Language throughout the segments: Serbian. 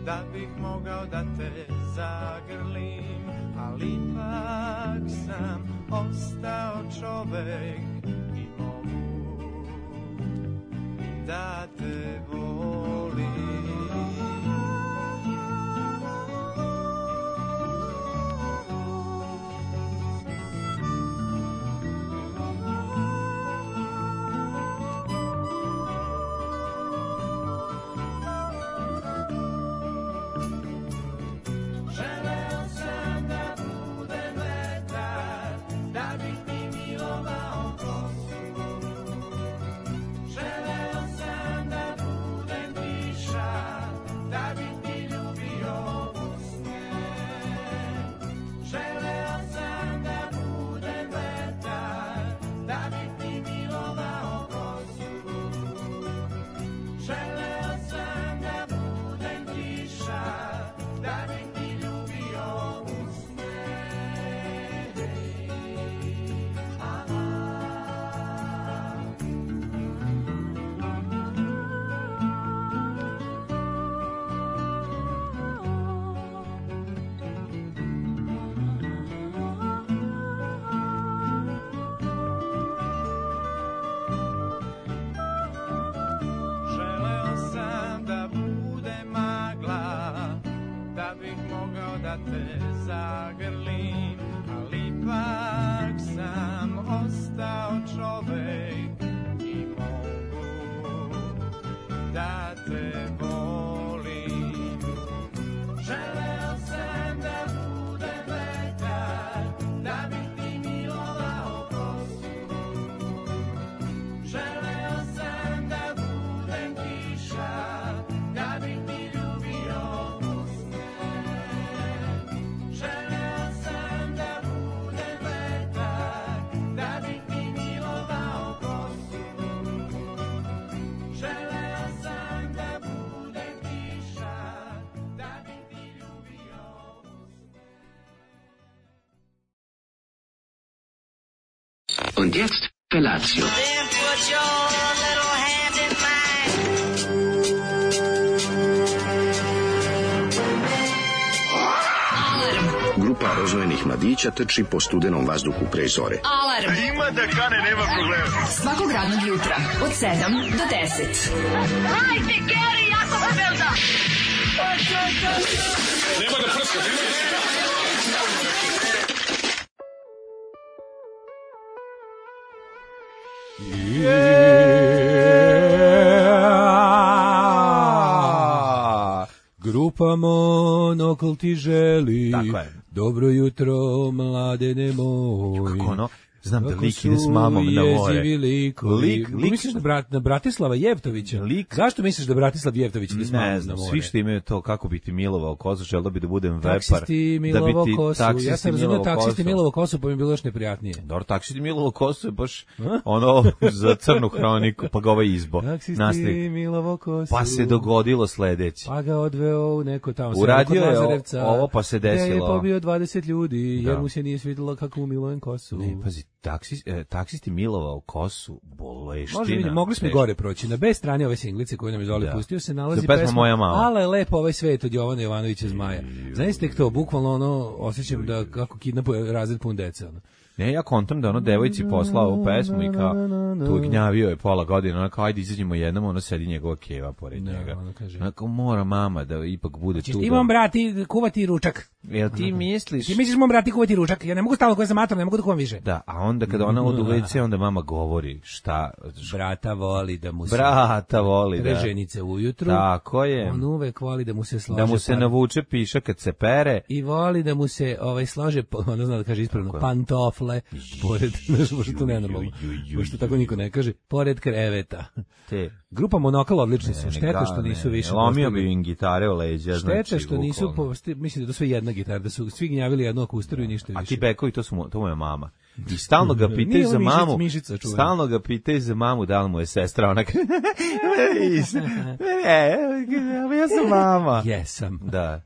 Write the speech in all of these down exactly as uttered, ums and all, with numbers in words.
da bih mogao da te zagrlim, ali ipak sam ostao čovek i mogu da te volim. Te zagrlim, ali ipak sam ostao čovek i mogu da te volim. Želeo sam da budem vetar, da bih ti milovao kosu. Želeo sam da budem kiša, da bih ti ljubio usne. Želeo sam da budem vetar, da bih ti milovao kosu. Želeo sam da budem kiša, da bih ti ljubio usne. Und jetzt Felatio. Then put your little hand in mine. Grupa rozvojenih mladića trči po studenom vazduhu pre zore. Alarm. Ima da kane, nema problema. Svakog radnog jutra od sedam do deset. Hajde, Geri, jako se velda. Nema da prska, nema da prska. Yeah. Grupa Monokl ti želi. Tako je. Dobro jutro, mladene moj. Kako ono? Znam da Kako lik ide s mamom na more. jezivi likovi. Lik, lik- Misliš na, brat, na Bratislava Jevtovića? Lik- Zašto misliš da Bratislav Jevtović ide s mamom Ne na znam, more? svi što imaju to kako bi ti milovao kosu, želeo bi da budem vepar. Taksisti da bi milovao ti kosu. taksisti Ja sam razumio milovao taksisti kosu. milovao kosu, pa mi je bilo još neprijatnije. Dobro, taksisti milovao kosu je baš ono za crnu hroniku, pa ga ovaj izbo. Taksisti Nastavnik. milovao kosu. Pa se dogodilo sledeće. Pa ga odveo u neko tamo Uradio selo kod je o- Lazarevca, ovo, pa se gde je desilo. pobio dvadeset ljudi, jer Da. mu se nije svidjelo kako umilujem kosu. Ne, pazi, taksis, e, taksisti milovao kosu, boleština. Može vidjeti, mogli smo i teško. gore proći. Na B strani ove singlice koju nam je Zoli Da. pustio se To nalazi je pesma Moja mama. Ale je lepo ovaj svet od Jovana Jovanovića Zmaja. Znaš tek to, bukvalno ono, osjećam da kako kidnapuje razred pun dece. Ono. Ne, ja kontam da ono devojci poslao ovu pesmu i kao tu gnjavio je pola godine, ona kao ajde izađemo jednom, ono sedi njegova keva pored Da, njega. ona kaže. Ona kao mora mama da ipak bude Češ tu. ti da- mom brati kuvati ručak. Jel ti misliš? Ti misliš mom brati kuvati ručak? Ja ne mogu stalno koja sam mator, ne mogu da kuvam više. Da, a onda kada ona od u ve ce, onda mama govori šta... Brata voli da mu se Brata voli, da. reženice ujutru. Tako je. On uvek voli da mu se slože Da mu se pan- navuče piša kad se pere. i voli da mu se ovaj slože, ona zna da kaže ispravno, Tako je. pantofle, pored, znaš, možda to nenormalno, Ju, ju, ju, možda tako niko ne kaže, pored kreveta. Te. Grupa Monokl odlični su, Ne, šteta ga- što nisu ne, više Lomio postali- bi im gitare u leđa, Šteta znači, što nisu, bukvalno. posti- mislim da je to sve jedna gitara, da su svi gnjavili jednu akustiru i ništa više. A ti bekovi, to su mo, to mu je mama. I stalno ga pitaju Nije za mišic, mamu. mišica čuvena. Stalno ga pitaju za mamu, da li mu je sestra, ona kaže, e, ja sam mama. Jesam. Da,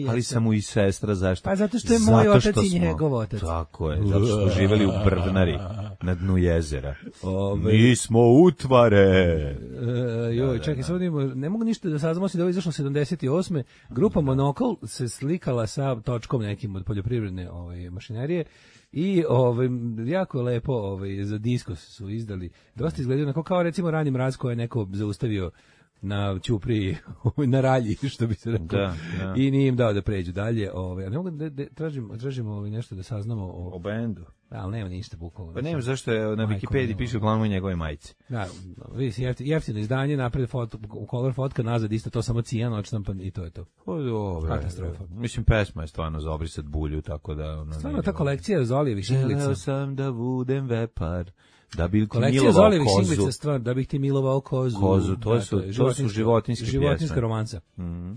ali sam mu i sestra, zašto? Pa zato što je moj Zato otac što i smo- njegov otac. Tako je, zato što smo živeli u Brvnari, na dnu jezera. Ove- Mi smo utvare. E, joj, čekaj, samo da imamo, ne mogu ništa da saznamo si da ovo je izašlo sedamdeset osme. Grupa Monokl se slikala sa točkom nekim od poljoprivredne ovaj, mašinerije i ovaj, jako je lepo ovaj, za disko su izdali. Dosta izgledaju onako kao recimo Rani mraz koje je neko zaustavio na ćupriji, na ralji, što bi se rekao. Da, da. I nije im dao da pređu dalje. Ovaj, a ne mogu da, da tražim, tražimo ovaj, nešto da saznamo o... O bendu. Ali nema ništa bukvalno. Pa nema zašto je na Majko Wikipediji mila. piše uglavnom o njegove majici. Da, vidi se jefti- jeftino izdanje, napred foto, color fotka, nazad isto to samo cijan, odštampan i to je to. Pa dobro. Katastrofa. Mislim, pesma je stvarno za obrisat bulju, tako da... Ono, Stvarno nije ta dobro. kolekcija Zolijevih šinglica. Želeo sam da budem vepar, da bi ti Kolekcija milovao Zolijevih kozu. šinglica stvar, da bih ti milovao kozu. Kozu, to Da, su- je to su životinjske životinjska pjesme. romanca. Mhm.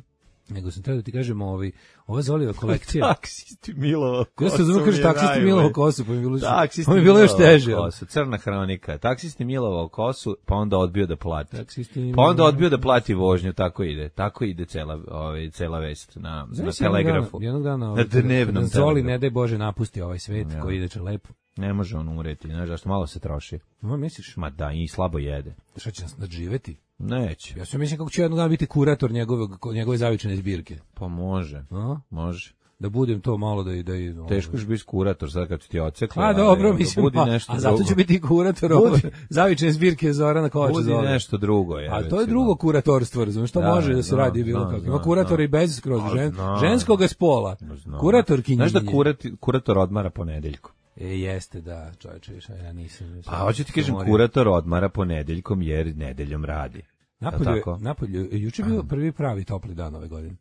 Nego sam trebao da ti kažem, ovi, ova Zolijeva kolekcija. Taksisti milovao kosu. Ja sam zvuk kažeš mi je taksisti najbolje. milovao kosu, pa mi je bilo, Taksisti pa mi je bilo još milovao teže. kosu, crna hronika. Taksisti milovao kosu, pa onda odbio da plati. Taksisti Pa onda milovao odbio da plati vožnju, tako ide. Tako ide cela, ovaj, cela vest na, na Znaš, jednog telegrafu. dana- Jednog dana, Na ovaj, kada- dnevnom kada Zoli, telegrafu. ne daj Bože, napusti ovaj svet Ja. koji ide će lepo. Ne može on umreti, znaš zašto, malo se troši. Ma misliš, Ma da, i slabo jede. šta će nas nadživeti? Neće. Ja sam mislim kako ću jednog dana biti kurator njegovog, njegove zavičane zbirke. Pa može, A? može. Da budem to malo da i da i Teško ćeš biti kurator sad kad su ti ocekli. A dobro, mislim, budi pa, nešto a zato drugo. ću biti i kurator Budi- ove zavične zbirke Zorana Kovača Budi zove. nešto drugo. Je, A to je drugo kuratorstvo, razumiješ, to Da, može da se znam, radi bilo znam, kako. Ima znam, kuratora znam. i bez skroz A, žen, znam. ženskoga spola. Znam. Kuratorkinje. Znaš da kurati, kurator odmara ponedeljkom? E, jeste, da, čovječe, više, ja nisam. Pa hoću ti kažem, Moram. kurator odmara ponedeljkom jer nedeljom radi. Napolju, je- tako? napolju, je juče bio prvi pravi topli dan ove godine.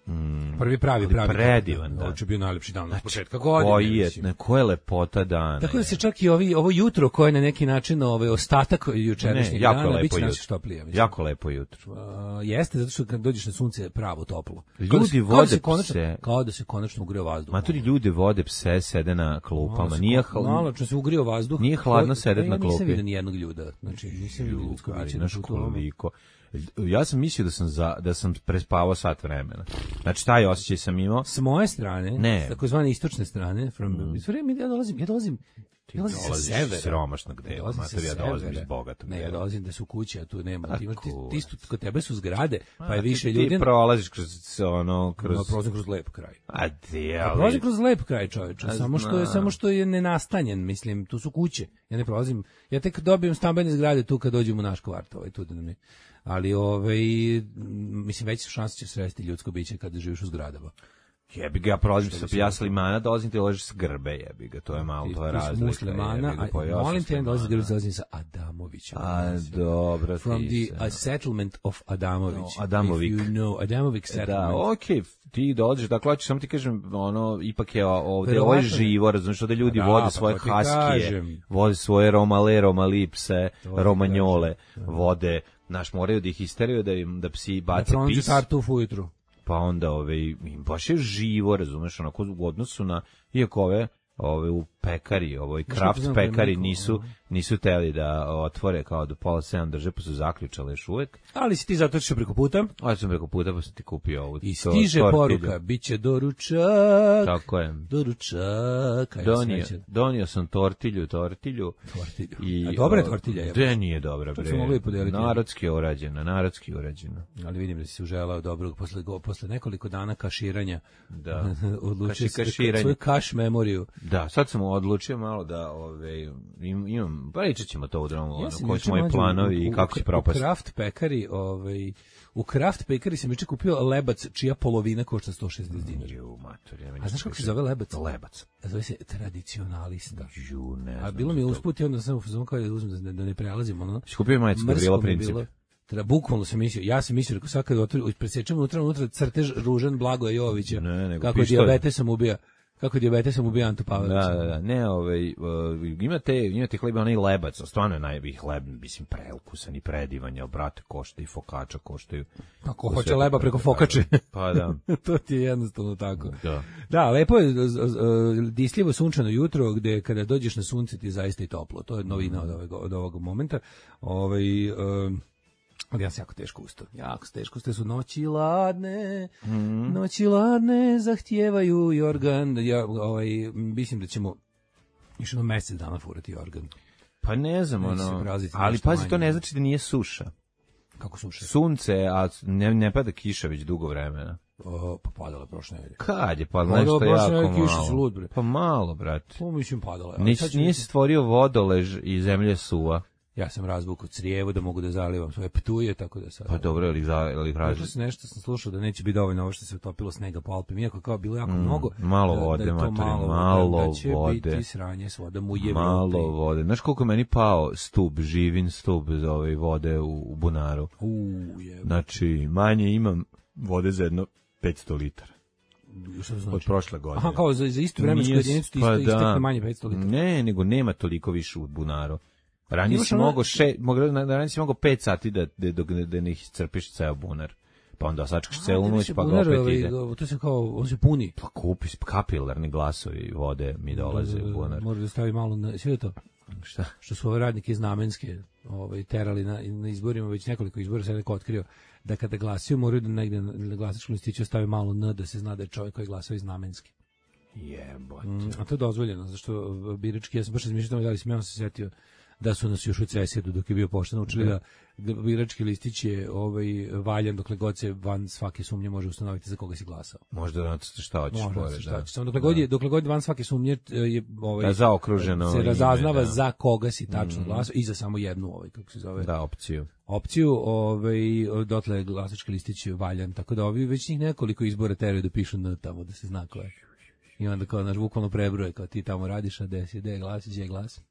Mm, Prvi pravi, ali pravi. predivan dan. dan. Juče je bio najlepši dan od početka godine. Koji je, mislim. ne, koja je lepota dana. Tako da se je. čak i ovi, ovo jutro koje je na neki način ovaj ostatak jučerašnjeg Ne, jako dana, lepo bit će jutro. naše štoplije. mislim. Jako lepo jutro. Uh, jeste, zato što kad dođeš na sunce je pravo toplo. Ljudi Kao da se- kao da vode se konačno, pse. Kao da se konačno ugrio vazduh. Maturi ljudi vode pse, sede na klupama. Malo se- Nije, malo hl... što se ugrio vazduh. Nije hladno To- sedet ja na nisam klupi. vidio ni jednog ljuda. Znači, nisam vidio ljudsko Ali, biće na znaš putu. koliko. Ja sam mislio da sam, za, da sam prespavao sat vremena. Znači, taj osjećaj sam imao. S moje strane, Ne. s takozvane istočne strane, from, mm. ja dolazim, ja dolazim, ja dolazim sa dolaziš iz severa. siromašnog Ja dela, dolazim sa mater, ja dolazim severa. iz bogatog Ne, ja dela. dolazim da su kuće, a tu nema. A Ti, imaš- ti, kurac. ti, isto- kod tebe su zgrade, pa je A, više ti, ljudi. Ti prolaziš kroz ono, kroz... No, prolazim kroz lep kraj. A ti, Ja ali... prolazim kroz lep kraj, čoveče, A samo što je znam. samo što je nenastanjen, mislim, tu su kuće. Ja ne prolazim. Ja tek dobijem stambene zgrade tu kad dođem u naš kvart, ovaj tu da nam je. Ali ovaj mislim veće su šanse će sresti ljudsko biće kada živiš u zgradama. Jebi ga, ja prolazim Što sa bi se ja rekao? s Limana, dolazim ti dolaziš s Grbe, jebi ga, to je malo, to je Ti si razlika. muslimana, jebi ga, pa a ja sam molim te da s dolazim Limana. dolazim sa Adamovićem. A, dobro, From ti the se- uh, settlement of Adamović. No, Adamovik. If you know, Adamovic settlement. Da, okej, ti dolaziš, dakle, hoćeš samo ti kažem, ono, ipak je ovde, Verovatno ovo je ne. živo, razumiješ, ovde ljudi Da, vode pa svoje to ti haskije, kažem. vode svoje romale, romalipse, To ti romanjole, vode, naš, moraju da ih isteraju, da im, da psi Da bace pronađu pis, tartuf ujutru. pa onda, ove, im baš je živo, razumeš, onako, u odnosu na, iako ove, ove u pekari, ovoj Znaš kraft kako znam da je pekari Miko, nisu, aha. nisu teli da otvore kao do pola sedam drže, pa su zaključale još uvek. Ali si ti zato što preko puta. Ovo sam preko puta, pa sam ti kupio ovu. I to- stiže tortilju. poruka, bit će doručak. Tako je. Doručak. Ajde, Donio, srećan. donio sam tortilju, tortilju. Tortilju. I, A dobra je o, tortilja, je. Gde nije dobra, To bre? smo mogli podeliti. Narodski je urađena, narodski je urađena. Ali vidim da si se uželao dobrog posle, go- posle nekoliko dana kaširanja. Da. Odlučio Kaši- si da kaširanje. svoju kaš memoriju. Da, sad sam odlučio malo da, ove, im, imam, pričat ćemo to u dromu, ono, sam koji juče su moji mlađe planovi u- i u- kako će U propasti. Kraft pekari, ovaj, u Kraft pekari sam juče kupio lebac čija polovina košta sto šezdeset dinara. Ju, mater, ja A znaš kako se zove lebac? Lebac. Zove se tradicionalista. Ju, ne A znam bilo mi za to. usput i onda sam u fazonu kao da uzmem da, da ne prelazim ono. Si kupio majicu kad je bilo Mrsko mi je princip? bilo. Treba bukvalno sam mislio, ja sam mislio, rekao sad kad otvori, presečem unutra, unutra crtež Ružan Blagoja Jovića, Ne, nego kako pištolj. dijabetesom ubija. kako dijabetesom ubija Antu Pavelića. Da, da, da, ne, ovaj, uh, imate, imate hleba, onaj lebac, stvarno je najbolji hleb, mislim, preukusan i predivan, jel, brate, košta i fokača, koštaju. Ako hoće leba preko fokače. Pa da. To ti je jednostavno tako. Da. Da, lepo je disljivo sunčano jutro, gde kada dođeš na sunce ti je zaista i toplo. To je novina od ovog, od ovog momenta. Ovaj... Um, ali ja sam jako teško ustao. Jako teško ustao su noći ladne, mm. noći ladne zahtijevaju i organ. Ja, ovaj, mislim da ćemo još jedno mesec dana furati organ. Pa ne znam, ono, ali pazi, to ne znači da nije suša. Kako suša? Sunce, a ne, ne pada kiša već dugo vremena. O, pa padala prošle nedelje. Kad je padala? Nešto jako malo. Lud, bre. Pa malo, brate. Pa mislim padala. Nis, nije se stvorio vodolež i zemlje suva. Ja sam razvukao crijevo da mogu da zalivam svoje ptuje, tako da sad... Pa dobro, ali ali razli. Sam nešto sam slušao da neće biti dovoljno ovo što se utopilo snega po Alpima, iako kao bilo jako mm, mnogo. Malo vode, da, da maturi, malo, malo da će vode. biti sranje s vodom u Evropi. Malo vode. Znaš koliko meni pao stub, živin stub za ove vode u, u bunaru? U, je. Znači, manje imam vode za jedno petsto litara. Šta znači? Od prošle godine. Aha, kao za, za istu vremensku jedinicu ti pa istekne da. manje petsto litara. Ne, nego nema toliko više u bunaru. Ranije si mogao še, ranije si mogao pet sati da da da, da ne iscrpiš ceo bunar. Pa onda sačekaš celu noć pa ga opet ide. To se kao on se puni. Pa kupiš kapilarni glasovi vode mi dolaze u bunar. Može da stavi malo na sve to. Šta? Što su ove radnike iz Namenske ovaj terali na, na izborima, već nekoliko izbora se neko otkrio da kada glasaju moraju da negde na glasačkom listiću stavi malo n da se zna da je čovjek koji glasao iz Namenske. Jebote. Mm, a to je dozvoljeno, zašto birački, ja sam baš razmišljao da li sam ja se setio da su nas još u cesijedu dok je bio pošten učili da, da birački listić je ovaj, valjan dokle god se van svake sumnje može ustanoviti za koga si glasao. Možda da šta hoćeš pored, šta hoćeš. Samo dokle god je, dokle god van svake sumnje je ovaj, da zaokruženo se razaznava ime, da. za koga si tačno mm. glasao i za samo jednu ovaj, kako se zove. Da, opciju. Opciju, ovaj, dotle je glasački listić valjan, tako da ovi već njih nekoliko izbora teraju da pišu n tamo, da se zna ko je. I onda kao naš bukvalno prebroje, kao ti tamo radiš, a gde si, gde je glas, gde je glas.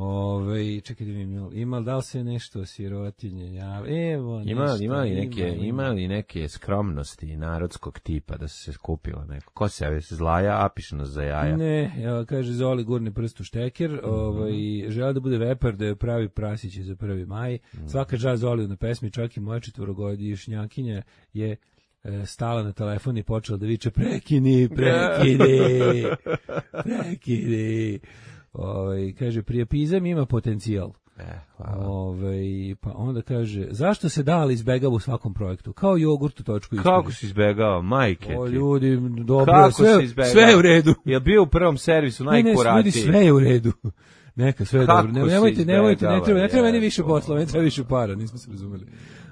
Ove, čekaj da vidim, ima da li se nešto sirotinje, ja, evo, ima, nešto, ima li neke, ima, ima li neke skromnosti narodskog tipa da se skupila neko, ko se javi se zlaja, apišno za jaja. Ne, ja, kaže Zoli gurni prst u šteker, mm-hmm. ovaj, žela da bude vepar, da je pravi prasić za prvi maj, mm-hmm. svaka čast Zoli na pesmi, čak i moja četvorogodišnjakinja je e, stala na telefon i počela da viče prekini, prekini, prekini. Ovaj kaže prijepizam ima potencijal. E, hvala. Ovaj pa onda kaže zašto se dali izbegava u svakom projektu? Kao jogurt u točku istorije. Kako se izbegava, majke? O ljudi, dobro, kako sve, sve je u redu. Je bio u prvom servisu najkuratiji. Ne, sve je u redu. Neka sve je dobro. Ne, nemojte, nemojte, ne treba, ne treba meni više posla, ne treba više para, nismo se razumeli.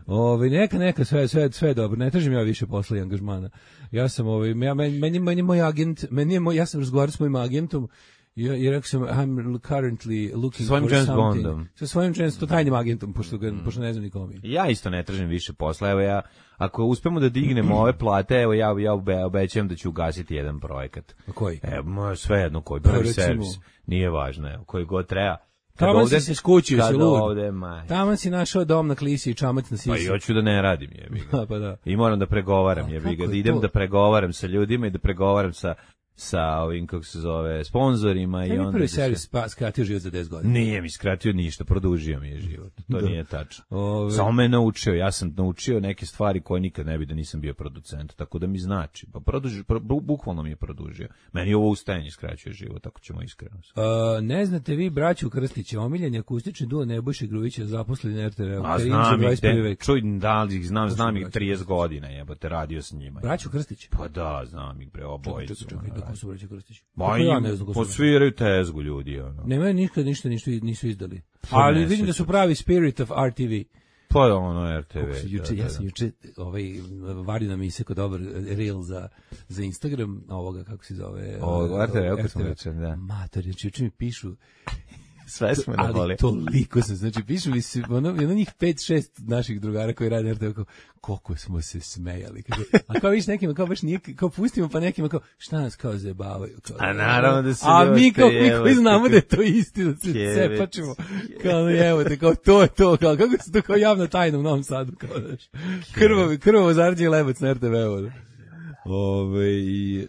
Ovaj neka neka sve sve sve dobro. Ne tražim ja više posla i angažmana. Ja sam ovaj ja meni meni moj agent, meni moj ja sam razgovarao s mojim agentom. Ja, I rekao sam, I'm currently looking svojim for James something. Bondom. Sa svojim James, to tajnim agentom, pošto, ga, mm. pošto ne znam nikom. Ja isto ne tražim više posla. Evo ja, ako uspemo da dignemo ove plate, evo ja, ja obećajem da ću ugasiti jedan projekat. A koji? Evo, sve jedno koji, prvi servis. Nije važno, evo, koji god treba. Tamo si se skućio, si lud. Ovde, Tamo si našao dom na klisi i čamac na sisi. Pa i hoću da ne radim, jebi ga. Pa da. I moram da pregovaram, jebi ga. Da idem to? Da pregovaram sa ljudima i da pregovaram sa sa ovim, kako se zove, sponzorima. I onda prvi servis se... pa skratio život za deset godina. Nije mi skratio ništa, produžio mi je život. To da. Nije tačno. Ove... Samo me naučio, ja sam naučio neke stvari koje nikad ne bi da nisam bio producent, tako da mi znači. Pa produži, pro, bukvalno mi je produžio. Meni ovo ustajanje skraćuje život, tako ćemo iskreno. Uh, ne znate vi, braću Krstića, omiljeni akustični duo Nebojše Grujića zaposleni na er te ve. A znam ih, de, čuj, da li ih znam, znam ih trideset godina, jebote, radio s njima. Braću Krstić? Pa da, znam ih, bre, obojicu. Ko su braća Krstić? Ma ja ne znam ko su. Posviraju tezgu ljudi, ono. Nemaju nikad ništa ništa nisu izdali. Ali vidim da su pravi Spirit of er te ve. Pa ono er te ve. Juče ja sam juče ovaj vario nam iseko dobar reel za za Instagram ovoga kako se zove. O er te ve, kako se reče, da. Mater, juče mi pišu sve smo na boli. Ali toliko se, znači pišu mi se, ono, ono njih pet šest naših drugara koji rade er te ve, kao, koliko smo se smejali. Kaže, a kao viš nekima, kao baš nije, kao pustimo pa nekima, kao, šta nas kao zajebavaju. Kao, a naravno da se a mi kao mi koji znamo da je to istina, da se cepačimo. Kao, evo te, kao, to je to, kao, kako se to kao javna tajna u Novom Sadu, kao, znaš, krvavo, krvavo zarđe lebac na er te ve. Ove, i, e,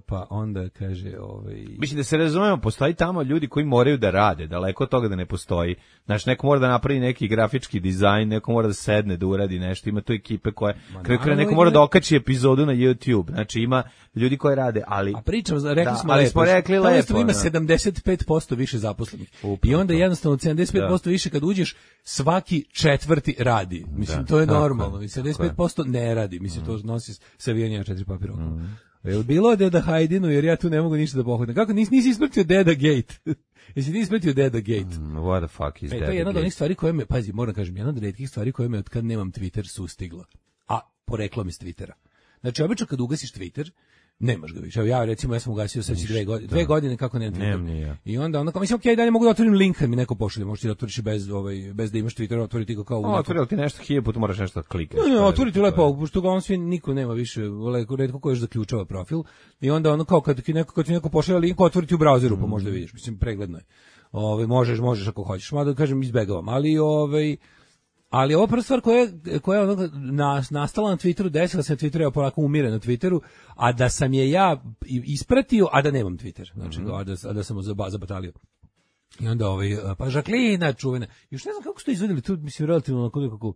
pa onda kaže... Ove, Mislim da se razumemo, postoji tamo ljudi koji moraju da rade, daleko od toga da ne postoji. Znači, neko mora da napravi neki grafički dizajn, neko mora da sedne, da uradi nešto, ima tu ekipe koje... Kraju kraja neko mora da okači epizodu na YouTube, znači ima ljudi koji rade, ali... A pričam, rekli da, smo ali lepo, smo rekli tamo lepo, ima da. sedamdeset pet posto više zaposlenih. Upravo I onda to. jednostavno sedamdeset pet posto Da. više kad uđeš, svaki četvrti radi. Mislim, Da, to je tako normalno. je, sedamdeset tako pet posto ne radi. Mislim, to nosi savijanje četiri papira okolo. Jel bilo Deda Hajdinu, jer ja tu ne mogu ništa da pohvatam. Kako nisi, nisi ispratio Deda Gate? Jesi ti ispratio Deda Gate? Mm, what the fuck is E, that? to je jedna od onih stvari koje me, pazi, moram kažem, jedna od retkih stvari koje me od kad nemam Twitter sustigla. A poreklo mi s Twittera. Znači, obično kad ugasiš Twitter, nemaš ga više. Evo ja recimo ja sam ugasio sad dve godine, dve godine kako nemam Twitter. Nemam ni ja. I onda onda kao mislim okej, dalje mogu da otvorim link kad mi neko pošalje, možeš ti da otvoriš bez ovaj bez da imaš Twitter, otvoriti ga kao u O, nekom- otvorili ti nešto hiljadu puta, moraš nešto da klikneš. Ne, ne, To je- otvoriti to je- lepo, pošto ga on svi niko nema više, leko retko ko još zaključava profil. I onda ono kao kad ti neko kad ti neko pošalje link, otvoriti u brauzeru, pa možda vidiš, mislim pregledno je. Ovaj možeš, možeš ako hoćeš, mada kažem izbegavam, ali ovaj ali ova prva stvar koja je, koja je ono na, nastala na Twitteru, desila se na Twitteru, ja polako umire na Twitteru, a da sam je ja ispratio, a da nemam Twitter, znači a da, a da sam zaba, zabatalio. I onda ovaj, pa Žaklina čuvena, još ne znam kako su to izvedeli, tu mislim relativno onako nekako,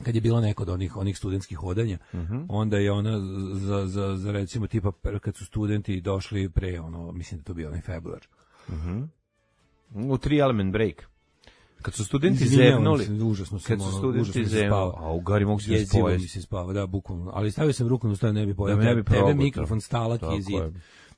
kad je bilo neko od onih onih studentskih hodanja, Mhm. onda je ona za, za, za recimo tipa kad su studenti došli pre ono, mislim da to bio onaj februar. U tri element break. Kad su studenti Izvinjavam zevnuli, se, užasno sam, kad su ono, studenti užasno mi se zevnuli, spava. a u gari mogu se Jezivo mi spojiti. se spava, da, bukvalno. Ali stavio sam ruku na stoj, ne bi pojao. Da me ne bi Tebe progutao. mikrofon stalak Tako i zid. je.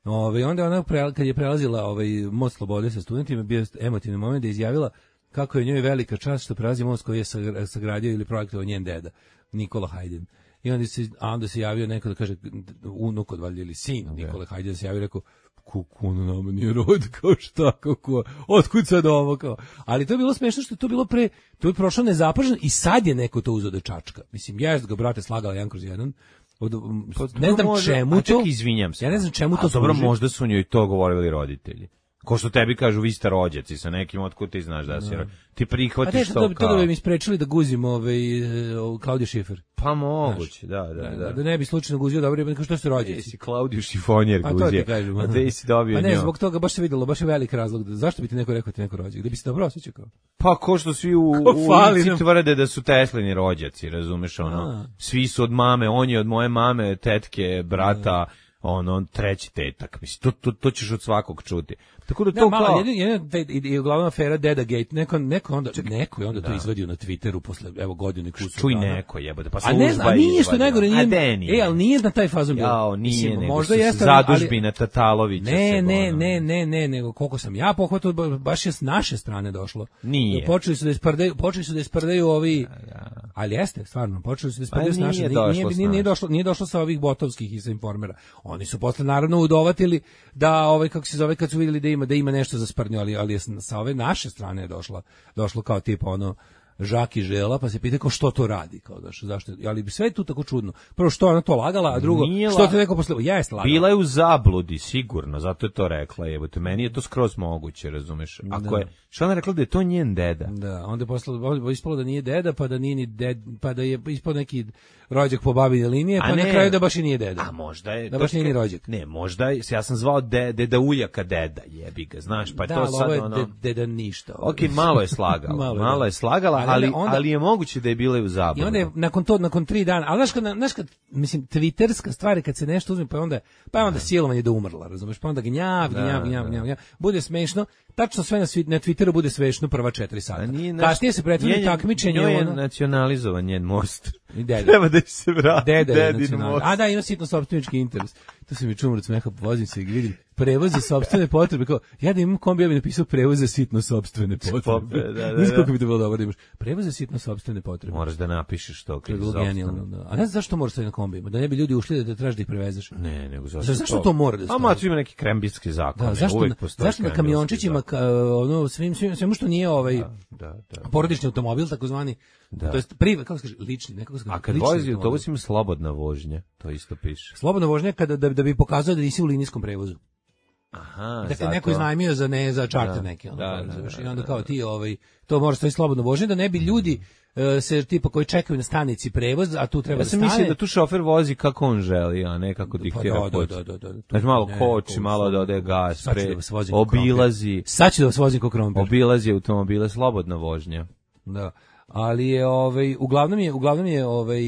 Ove, onda ona, pre, kad je prelazila ovaj most slobode sa studentima, bio je emotivni moment da je izjavila kako je njoj velika čast što prelazi most koji je sagra- sagradio ili projektovao njen deda, Nikola Hajdin. I onda se, a onda se javio neko da kaže, unuk od valjda ili sin Nikola Hajdin, da se javio i rekao, kuku, ono nama nije rod, kao šta, kako, otkud sad ovo, kao. Ali to je bilo smešno što je to bilo pre, to je prošlo nezapaženo i sad je neko to uzeo da čačka. Mislim, ja ga, brate, slagala jedan kroz jedan. Od, ne znam Možda- čemu a to. čekaj, izvinjam se. Ja ne znam čemu A to dobro, služi. možda su njoj to govorili roditelji. Ko što tebi kažu, vi ste rođaci sa nekim, otkud ti znaš da si rođac. Ti A prihvatiš te, to to, to kao... da bi mi sprečili da guzim ovaj, uh, Klaudiju Šifer. Pa moguće, da, da, Da, da. da ne bi slučajno guzio, dobro, jer što su Ti rođaci. si Klaudiju Šifonjer Pa to guzio. ti kažem. A te si dobio Pa ne, njo. zbog toga baš se videlo, baš je velik razlog. Da, zašto bi ti neko rekao ti neko rođak? Da bi se dobro osjećao kao. Pa ko što svi u, Ko u fali Inci nam. tvrde da su Teslini rođaci, razumeš, ono. A. Svi su od mame, on je od moje mame, tetke, brata, ono, treći tetak. Mislim, to, to, to ćeš od svakog čuti. Tako da to Ne, malo, kao... jedan, jedan, taj, i, i uglavnom afera Deda Gate, neko, neko, onda, neko je onda to izvadio na Twitteru posle, evo, godine kusu. Čuj dana. neko jebote, pa A služba ne znam, a nije što izvadio. najgore, nije, A de nije. e, ali nije na taj fazon bilo. Jao, nije, Mislim, nego možda su jeste, zadužbina Tatalovića. Ne, se, ne, ono. ne, ne, ne, nego koliko sam ja pohvatao, ba- baš je s naše strane došlo. Nije. Počeli su da isprdaju, počeli su da isprdaju ovi, ali jeste, stvarno, počeli su da isprdaju s nije naše, nije, došlo nije, s nije, nije naše. došlo, nije došlo sa ovih botovskih i sa informera. Oni su posle naravno udovatili da ovaj kako se zove kad su vidjeli da ima da ima nešto za sprdnju, ali ali je s- sa ove naše strane je došlo, došlo kao tipa ono Žaki Žela, pa se pita kao što to radi, kao da što, zašto, ali sve je tu tako čudno. Prvo što je ona to lagala, a drugo Nije što la- te neko posle, jeste lagala. Bila je u zabludi, sigurno, zato je to rekla, jebote, meni je to skroz moguće, razumeš? Ako je, što ona rekla da je to njen deda? Da, onda je posle ispalo da nije deda, pa da nije ni ded, pa da je ispao neki rođak po babine linije, A pa ne. na kraju da baš i nije deda. A možda je... Da baš to nije ni što- rođak. Ne, možda je, ja sam zvao de, deda Uljaka deda, jebi ga, znaš, pa je da, to ali sad ovo je ono... de- deda ništa. ovo. Ok, malo je slagala, Malo malo, je, je, da. slagala, Ali ali, onda- ali je moguće da je bila i u zabludi. I onda je nakon to, nakon tri dana, ali znaš kad, znaš kad, mislim, twitterska stvar je kad se nešto uzme, pa je onda, pa je onda silovanje da umrla, razumeš, pa onda gnjav, gnjav, gnjav, gnjav, gnjav, bude smešno, tačno sve na, svi- na Twitteru bude smešno prva četiri sata. A nije naš- Kasnije se pretvori njen- takmičenje, njoj je ono, nacionalizovan njen most. i deda. Treba da se vrati Deda je dedin nacionalni. most. A da, ima sitno sopstvenički interes. To se mi čumro od smeha, vozim se i vidim. Prevoz za sopstvene potrebe. Kao, ja da imam kombi, ja bih napisao prevoz za sitno sopstvene potrebe. Pope, da, da, Znaš da. kako bi to bilo dobro da imaš. Prevoz za sitno sopstvene potrebe. Moraš da napišeš to. To je kad bilo je genijalno. sopstveno. Da. A ne znam zašto moraš staviti na kombijima? Da ne bi ljudi ušli da te traži da ih prevezeš. Ne, nego zašto, Zašto- zašto to mora da A stoji? ma, tu ima neki krembitski zakon. Da, zašto, uvek na, postoji zašto na krembitski kamiončićima, zakon. ka, ono, svim, svim, svemu što nije ovaj Da, da. porodični automobil, takozvani, Da. to jest priva, kako se kaže, lični, nekako se kaže, A kad lični vozi automobil. autobus ima slobodna vožnja, to isto piše. Slobodna vožnja kada da, da bi pokazao da nisi u linijskom prevozu. Aha, Dakle, zato. neko iznajmio za ne za čarter Da, neki, ono, da, kao, da, razumeš, da, i onda da, kao da. ti, ovaj, to može stoji slobodno vožnje, da ne bi ljudi e, se tipa koji čekaju na stanici prevoz, a tu treba Ja da sam stane. mislio da tu šofer vozi kako on želi, a ne kako Pa diktira da, put. da, da, da, da. Znači malo Ne, koči, ko- malo da ode gas, Sad ću pre, da vas vozim ko krompir. obilazi, Sad ću da vas vozim ko krompir. obilazi automobile, slobodna vožnja. Da. Ali je ovaj uglavnom je uglavnom je ovaj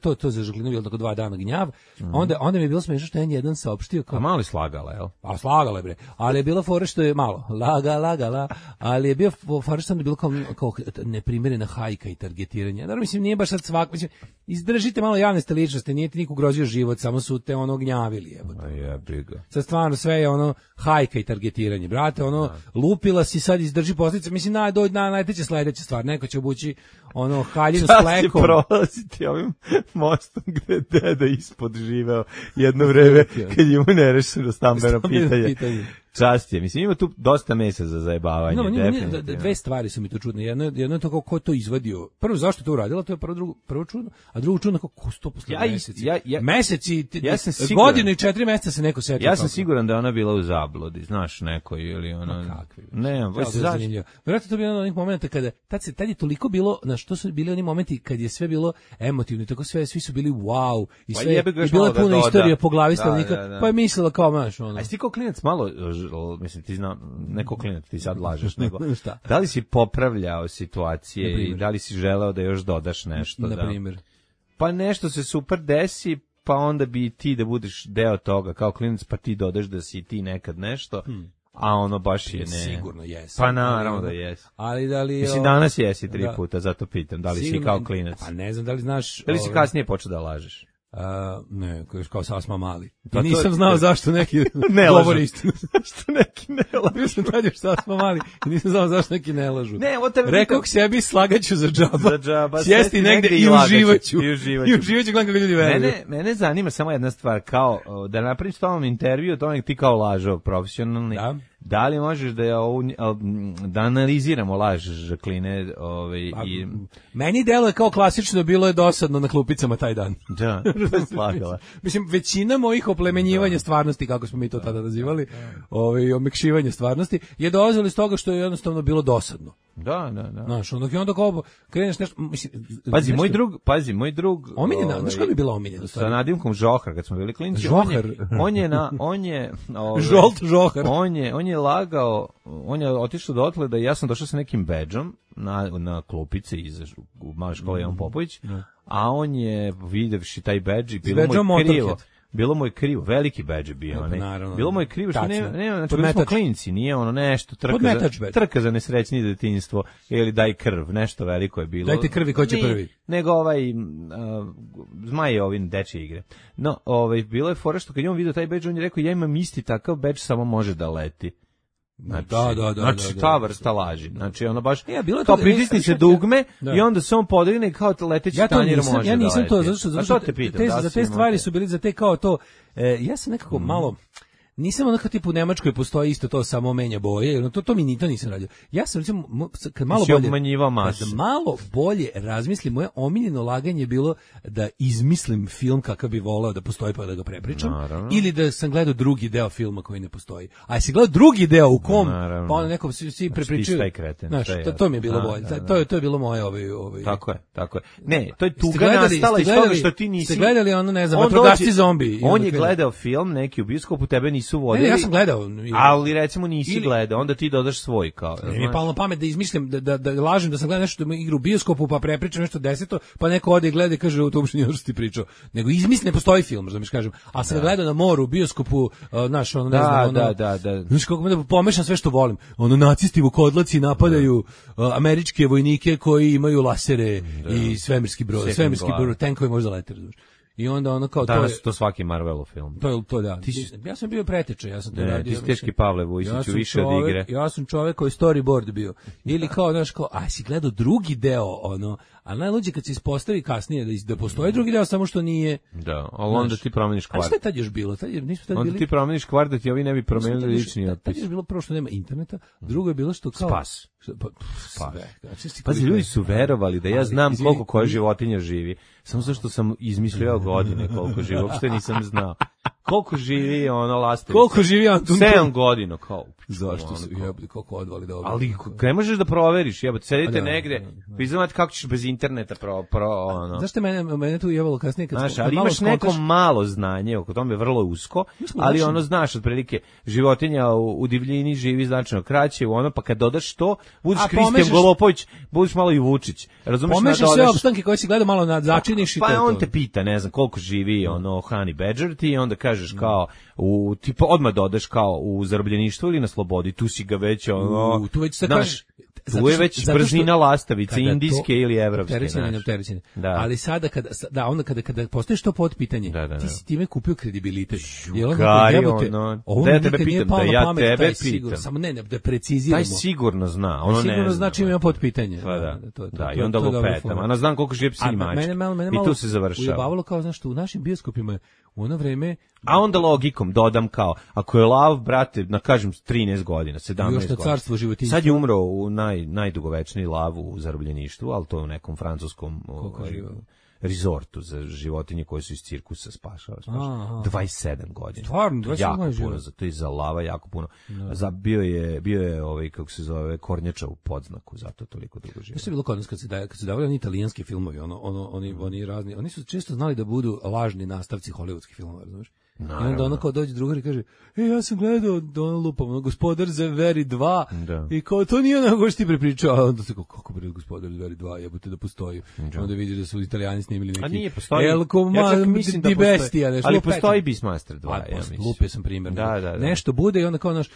to to za Žaklinu bilo tako dva dana gnjav. Onda onda mi je bilo smešno što je jedan saopštio A kao malo je slagala, jel? a slagala je bre. Ali je bilo fora što je malo laga lagala, ali je bio fora što je bilo kao kao neprimerena hajka i targetiranje. Naravno mislim nije baš sad svak, mislim izdržite malo javne ste ličnosti, nije ti niko ugrozio život, samo su te ono gnjavili, jebote. A jebi ga. Sad stvarno sve je ono hajka i targetiranje. Brate, ono lupila si, sad izdrži posljedice. Mislim na do na najteće sledeća stvar. Neko će obući ono haljinu s Sad će plekom. prolaziti ovim mostom gde je deda ispod živeo jedno vreme kad je mu nerešeno stambeno Stambeno pitanje. pitanje. Čast je. Mislim, ima tu dosta mesa za zajebavanje. No, nije, nije, definitivno. dve stvari su mi tu čudne. Jedno, je- jedno je to kako ko je to izvadio. Prvo, zašto je to uradila, to je prvo, drugo, prvo čudno, a drugo čudno kako ko sto posle Ja i- meseci. ja- ja- meseci, ti- ja sam siguran- godinu i četiri meseca se neko setio. Ja sam kako. siguran da je ona bila u zabludi, znaš, neko ili ono... Ma kakvi. Ne, Evo, baš to je zašto? zanimljivo. Vjerojatno to je bio jedan od onih momenta kada tad se tad je toliko bilo, na što su bili oni momenti kad je sve bilo emotivno i tako sve svi su bili wow i Pa sve jebi ga i još bila malo je da puna doda. istorija po glavi Da, stanovnika, da, da. pa je mislila kao maš ono. A jesi ti kao klinac malo, ž- mislim, ti zna, neko klinac, ti sad lažeš, nego, Šta? da li si popravljao situacije Na primjer. i da li si želeo da još dodaš nešto? Na da? primjer. Pa nešto se super desi, pa onda bi ti da budeš deo toga, kao klinac, pa ti dodaš da si ti nekad nešto, a ono baš je ne. Sigurno jes. Pa naravno da jesi. Ali da li Mislim, danas jesi tri Da. puta, zato pitam, da li si Sigurno- kao klinac? Pa ne znam da li znaš. Da li si ovaj, kasnije počeo da lažeš? a, ne, kao, kao sasma mali. Pa I to- nisam znao zašto neki Ne govori lažu. istinu. Što neki ne lažu? Bio sam tad još sasma mali i nisam znao zašto neki ne lažu. Ne, ovo tebe Rekao pitam- sebi slagaću za džaba. Za džaba, Sjesti sesti negde negde i i lagaću. uživaću. I uživaću. I uživaću gledam kako ljudi veruju. Mene, mene zanima samo jedna stvar, kao o, da napravim s tomom intervju o tome ti kao lažov profesionalni. Da. Da li možeš da je ovu, da analiziramo laž Žakline, ovaj Pa, i Meni deluje kao klasično, bilo je dosadno na klupicama taj dan. da, slagala. Mislim, većina mojih oplemenjivanja stvarnosti, kako smo mi to tada nazivali, ovaj, omekšivanje stvarnosti, je dolazilo iz toga što je jednostavno bilo dosadno. Da, da, da. Znaš, onda, i onda kao kreneš nešto, mislim, Pazi, nešto- moj drug, pazi, moj drug. Omiljena, ovaj, znaš koja bi bila omiljena? Sa nadimkom Žohar, kad smo bili klinci. On je, Žohar. on je na, on je, ovaj, Žolt Žohar. On je, on je lagao, on je otišao dotle da ja sam došao sa nekim bedžom na, na klupice iz u male škole Jan Popović, a on je videvši taj bedž i bilo mu bedžom je krivo. Motorhead. Bilo mu je krivo, veliki bedž je bio, E, pa ne? naravno. Bilo mu je krivo što Tačno. nema, nema, znači bili smo Podmetač. klinci, nije ono nešto trka Podmetač za, bedž. trka za nesrećnije detinjstvo ili daj krv, nešto veliko je bilo. Dajte krvi, ko će Nije, prvi? Nego ovaj uh, zmaj je ovim dečje igre. No, ovaj bilo je fora što kad je on video taj bedž, on je rekao ja imam isti takav bedž, samo može da leti. Znači, Da, da, da, znači da, ta da. vrsta laži. Znači ono baš E, a bilo je kao to- pritisni ne, se sad- dugme da. i onda se on podigne kao leteći Ja to tanjir nisam, može ja da nisam to, leti. zato što, A zato to što te pitam, te, da za si te imao stvari te- su bili za te kao to, e, ja sam nekako malo, nisam onako tipu u Nemačkoj postoji isto to samo menja boje, ono, to, to mi ni to nisam radio. Ja sam recimo, mo- kad malo Si bolje, obmanjivao masu. kad malo bolje razmislim, moje omiljeno laganje je bilo da izmislim film kakav bi voleo da postoji pa da ga prepričam, Naravno. ili da sam gledao drugi deo filma koji ne postoji. A jesi gledao drugi deo u kom, Naravno. pa onda nekom svi, svi Znači, prepričaju. ti taj kreten, Znaš, sve je to, to mi je bilo jasno. bolje. Da, da, To je to je bilo moje ovaj ovaj. Tako je, tako je. Ne, to je Jeste tuga gledali- nastala jeste iz toga gledali- što ti nisi... Ste gledali ono, ne znam, On vatrogasci dođe- zombi. I On onda je krene. gledao film neki u bioskopu, tebe nisu Ne, vodili. ne, ja sam gledao. Ali recimo nisi Ili- gledao, onda ti dodaš svoj kao. Ne mi je znaš. palo na pamet da izmislim, da, da, da lažem da sam gledao nešto da igra u bioskopu, pa prepričam nešto deseto, pa neko ode i gleda i kaže, u to uopšte nije ono što ti pričao. Nego izmislim, ne postoji film, da mi kažem. A sam ga gledao na moru, u bioskopu, uh, naš, ono, ne Da, znam, ono, da, da, da. Znaš kako me da pomešam sve što volim. Ono, nacisti vukodlaci napadaju uh, američke vojnike koji imaju lasere i svemirski brod, Sekund svemirski glave. brod, tenkovi može da lete, razumiješ. I onda ono kao to Danas je, je to svaki Marvelov film. to je to da. Ti si- Ja sam bio preteča, ja sam to Ne, radio. ti si mislim. teški Pavle Vujsiću, sam više od čovek- igre. Ja sam čovek koji storyboard bio. Ili kao, znaš, kao, a si gledao drugi deo, ono, a najluđe kad se ispostavi kasnije da, is- da postoji drugi deo, samo što nije. Da, ali onda Znaš, ti promeniš A kvart. šta je tad još bilo? Tad je, nismo tad Onda bili... ti promeniš kvart da ti ovi ne bi promenili Tad još- lični tad- otpis. Tad je još bilo prvo što nema interneta, drugo je bilo što kao... Spas. Što- Pa, pff, sve. Znači, si Pazi, koliko ljudi je- su verovali da ja Ali, znam izvini, koliko koja životinja živi. Samo zato što sam izmišljao godine koliko živi. Uopšte nisam znao. Koliko živi ono lastovica? Koliko živi Antun? sedam godina, kao. Zašto ono, su kao- jebli, koliko odvali dobro. Ali ne možeš da proveriš, jebote, sedite A da, negde, da, da. vi znate kako ćeš bez interneta pro, pro ono. Zašto mene, mene tu jevalo kasnije kad Znaš, smo- kad ali malo imaš neko skontaš- malo znanje, oko tome je vrlo usko, smo ali znači- ono znaš otprilike, životinja u, u divljini živi značajno kraće, u ono, pa kad dodaš to, budeš A Kristijan pomešaš- Golopović, budeš malo i Vučić. Razumeš, Pomešaš nadodaš- sve opstanke koje si gledao malo na začiniš i to pa je on to. te pita, ne znam, koliko živi ono Honey Badger ti i onda kažeš kao, u, tipa odmah dodaš kao u zarobljeništvu ili na slobodi, tu si ga već ono, U, tu već sad znaš, kažeš, zato tu je što- već zato što- brzina lastavice, kada to- indijske ili evropske. opterećene, znaš. neopterećene. Da. Ali sada kada da onda kada kada postojiš to pod pitanje, Da, da, da. ti si time kupio kredibilitet. I onda Gari, jebote, ono, ovo da ja mi tebe nikad nije pitam, palo da na ja pamet, tebe taj sigurno, pitam. samo ne, ne da preciziramo. Taj sigurno zna, ono ne sigurno zna. znači ima pod pitanje. Pa da, to je to. da, to i je- onda to je dobra lupetam. fora. Ana znam koliko žive psi A i mačke. mene malo mene I malo tu se završava. ujebavalo kao znaš što u našim bioskopima u ono vreme A onda logikom dodam kao, ako je lav, brate, na kažem trinaest godina, sedamnaest Još na godina. carstvo životinjstva. Sad je umro u naj, najdugovečniji lav u zarobljeništvu, ali to je u nekom francuskom Koliko ovaj, živa? rezortu za životinje koje su iz cirkusa spašava. spašava. Aha. dvadeset sedam godina. Stvarno, dvadeset sedam jako godina puno, živa. za to je za lava jako puno. Za, bio je, bio je ovaj, kako se zove, kornjača u podznaku, zato toliko dugo živa. Što je bilo kod nas kad se daje, kad se davali oni italijanski filmovi, ono, ono, oni, oni razni, oni su često znali da budu lažni nastavci hollywoodskih filmova, razumiješ? I onda Naravno. ono kao dođe drugar i kaže, e, ja sam gledao, da ono lupam, ono, Gospodar Zveri dva, Da. i kao, to nije ono što ti prepričao, a onda se kao, kako bre, Gospodar Zveri dva, jebote da postoji. Onda vidiš da su italijani snimili neki, A nije, postoji. El Coma, Ja čak mislim da di postoji. Bestia, nešto. Ali lupetno. postoji Beastmaster dva, A, ja posle, mislim. lupio sam primjer. Da, da, da. Nešto bude i onda kao, naš,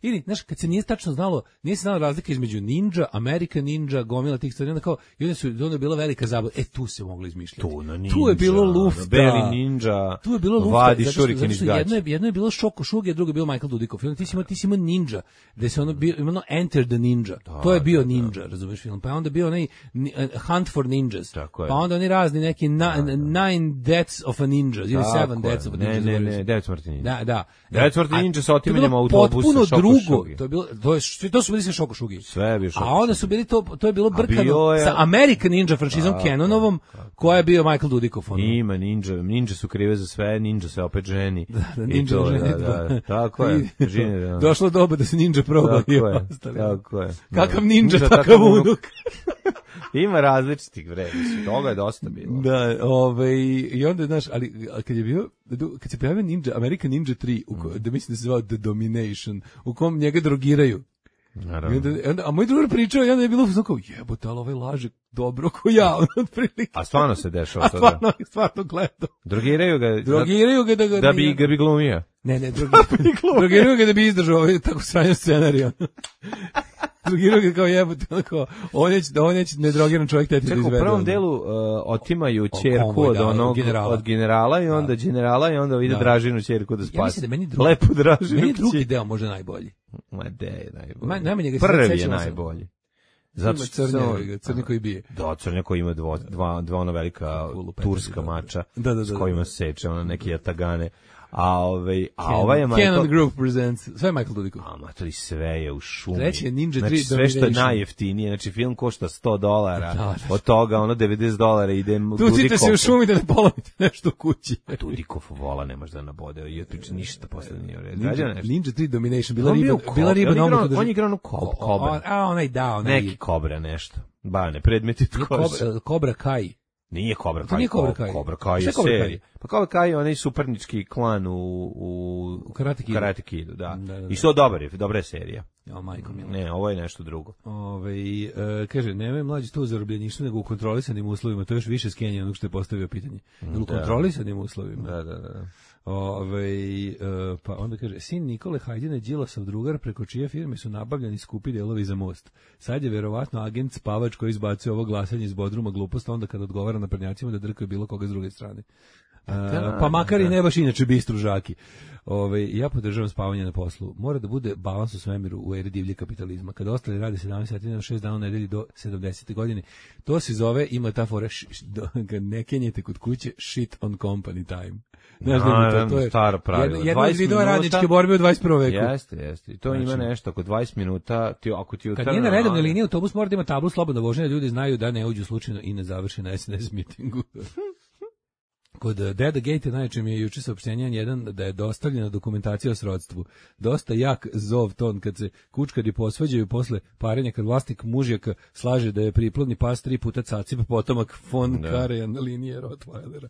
ili, znaš, kad se nije tačno znalo, nije se znala razlika između Ninja, American Ninja, gomila tih stvari, onda kao, i onda su, onda je bila velika zabava, e, tu se moglo izmišljati. Tu na ninja, Tu je bilo lufta. Beli ninja, Tu je bilo lufta, vadi zato što, šuriken zato iz što gaća. jedno je, jedno je bilo Šoko Šuge, a drugo je bilo Michael Dudikoff. Film, ti si imao, ti si imao Ninja, gde se ono bio, ono Enter the Ninja. to je bio Ninja, razumeš film. Pa je onda bio onaj ni- uh, Hunt for Ninjas. Tako je. Pa onda oni razni neki na, Nine Deaths of a Ninja, ili Tako Seven je. Deaths of a Ne, Ninja. ne, zaboravio ne, sam. devet smrti ninja. Da, da. Devet smrti A- ninja sa to je otimanjem bilo autobusa potpuno Šoko drugo. Šugi. To je bilo, to je, svi- to su bili sve Šoko Šugi. Sve je bio Šoko A onda Šugi. su bili to, to je bilo bio brkano je- sa American Ninja franšizom Canonovom, koja je bio Michael Dudikoff. ono. Ima ninja, ninja su krive za sve, ninja se opet ženi. Da, I Ninja to, ženi, da, da, da. tako je. I- Žene, da. Došlo doba da se ninja proba Tako i je, ostali. tako je. Kakav Da. ninja, Ninja, takav unuk. Ima različitih vremena, toga je dosta bilo. Da, ovaj, i onda, znaš, ali a kad je bio, kad se pojavio Ninja, American Ninja tri, u ko, da mislim da se zvao The Domination, u kom njega drogiraju. I Naravno. onda, onda, a moj drugar pričao i onda je bilo uzmano kao, jebote, ali ovaj laže dobro ko ja, ono, otprilike. A stvarno se dešava A to da. stvarno, stvarno gledao. Drogiraju ga Drogiraju ga da ga... da, da bi ga bi glumio. Ne, ne, drugi, drogiraju ga da bi izdržao ovaj tako sranjen scenarij. ono. Drogiraju ga kao jebote, ono kao, on je, on je nedrogiran čovjek teti da Čekaj, u izvede. prvom ono. delu uh, otimaju O, ćerku konvoj, od da, onog od generala. od generala i onda generala i onda ide Da. Dražinu ćerku da spasi. Ja mislim da meni drugi, Lepo Dražinu. meni je drugi kći. deo možda najbolji. Ma de je najbolji. Ma- najmanje ga se Prvi je sećam, sam. najbolji. Zato Zato ima što crnje, crni koji bije. Da, crnja koji ima dvo, dva, dva ono velika Kulu turska petnaest, mača da, da, da, s da. kojima seče ono neki jatagane. A ovaj a ovaj je Canon Michael Group presents. Sve je Michael Dudikoff. A matori, sve je u šumi. Treći je Ninja znači, tri sve što je Domination. najjeftinije, znači film košta sto dolara, Da, da. od toga ono devedeset dolara ide Tucite se u šumi da ne polomite nešto u kući. Dudikov vola ne može da nabode, i otpriče ništa posle nije u redu. Ninja, Rađa nešto. Ninja tri Domination, bila On riba, bio u bila Kob- riba on na igrao- omotu drži- on je igrao u Kob- O- Kobra. o- A, onaj da, onaj... Neki kobra nešto. Bane, predmeti od Nije kože. Kobra, Kobra Kai. Nije Kobra To Kai. nije Cobra Ko- Kai. Cobra Kai Šta je je Cobra Kai? serija. Pa Cobra Kai je onaj supernički klan u, u, U Karate Kidu. Karate Kidu, da. Da, da, da. I što dobar je, dobra je serija. Ja, majko mila. Ne, ovo je nešto drugo. Ove, e, kaže, nemoj mlađi to u zarobljeništvu, nego u kontrolisanim uslovima. To je još više skenje onog što je postavio pitanje. Jel u Da. kontrolisanim uslovima? Da, da, da. Ove, e, pa onda kaže, sin Nikole Hajdina Đilasov drugar preko čije firme su nabavljani skupi delovi za most. Sad je verovatno agent spavač koji izbacuje ovo glasanje iz Bodruma glupost, onda kad odgovara na prednjacima da drkaju bilo koga s druge strane. E, Da, pa makar i da. ne baš inače bistru žaki. Ove, ja podržavam spavanje na poslu. Mora da bude balans u svemiru u eri divlje kapitalizma. Kada ostali rade sedamnaest sati na šest dana u nedelji do sedamdesete godine, to se zove, ima ta fora, š, š, do, kad ne kenjete kod kuće, shit on company time. Znaš da ima to, to je staro pravilo. jedno, jedno od dvadeset vidova minuta- radničke borbe u dvadeset prvom veku. Jeste, jeste. I to ima Znači- nešto, oko dvadeset minuta, ti, ako ti Kad utrne, nije na redovnoj a- liniji, autobus mora da ima tablu slobodno vožnje, da ljudi znaju da ne uđu slučajno i ne završi na S N S mitingu. Kod Deda Gate najčešće mi je juče saopštenje jedan da je dostavljena dokumentacija o srodstvu. Dosta jak zov ton kad se kučkari posvađaju posle parenja, kad vlasnik mužjaka slaže da je priplodni pas tri puta cacip potomak von Karajan linije Rottweilera.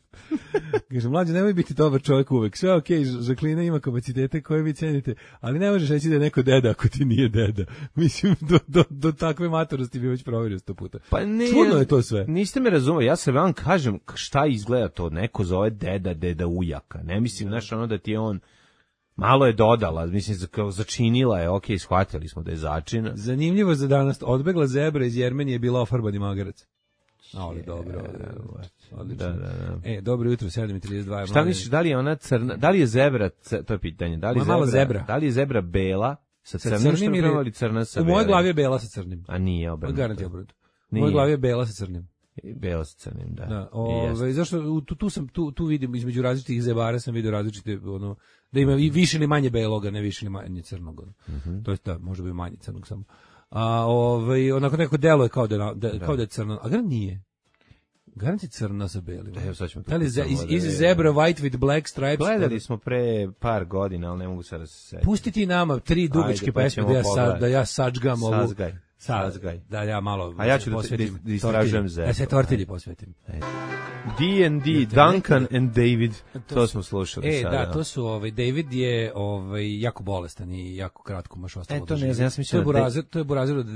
Kaže, mlađe, nemoj biti dobar čovjek uvek. Sve okej, okay, Žaklina ima kapacitete koje vi cenite, ali ne možeš reći da je neko deda ako ti nije deda. Mislim, do, do, do takve matorosti bi već proverio sto puta. Pa ne, čudno je to sve. Niste me razumeli, ja se vam kažem šta izgleda to, neko zove deda, deda ujaka. Ne mislim, znaš, ono da ti je on malo je dodala, mislim, kao začinila je, okej, okay, shvatili smo da je začina. Zanimljivo za danas, odbegla zebra iz Jermenije je bila ofarbani magarac. Ali dobro, odlično. Da, da, da. E, dobro jutro, sedam i trideset dva. Šta misliš, da li je ona crna, da li je zebra, to je pitanje, da li je zebra, zebra, da li je zebra bela sa crnim, sa crnim ili crna sa belim? U mojoj glavi je bela sa crnim. A nije obrnuto. Garanti obrnuto. U mojoj glavi je bela sa crnim. Bela sa crnim, da. Da, ove, zašto tu, tu sam tu tu vidim između različitih zebara sam vidio različite ono da ima i više ili manje beloga, ne više ili manje crnog. Mm -hmm. To jest da može biti manje crnog samo. A ovaj onako neko delo je kao da, da, da. kao da je crno, a garant nije. Garant je crno sa belim. Da, evo sad ćemo. Da li iz, iz zebra white with black stripes? Gledali smo pre par godina, ali ne mogu sad da se setim. Pustiti nama tri dugačke pesme da ja sad da ja sačgam ovu. Sazgaj. Sazgaj. Da ja malo a ja ću da istražujem zebra. Da se tortilji posvetim. D and D, Duncan and David, to, to smo slušali e, sada. E, da, to su, ovaj, David je ovaj, jako bolestan i jako kratko maš ostalo. E, to ne znam, ja sam mislio... To je Burazer, to je Burazer od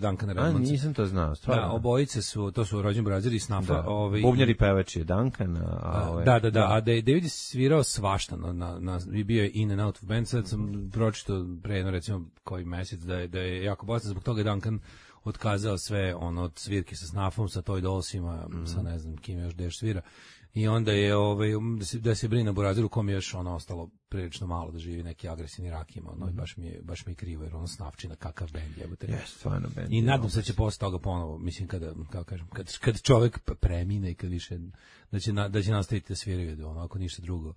Duncana Redmondsa. A, nisam to znao, stvarno. Da, obojice su, to su rođeni Burazer i Snafa. Da, ovaj, bubnjar i pevač je Duncan, a ovaj... Da, da, da, a David je svirao svašta, na, na, na, bio je in and out of band, sad sam pročito pre jedno, recimo, koji mesec da je, da je jako bolestan, zbog toga je Duncan otkazao sve ono od svirke sa Snafom, sa Toy Dollsima, mm. sa ne znam kim još deš svira. I onda je ovaj da se da se brine Burazeru kom je još ono ostalo prilično malo da živi neki agresivni rak ima, ono mm. baš mi je baš mi je krivo jer on Snafčina kakav bend jebote. Yes, stvarno bend. I nadam se da će posle toga ponovo, mislim kada kako kažem, kad kad čovjek premine i kad više da će na, da će nastaviti da sviraju ono ako ništa drugo.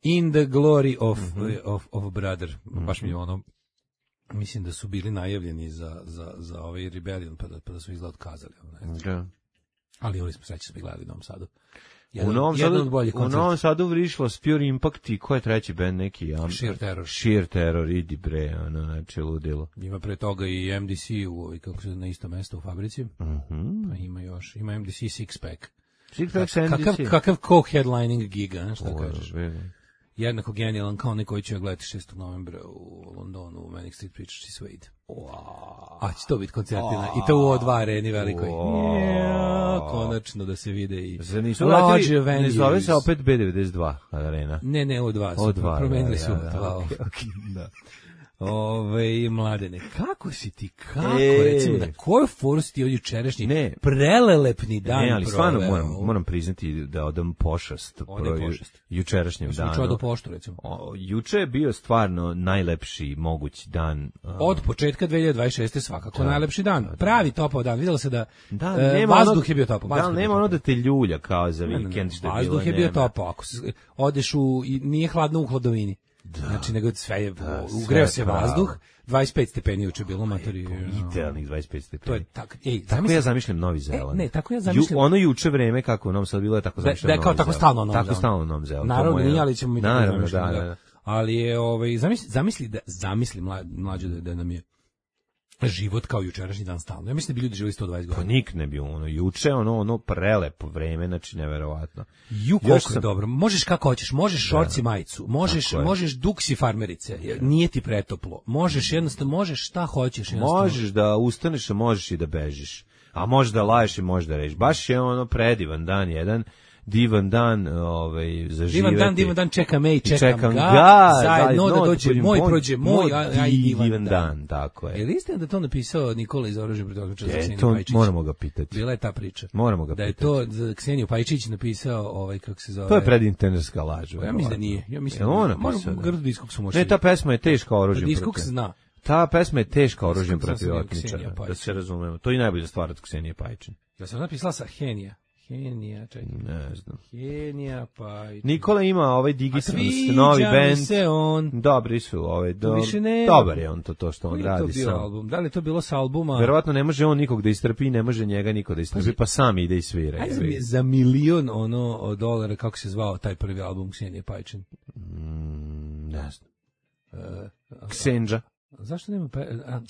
In the glory of mm -hmm. of of brother. Mm -hmm. Baš mi je ono mislim da su bili najavljeni za, za, za ovaj Rebellion, pa da, pa da su izgled otkazali. Da. Ali oni smo sreći smo gledali u Novom Sadu. Jedan, u Novom Sadu, u Novom Sadu vrišlo Pure Impact i ko je treći band neki? Ja, Sheer Terror. Sheer Terror, idi bre, ono, znači ludilo. Ima pre toga i M D C u, kako se na isto mesto u fabrici. Uh -huh. Pa ima još, ima M D C Six Pack. Six Pack M D C. Kakav, kakav co-headlining giga, šta kažeš? Jednako genijalan kao onaj koji će gledati šestog novembra u Londonu u Manic Street Preachers i Suede. Wow. A će to biti koncertina i to u O dva areni velikoj. Wow. Yeah, konačno da se vide i large venues. Ne zove se opet B devedeset dva arena. Ne, ne, O dva su. O dva, promenili su. Da, da, okay, okay, da. Ove, mladene, kako si ti, kako, e, recimo, na koju foru si ti od jučerašnji ne, prelelepni dan ne, ali proveo? Stvarno moram, moram priznati da odam pošast, pro, pošast. jučerašnjem danu. Juče do poštu, recimo. O, juče je bio stvarno najlepši mogući dan. Od početka dve hiljade dvadeset šeste svakako da, najlepši dan. Da, pravi topao dan, vidjela se da, da e, vazduh ono, je bio topao. Da, nema ono da te ljulja kao za vikend što je bilo. Vazduh je bio topao, ako se, odeš u, nije hladno u hladovini. Da. Znači, nego sve je, da, ugreo se pravo. Vazduh, dvadeset pet stepeni juče bilo, matori. Idealnih dvadeset pet stepeni. To je tak, ej, tako zamislim, ja zamišljam Novi Zeland. E, ne, tako ja zamišljam. Ju, ono juče vreme kako u Novom Sadu bilo je tako zamišljam da, da, kao tako stalno u Novom Zelandu. Tako stalno u Novom Zelandu. Naravno, nije, ali ćemo mi tako naravno, da, da, da. Ali je, ovaj, zamisli, zamisli da, zamisli mlađe da, da nam je život kao jučerašnji dan stalno. Ja mislim da bi ljudi živjeli sto dvadeset godina. Pa nik ne bi ono juče, ono ono prelepo vreme, znači neverovatno. Ju koliko sam... dobro. Možeš kako hoćeš, možeš šorci majicu, možeš možeš duksi farmerice. Nije ti pretoplo. Možeš jednostavno možeš šta hoćeš jednostavno. Možeš da ustaneš, a možeš i da bežiš. A možeš da laješ i možeš da reći. Baš je ono predivan dan jedan. Divan dan, ovaj, za živeti. Divan dan, divan dan, čeka me i čekam, čekam ga, ga zajedno da dođe, moj prođe, moj, a i divan, divan dan. dan. Tako je. Je li istina da to napisao Nikola iz Oružja protiv otmice za Kseniju to Pajčić? Moramo ga pitati. Bila je ta priča. Moramo ga da pitati. Da je to za Kseniju Pajčić napisao, ovaj, kako se zove... To je predintenerska laž. Ja mislim da nije. Ja mislim da ona napisao. Grdo Diskoksu može. Ne, ta pesma je teška oružjem protiv. Diskoks zna. Ta pesma je teška oružjem protiv otmice. Da se razumemo. To je najbolja stvar od Ksenije Pajčin. Ja sam napisala sa Henija. Henija, čekaj. Ne znam. Henija, pa... Nikola ima ovaj Digitrans, sviđa novi mi bend. se on. Dobri su, ovaj, do, više ne- dobar je on to, to što on Koji je to radi bio sam. album? Da li je to bilo s albuma? Verovatno ne može on nikog da istrpi, ne može njega niko da istrpi, pa sam ide i svira. Ajde jebi mi ga. za milion ono od dolara, kako se zvao taj prvi album Ksenije Pajčin? Mm, ne znam. Uh, Ksenđa. zašto nema pa... A,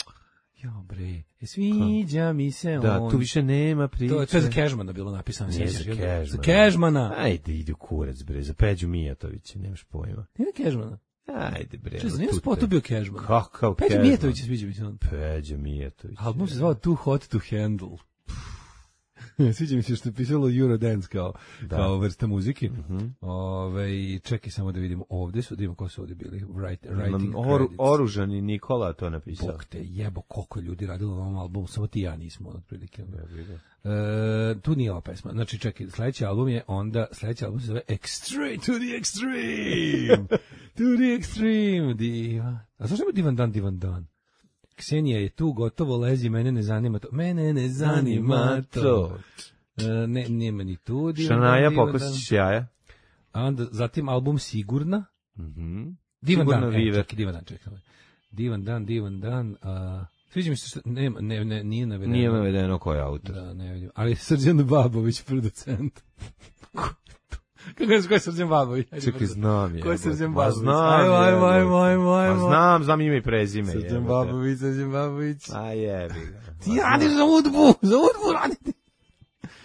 jo bre, e, sviđa mi se Da, on. tu više nema priče. To, to je za Cashmana bilo napisano. Nije sjećaš, za jel? Cashmana. Za Cashmana. Ajde, ide u kurac, bre, za Peđu Mijatovića, nemaš pojma. Nije za Cashmana. Ajde, bre. Čez, no, nije tu spotu te- bio Cashman. Kakav Peđa Cashman? Mijatović sviđa mi se on. Peđa Mijatović. Album se zvao Too Hot to Handle. Sviđa mi se što je pisalo Eurodance kao, Da. kao vrsta muzike. Mhm. Ove, čekaj samo da vidimo ovde su, da vidimo ko su ovde bili. Write, writing Oru, credits. oružani Nikola to napisao. Bog te jebo, koliko je ljudi radilo na ovom albumu, samo ti i ja nismo, otprilike. E, tu nije ova pesma. Znači, čekaj, sledeći album je onda, sledeći album se zove Extreme, to the Extreme! To the Extreme! Diva. A zašto ima Divan Dan, Divan Dan? Ksenija je tu, gotovo lezi, mene ne zanima to. Mene ne zanima to. E, ne, nema ni tu Divan Dan, Šanaja Divan Dan. pokosić jaja. A onda, zatim album Sigurna. Mhm. Divan Sigurno Dan, e, Viver. čekaj, Divan Dan, čekaj. Divan Dan, Divan Dan, a... Sviđa mi se što, ne, ne, ne, nije navedeno. Nije navedeno ko je autor. Da, ne vidim. Ali Srđan Babović, producent. Kako je, ko je Srđan Babović? Ajde, Čekaj, brzo. znam je. Ko je Srđan Ma Babović? znam Ajmo, je, ajmo, ajmo, jebote. ajmo, ajmo. Ma znam, znam ime i prezime. Srđan jebote. Babović, Srđan Babović. A jebi ga. Ti radiš za udbu, za udbu radite.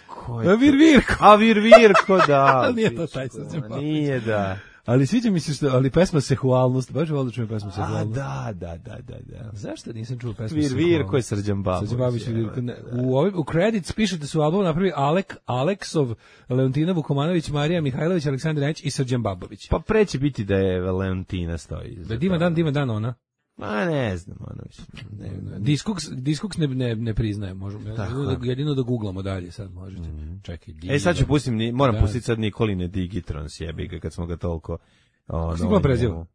Ko A Vir Virko. A Vir Virko, da. Ali nije to taj pičku, Srđan ma Babović. Nije, da. Ali sviđa mi se što, ali pesma Sexualnost, baš volim da čujem pesmu A, Sexualnost. da, da, da, da, da. Zašto nisam čuo pesmu Vir Sexualnost? Virko je Srđan Babović. Srđan Babović, je, Vir Virko. Ne, da. U, ovim, u credits piše da su album napravi Alek, Aleksov, Leontina Vukomanović, Marija Mihajlović, Aleksandar Janić i Srđan Babović. Pa preće biti da je Valentina stoji. Da je Divan Dan, Divan Dan ona. Ma ne znam, ono mislim. Ne, ne. Discogs, Discogs ne, ne, ne priznaje, možemo. Tako Jedino je. da, jedino da googlamo dalje sad možete. Čekaj, E sad ću pustim, ni- moram Da. pustiti sad Nikoline Digitrans, jebi ga, kad smo ga toliko... Ono, si Nikola preziva? njemu-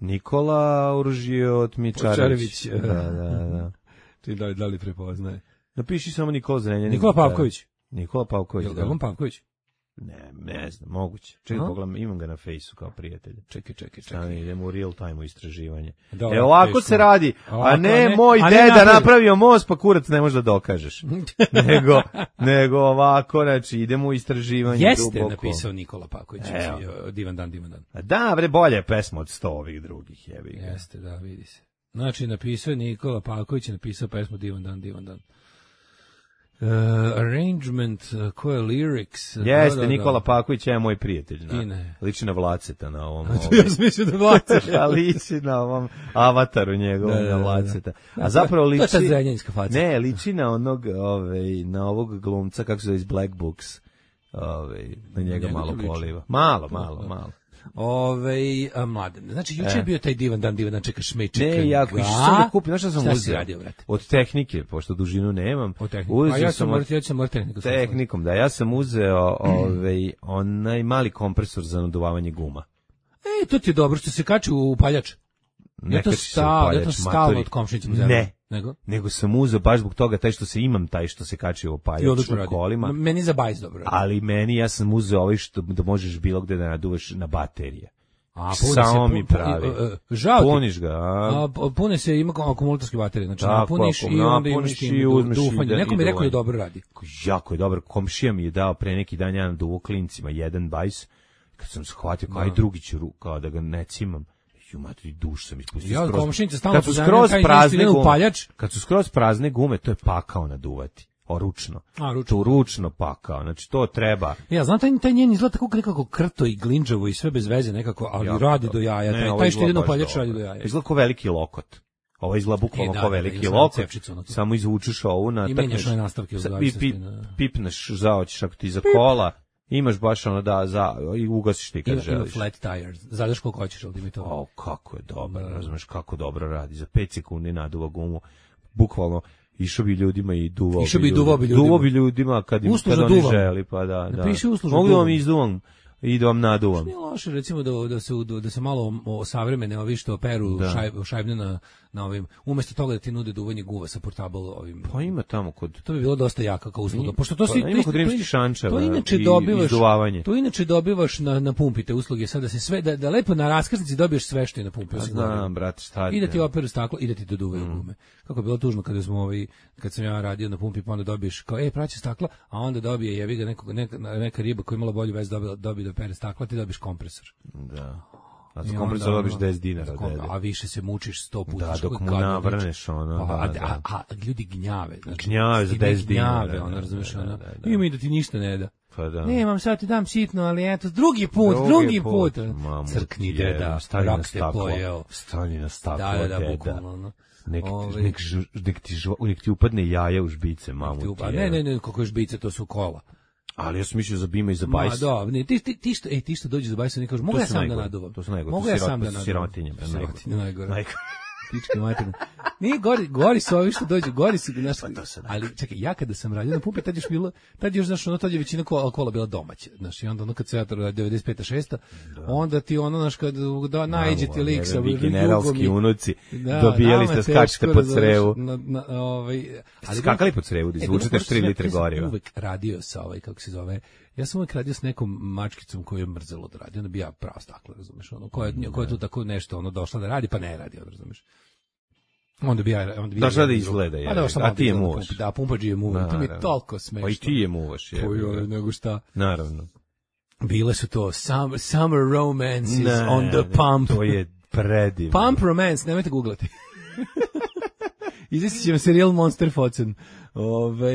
Nikola Oružijot Mičarević. Mičarević. Da, da, da. Ti da li, da li prepoznaje? Napiši samo Nikola Zrenjanin. Nikola Pavković. Nikola Pavković, Jel da. da on Pavković? Ne, ne znam, moguće. Čekaj, Aha. pogledam, imam ga na fejsu kao prijatelja. Čekaj, čekaj, Stani, čekaj. idemo u real time u istraživanje. Da, e, ovako teško. se radi, Ovako, a ne, a ne- moj a ne deda napravi. napravio most, pa kurac ne može da dokažeš. nego, nego ovako, znači, idemo u istraživanje Jeste duboko. napisao Nikola Pavković. Evo. Evo. Divan Dan, Divan Dan. A da, bre, bolje je pesma od sto ovih drugih, jebi ga. Jeste, da, vidi se. Znači, napisao je Nikola Pavković, je napisao pesmu Divan Dan, Divan Dan. Uh, arrangement, uh, ko je lyrics? uh, Jeste, da, da, Nikola da. Paković je moj prijatelj. Na, I ne. liči na Vlaceta na ovom. To ja sam mislio da vlaca. A liči na ovom avataru njegovom, Da, da, da, na da. Vlaceta. A zapravo To je liči... ta zrenjaninska faca. Ne, liči na onog, ovaj, na ovog glumca, kako se zove iz Black Books. Ovaj, na njega Njega malo to liči. poliva. Malo, malo, malo. Ove, a, mladen. Znači, juče E. je bio taj divan dan, divan dan, čekaš me, čekam Ne, jako, ga. išao sam da kupim, znaš šta sam Šta si uzeo? radio, brate? Od tehnike, pošto dužinu nemam. O tehniku. A Uzeo ja sam sam od morati, ja sam morati tehniku. tehnikom, da, ja sam uzeo ovaj, onaj mali kompresor za naduvavanje guma. E, to ti je dobro što se kači u paljač. Ne Ja to kači se u stalno, ja to paljač, stalno matori. od komšinica. Ne. Nego? Nego sam uzeo baš zbog toga, taj što se imam, taj što se kači u I paljač odlično u radi. kolima. Meni za bajs dobro radi. Ali meni, ja sam uzeo ovaj što da možeš bilo gde da naduvaš na baterije. A, Samo mi pravi. Žao ti. Puniš ga, a? A, p- pune se, ima kao akumulatorske baterije, znači Tako, napuniš ako i onda imaš napuniš tim i du- uzmeš i dufanje. da- Neko i mi je rekao da duvanje. dobro radi. Jako je dobar. Komšija mi je dao pre neki dan jedan duvo klincima, jedan bajs. Kad sam shvatio, kao aj drugi ću ru- kao da ga ne cimam. Ju, matri, duš sam ispustio Ja od skroz. komšinica stalno Kad su pozajmljujem, skroz kaj prazne idem u gume, paljač. kad su skroz prazne gume, to je pakao naduvati. O, ručno. A, ručno. To ručno pakao. Znači, to treba. Ja, znam, taj, taj njen izgleda tako nekako krto i glinđavo i sve bez veze nekako, ali Jako radi dobro. do jaja. Ne, taj, ovo taj što ide izgleda na baš paljač dobro. radi do jaja. Izgleda kao veliki lokot. Ovo izgleda bukvalno E, da, kao da, da, veliki ima samo lokot. cepčicu onako. Samo izvučeš ovu na I menjaš one nastavke u sa- i zavisnosti pip, na- pipneš, zaoćeš ako ti za kola. Imaš baš ono da za i ugasiš ti kad Ima, ima želiš. flat tire, zadaš koliko hoćeš, ali mi to. O, kako je dobro, razumeš kako dobro radi. Za pet sekundi naduva gumu. Bukvalno išao bi ljudima i duvao Išao bi i duvao bi ljudima. Duvao bi ljudima kad im Uslužno kad oni duvam. želi, pa da, da. Napiši uslužno Mogu da vam duvam. izduvam i da vam naduvam. Nije loše, recimo, da, da, se, da se malo osavremene ovi što peru Da. šajb, šajbne na, na ovim, umjesto toga da ti nude duvanje guva sa portable ovim. Pa ima tamo kod... To bi bilo dosta jaka kao usluga. Ima- Pošto to pa si, ima to, kod to, rimskih to, šančeva to inače i dobivaš, izduvavanje. to inače dobivaš na, na pumpi te usluge, sada se sve, da, da lepo na raskrsnici dobiješ sve što je na pumpi. Pa osim goriva. znam, brate, šta I da ti ti- operu staklo i da ti doduvaju Mm. gume. Kako je bilo tužno kada smo ovaj, kad sam ja radio na pumpi, pa onda dobiješ kao, ej, praći stakla, a onda dobije, jebi ga, nekog, neka, neka riba koja je imala bolju vez dobila, dobije da pere stakla, ti dobiješ kompresor. Da. A I za onda, kompresor dobiš ono, deset dinara. za kom- dede. A više se mučiš sto puta. Da, što dok je mu gadno, navrneš, znači. ono, Pa, da, a, da. a, a ljudi gnjave. Znači, Gnjave za stide deset dinara, gnjave, ono, da, razumiješ, da, ono. da, da. Ima i da ti ništa ne da. Pa da. Nemam, sad ti dam sitno, ali eto, drugi put, drugi, Drugi put. put. Mamu Crkni, ti je, deda, stani na rak te staklo. pojeo. Stani na staklo, Da, da, da, deda. bukvalno, ono. Nek, Ovaj, nek, žu- nek, ti, žu- nek ti upadne jaja u žbice, mamu ti ti. up- a ne, ne, ne, kako je žbice, to su kola. Ali ja sam mislio za bima i za Ma, bajs. da, ne, ti, ti, ti što, ej, ti što dođe za bajsa, ne kažu, mogu To ja su sam da najgore, naduvam. to su najgore, Mogu to ja su sam da sirot- naduvam. sirotinje, bre, najgore. Sirotinje, najgore. Najgore. Pičke materine. Nije gori, gori su ovi što dođu, gori su, znaš, Pa to se da. ali čekaj, ja kada sam radio na pumpi, tad još bilo, tad još, znaš, ono, tad je većina kola, kola bila domaća, znaš, i onda ono kad se ja to radio devedeset peta šesta onda ti ono, znaš, kad da, najđe ti lik sa Vi generalski jugom i- unuci Da, dobijali nama ste, je skačete teško, po razumeš, crevu. Na, na, ovaj, ali Skakali po crevu, da E, izvučete dobro, tri ja- litre ja sam goriva. uvek radio sa ovaj, kako se zove, ja sam uvek radio s nekom mačkicom koju je mrzelo da radi, onda bi ja pravo staklo, razumeš, ono, koja, koja je tu tako nešto, ono, došla da radi, pa ne radi, ono, razumeš. Onda bi ja, onda bi Došla ja- da izgleda, A je. da, sam A malo ti je izgleda na muvaš. pumpi, Da, pumpađi je muva, to mi je Naravno. toliko smešno. Pa i ti je muvaš, je. Pa joj, nego šta. Naravno. Bile su to summer, summer romances Ne, on the ne, pump. To je predivno. Pump romance, nemojte googlati. Izvestit će vam serijal Monster Focen. Ove,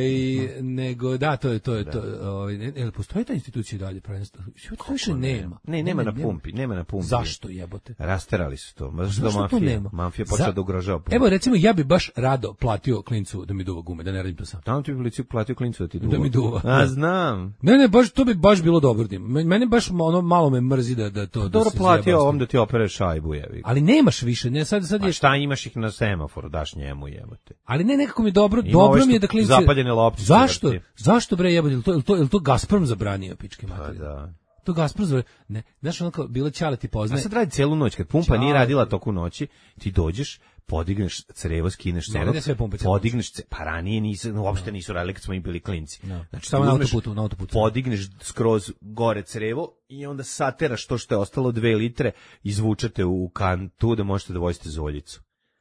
nego, da, to je, to je, to, ove, ne, ne, postoji ta institucija i dalje, prvenstvo? To više nema. Ne, nema na pumpi, nema na pumpi. Zašto jebote? Rasterali su to. Ma zašto, Zašto da to mafija? nema? Mafija počela Za- da ugrožava pumpu. Evo, recimo, ja bi baš rado platio klincu da mi duva gume, da ne radim to sam. Tamo ti bi policiju platio klincu da ti duva. Da mi duva. A, znam. Ne, ne, baš, to bi baš bilo dobro. da ima. Men- Mene baš ono, malo me mrzi da, da to... da Dobro se platio zajebam s ovom tim. da ti opere šajbu, jevi. Ali nemaš više, ne, sad, sad A je... šta imaš ih na semaforu, daš njemu, jebote. Ali ne, nekako mi je dobro, Ima ove dobro što mi je da klinci... zapaljene loptice Zašto? vrti. Zašto bre jebote, jel to, jel to, jel to Gazprom zabranio, pičke Pa materije? da. To Gazprom zabranio. Ne, znaš ono kao, bilo Ćale ti A poznaje. sad radi celu noć, kad pumpa nije Čao. radila toku noći, ti dođeš, podigneš crevo, skineš Ne crvo, rade sve pumpe celu noć. podigneš, ce- pa ranije nisu, uopšte nisu radili kad smo mi bili klinci. No. Znači, Samo ti na uzmeš, autoputu, na autoputu. podigneš skroz gore crevo i onda sateraš to što je ostalo dve litre, izvučete u kantu da možete da vozite zoljicu.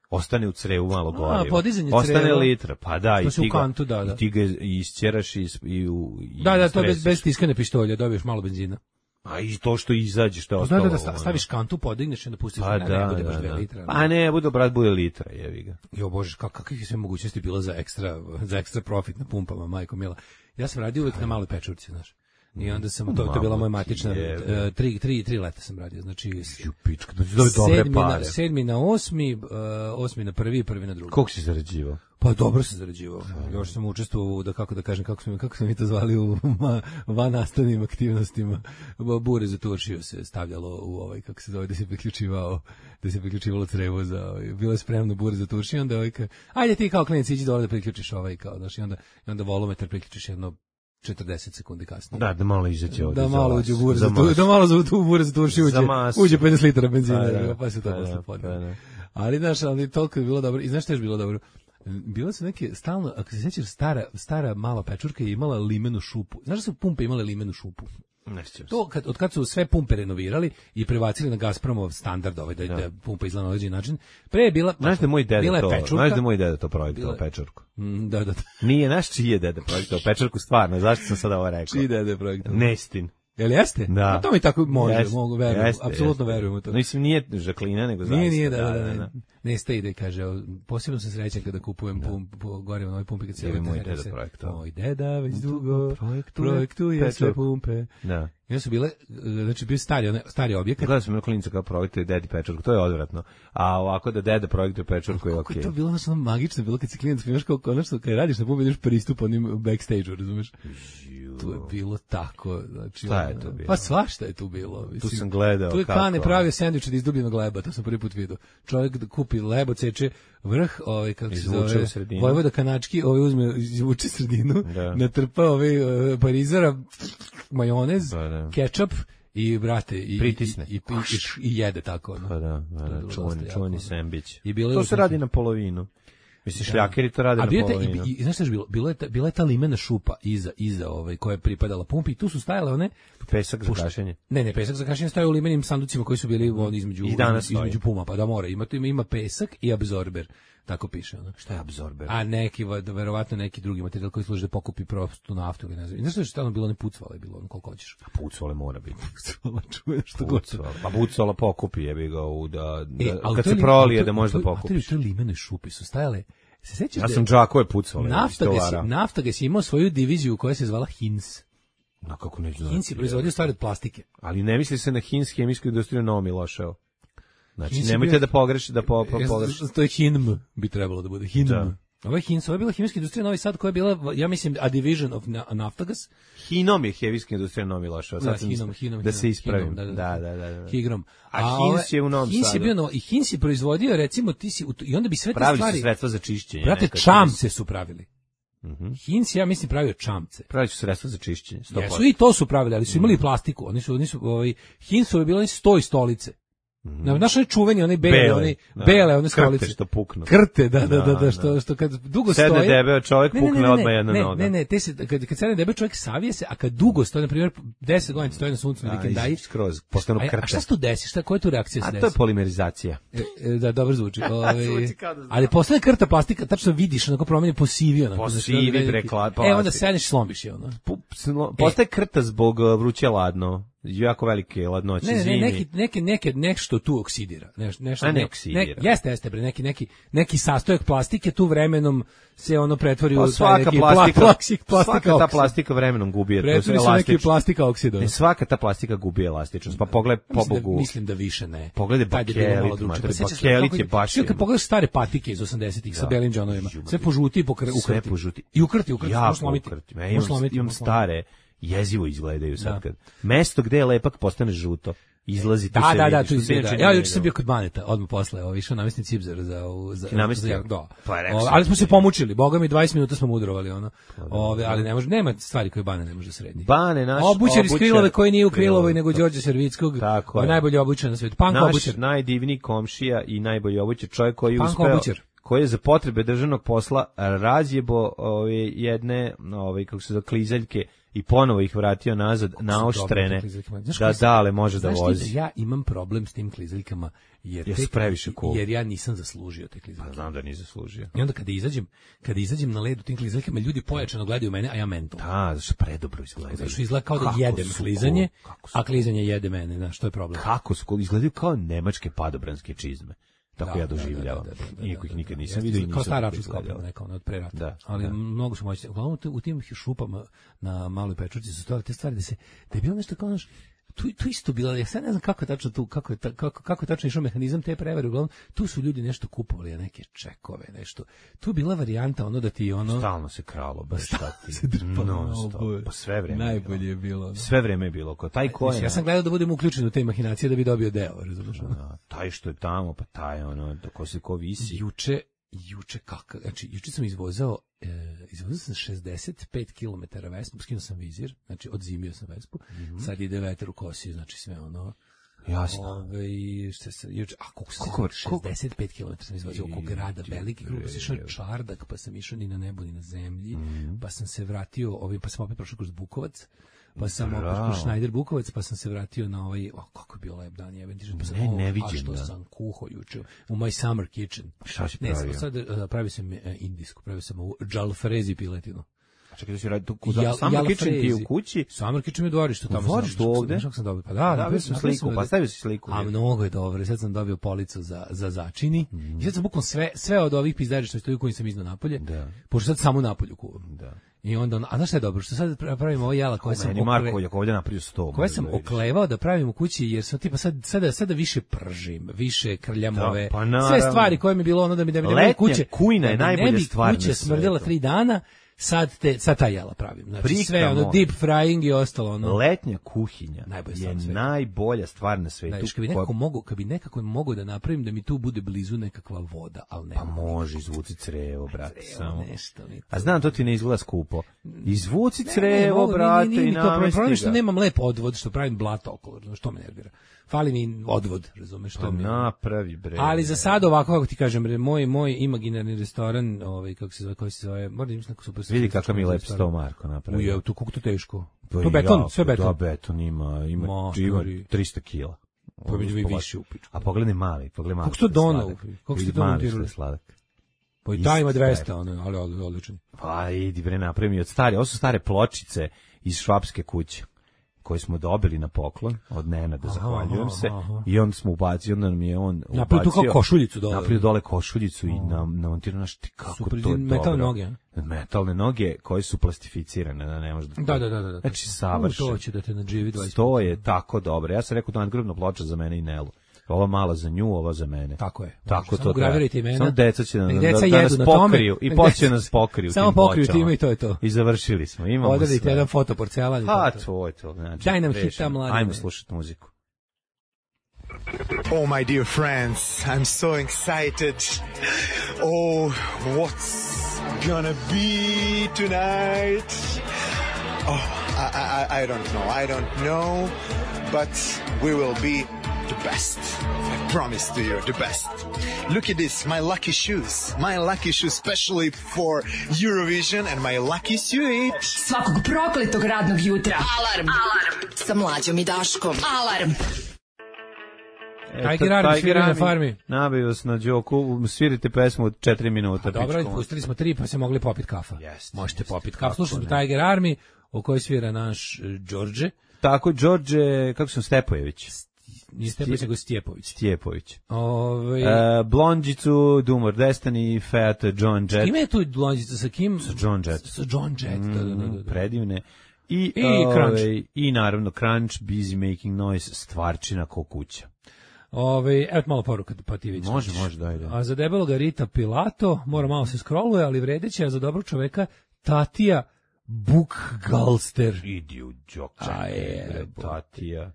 Ostane u crevu malo goriva. podizanje Ostane creva. litra, pa da, To i se u ti, ga, kantu, da, da. i ti ga isćeraš i, i, u- i Da, da, to bez, stresiš. bez tiskane pištolja, dobiješ malo benzina. A i to što izađe, što je Da, ostalo. da, da, sta- ono. staviš kantu, podigneš i onda pustiš Pa ne, da, ne bude da, baš dve da. litre. Pa ne, bude, brat, bude litra, jevi ga. Jo bože, kak, kakve je sve mogućnosti bilo za ekstra, za ekstra profit na pumpama, majko mila. Ja sam radio uvek na maloj pečurci, znaš. I onda sam, to, to je bila moja matična, Jebe. e, tri, tri, tri leta sam radio, znači s- Ju, pička, da ti dobi dobre sedmi na, pare. sedmi na osmi, uh, osmi na prvi i prvi na drugi. Koliko si zarađivao? Pa dobro se zarađivao. Još sam učestvovao u, da kako da kažem, kako smo, kako smo mi to zvali u ma, van nastavnim aktivnostima. Bure za turšiju se stavljalo u ovaj, kako se zove, da se priključivao, da se priključivalo crevo za, ovaj, bilo je spremno bure za turšiju, onda ovaj, ka, ajde ti kao klinac iđi dole da priključiš ovaj, kao, znaš, i onda, i onda volumetar priključiš jedno četrdeset sekundi kasnije. Da, da malo izađe ovdje. Da za malo vas, uđe u bure za za, tu, masu. da malo za tu bure za turšiju Za uđe, masu. uđe pedeset litara benzina, Pa da, pa se to pa posle da, podne. pa da. Ali znaš, ali toliko je bilo dobro. I znaš što je još bilo dobro? Bilo su neke stalno, ako se sećaš, stara, stara mala pečurka je imala limenu šupu. Znaš da su pumpe imale limenu šupu? Ne sjećam se. To kad, od kad su sve pumpe renovirali i prebacili na Gazpromov standard, ovaj, da, da pumpa izgleda na određeni način, pre je bila... Znaš da je moj bila deda je to, pečurka. znaš da je moj deda to projektovao Bila je- pečurku. Mm, da, da, da. Nije, naš čiji je deda projektovao pečurku, stvarno, zašto sam sada ovo rekao? Čiji dede projekt? Nestin. Jel jeste? Da. A to mi tako može, Jeste, mogu, verujem, jeste, apsolutno jeste. verujem u to. Mislim, nije Žaklina, nego zaista. Nije, nije, da, da, da, da. Ne ste ide, kaže, o, posebno sam srećan kada kupujem pump, po, gore u novoj pumpi, kad se Jer je javite, moj kaže deda se, projektovao. Moj deda već dugo projektuje projektuje sve pečurku. pumpe. Da. I onda su bile, znači, bio stari, one- stari objekat. Gledao sam na klinica kao projektuje dedi pečurku, to je odvratno. A ovako da deda projektuje pečurku je Kako okej. je to bilo ono samo magično, bilo kad si klijent, imaš kao konačno, kad radiš na pumpi, ideš pristup onim backstage-u, razumeš? To je bilo tako, znači... Šta je ono, to bilo? Pa svašta je tu bilo. Mislim. sam gledao Tu je kako, Kane ono. pravio sendvič od izdubljenog leba, to sam prvi put vidio. Čovjek da kupi lebo, ceče vrh, ovaj, kako se Izvuče zove, u sredinu. Vojvoda Kanački, ovaj uzme, izvuče sredinu, Da. natrpa ovaj uh, parizara, majonez, Da, da. kečap I brate i pritisne i, i, i, i jede tako. No. Pa da, da, čuvani, čuvani sendvič. To se radi na polovinu. Mislim, šljakeri to rade na polovinu. I, i znaš što je bilo? Bilo je ta, bila je ta limena šupa iza, iza ovaj, koja je pripadala pumpi i tu su stajale one... Pesak za kašenje. Ne, ne, pesak za kašenje stoje u limenim sanducima koji su bili on, između, između puma, pa da mora. Ima, ima, ima pesak i absorber. Tako piše. Ono. Šta je absorber? A neki, verovatno neki drugi materijal koji služi da pokupi prostu naftu. Ne znam. I znaš što je tamo bilo, ne pucvale bilo, ono koliko hoćeš. A pucvale mora biti. Pucvala čuje što god. Pa pucvala pokupi, jebi ga, u da, da e, kad se prolije da može da pokupiš. A to je limenoj šupi su stajale. Se sećaš ja sam džakove pucvale. Nafta ga si imao svoju diviziju koja se zvala Hins. No, kako neću znati. Hins je proizvodio stvari od plastike. Ali ne misli se na Hins hemijsku industriju Novo Miloševo. Znači, Hins nemojte bio... da pogrešite, da po, po, pogrešite. To je Hinm, bi trebalo da bude. Hinm. Da. Ovo je Hins, ovo je bila hemijska industrija Novi Sad koja je bila, ja mislim, a division of Naftagas. Hinom je hemijska industrija Novi Miloševo. Da, Hinom, Hinom. Da se ispravim. Da, da, da. da. Higrom. A, a Hins je u Novom Sadu. Hins je bio, no, i Hins je proizvodio, recimo, ti si, i onda bi sve te stvari... Pravili su sredstva za čišćenje. Brate, čamce su pravili. Mhm. Hins, ja mislim, pravio čamce. Pravili su sredstva za čišćenje. sto posto. Jesu i to su pravili, ali su imali plastiku. Oni su, oni su, ovaj, Hinsu je bilo oni sto i stolice. Mm. Na našoj čuveni onaj bele, bele, onaj da. bele one stolice što puknu. Krte, da, da, da, da, što što kad dugo sedne stoje. Sedne debeo čovjek ne, ne, pukne ne, ne, odmah jedna ne, noga. Ne, ne, te se kad kad sedne debeo čovjek savije se, a kad dugo stoji, na primjer deset godina stoji na suncu na vikendaji, skroz postanu krte. A šta se tu desi? Šta koja je tu reakcija se desi? A to je polimerizacija. E, e, da, dobro zvuči. Ovaj ali posle krta plastika, tačno vidiš, onako promeni posivio, onako. Posivi prekla. E onda sedneš slomiš je ono. Postaje krta zbog vruće ladno. Jako velike ladnoće ne, ne, zimi. Neki, neke, neke, nešto tu oksidira. Neš, nešto, A ne oksidira. Ne, jeste, jeste, bre, neki, neki, neki sastojak plastike tu vremenom se ono pretvori pa u taj neki plastika, plastika, plastika svaka ta plastika vremenom gubi elastičnost. Pretvori se neki plastika oksid. Ne, svaka ta plastika gubi elastičnost. Pa pogledaj pobogu. Da, mislim da više ne. Pogledaj bakelit, bakelit je baš. Kad pogledaš stare patike iz osamdesetih sa belim džonovima, sve požuti i ukrti. Sve požuti. I ukrti, ukrti, možeš slomiti. Imam stare jezivo izgledaju sad kad. Mesto gde je lepak postane žuto. Izlazi tu da, se da, vidi. Da, tu izgleda. Ja juče sam bio kod Baneta, odmah posle, ovo išao namestni cipzar za za za da. Pa o, ali smo se pomučili, boga mi dvadeset minuta smo mudrovali ono. Ove, ali ne može, nema stvari koje Bane ne može srediti. Bane naš obućar iz Krilove koji nije u Krilovoj nego Đorđe Servickog. Tako je. Najbolji obućar na svetu. Panko obućar, najdivniji komšija i najbolji obućar, čovjek koji je uspeo koji je za potrebe državnog posla razjebo ove jedne, ove kako se zove klizaljke i ponovo ih vratio nazad naoštrene da dale može da vozi. Da ja imam problem s tim klizaljkama jer ja previše cool. Jer ja nisam zaslužio te klizaljke. Pa znam da nisam zaslužio. I onda kada izađem, kada izađem na led u tim klizaljkama, ljudi pojačano gledaju mene, a ja mental. Da, zašto predobro izgledaju. Zašto izgleda kao da jedem klizanje, a klizanje jede mene, znaš, što je problem. Kako su izgledaju kao nemačke padobranske čizme. Tako da, ja doživljavam. Iako ih nikad nisam vidio i nisam. Kao stara računska oprema, neka ona od pre rata. Da, ali da. mnogo su moćni. Uglavnom u tim šupama na Maloj Pečurci su stojale te stvari da se da je bilo nešto kao naš tu tu isto bilo, ja sad ne znam kako je tačno tu, kako je ta, kako kako je tačno išao mehanizam te prevare, uglavnom tu su ljudi nešto kupovali, neke čekove, nešto. Tu je bila varijanta ono da ti ono stalno se kralo, baš šta ti. No, pa sve vreme. Najbolje je bilo. Ono. Sve vreme je bilo, ko taj ko je. Ja sam gledao da budem uključen u te mahinacije da bi dobio deo, razumiješ? Da, taj što je tamo, pa taj ono, ko se ko visi. Juče Juče kako, znači juče sam izvozao, e, izvozao sam šezdeset pet kilometara Vespu, skinuo sam vizir, znači odzimio sam Vespu, mm-hmm. sad ide vetar u kosi, znači sve ono. Jasno. Ove, šta se, juče, a koliko sam šezdeset pet kilometara sam izvozio oko grada, veliki krug, pa sam išao Čardak, pa sam išao ni na nebu, ni na zemlji, mm-hmm. pa sam se vratio, ovim, pa sam opet prošao kroz Bukovac, pa sam opet kroz Schneider Bukovac, pa sam se vratio na ovaj, o, kako je bio lep dan, jebem ti, pa sam, ne, o, ne vidim, a što da. sam kuho juče, u my summer kitchen. Šta si ne, pravio? Ne, sad uh, pravio sam uh, indijsku, pravio sam ovu jalfrezi piletinu. A čekaj, da si radi tu kuda, summer kitchen ti u kući? Summer kitchen mi u dvorištu, tamo sam. Dvorištu ovde? Znaš kako sam dobio? Pa da, da, sam sliku, pa stavio si sliku. A mnogo je dobro, sad sam dobio policu za, za začini, mm. i sad sam bukvalno sve, sve od ovih pizdađa što stoji u kojim sam iznao napolje, da. Pošto sad samo napolju kuvam. Da. I onda, a znaš šta je dobro, što sad pravimo ovo jela koje sam okle... Marko, jako ovdje napravio sto. Koje sam oklevao da pravim u kući, jer sam tipa sad, sada, sada više pržim, više krljam da, ove, pa sve stvari koje mi je bilo ono da mi da mi, da mi kuće, kujna je da najbolja stvar. Kuća smrdela tri dana, sad, te, sad ta jela pravim. Znači, Prika sve, ono, moja. deep frying i ostalo, ono. Letnja kuhinja Najbolja je stvar na svetu. najbolja stvar na svetu. Znaš, kad bi nekako mogu, kad bi nekako mogu da napravim da mi tu bude blizu nekakva voda, ali ne. Pa može, izvuci crevo, brate, samo. Nešto, ni to. A znam, to ti ne izgleda skupo. Izvuci Ne, ne, crevo, mogu, brate, nije, nije, i nije, to problem je namesti što ga. nemam lep odvod, što pravim blato okolo, znaš, što me nervira. Fali mi odvod, razumeš, što Pa mi. napravi, bre. Ali za sad ovako, kako ti kažem, bre, moj moj imaginarni restoran, ovaj kako se zove, koji se zove, moram da imam neku super. Vidi kakav mi lep restoran. sto Marko napravio. Uje, tu kako to teško. Pa To beton, jako, sve beton. Da, beton ima, ima, Matori. ima tristo kila. Pa bi mi više u pičku. A pogledaj mali, pogledaj mali. Kako ste to što je donao? sladak. Kako ste Vidi to mali montirali? što je sladak. Pa i taj ima Isti dvesta, ono, ali ali odličan. Pa idi bre, napravi mi od stare, ovo su stare pločice iz švapske kuće koje smo dobili na poklon od Nenada, zahvaljujem se. aha. I onda smo ubacili, onda nam je on ubacio. Napravio tu kao košuljicu dole. Napravio dole košuljicu i nam namontirao naš ti kako Super, to je metalne dobro. noge, a? Metalne noge koje su plastificirane, da ne može da. Da, da, da, da. Znači U, savršeno. To će da te nadživi dvadeset. To je tako dobro. Ja sam rekao da nadgrobna ploča za mene i Nelu. Ova mala za nju, ova za mene. Tako je. Tako Samo to treba. gravirajte imena. Samo deca će da, Nek da, deca da jedu nas na tome. pokriju i Nek poslije deca- nas pokriju. Samo tim pokriju pločama. time i to je to. I završili smo. Imamo Odradište sve. jedan foto porcelan i Pa, to je to. to je to. Znači, Daj nam rešeno. hita, mladine. Ajmo slušati muziku. Oh, my dear friends, I'm so excited. Oh, what's gonna be tonight? Oh, I, I, I don't know. I don't know, but we will be the best. I promise to you, the best. Look at this, my lucky shoes. My lucky shoes specially for Eurovision and my lucky suede. Svakog prokletog radnog jutra. Alarm. Alarm. Sa Mlađom i Daškom. Alarm. Tiger Army svira na farmi. Nabio vas na Đoku, svirite pesmu od četiri minuta. A dobro, pičkom. pustili smo tri, pa se mogli popit kafa. Jeste, Možete jeste, popit kako kafa. Slušali smo ne. Tiger Army, o kojoj svira naš e, Đorđe. Tako, Đorđe, kako sam, Stepojević. Nije Stepović, nego Stjepović. Stjepović. Ove, Uh, Blondžicu, Dumor Destiny, Fat, John Jett. Kime je tu Blondica? Sa kim? Sa John Jett. Sa John Jett, da, da, da, da. Predivne. I, I ovaj, Crunch. I naravno Crunch, Busy Making Noise, stvarčina ko kuća. Ove, evo malo poruka, pa ti vidiš. Može, može, daj, daj. A za debeloga Rita Pilato, mora malo se scrolluje, ali vredeće, a za dobrog čoveka Tatija Bukgalster. Idi u Đočak, A je, Tatija.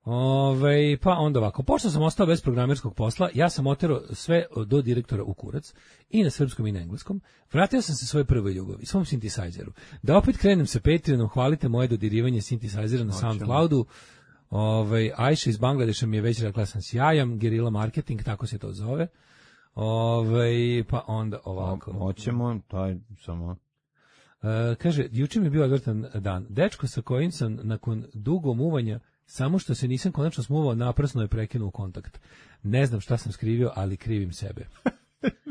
Ove, pa onda ovako, pošto sam ostao bez programerskog posla, ja sam oterao sve do direktora u kurac, i na srpskom i na engleskom, vratio sam se svojoj prvoj ljubavi, svom synthesizeru. Da opet krenem sa Patreonom, hvalite moje dodirivanje synthesizera na SoundCloudu. Ove, Ajša iz Bangladeša mi je već rekla sam sjajan, gerila marketing, tako se to zove. Ove, pa onda ovako. Hoćemo, taj samo... E, kaže, juče mi je bio odvrtan dan. Dečko sa kojim sam nakon dugo muvanja, samo što se nisam konačno smuvao, naprasno je prekinuo kontakt. Ne znam šta sam skrivio, ali krivim sebe.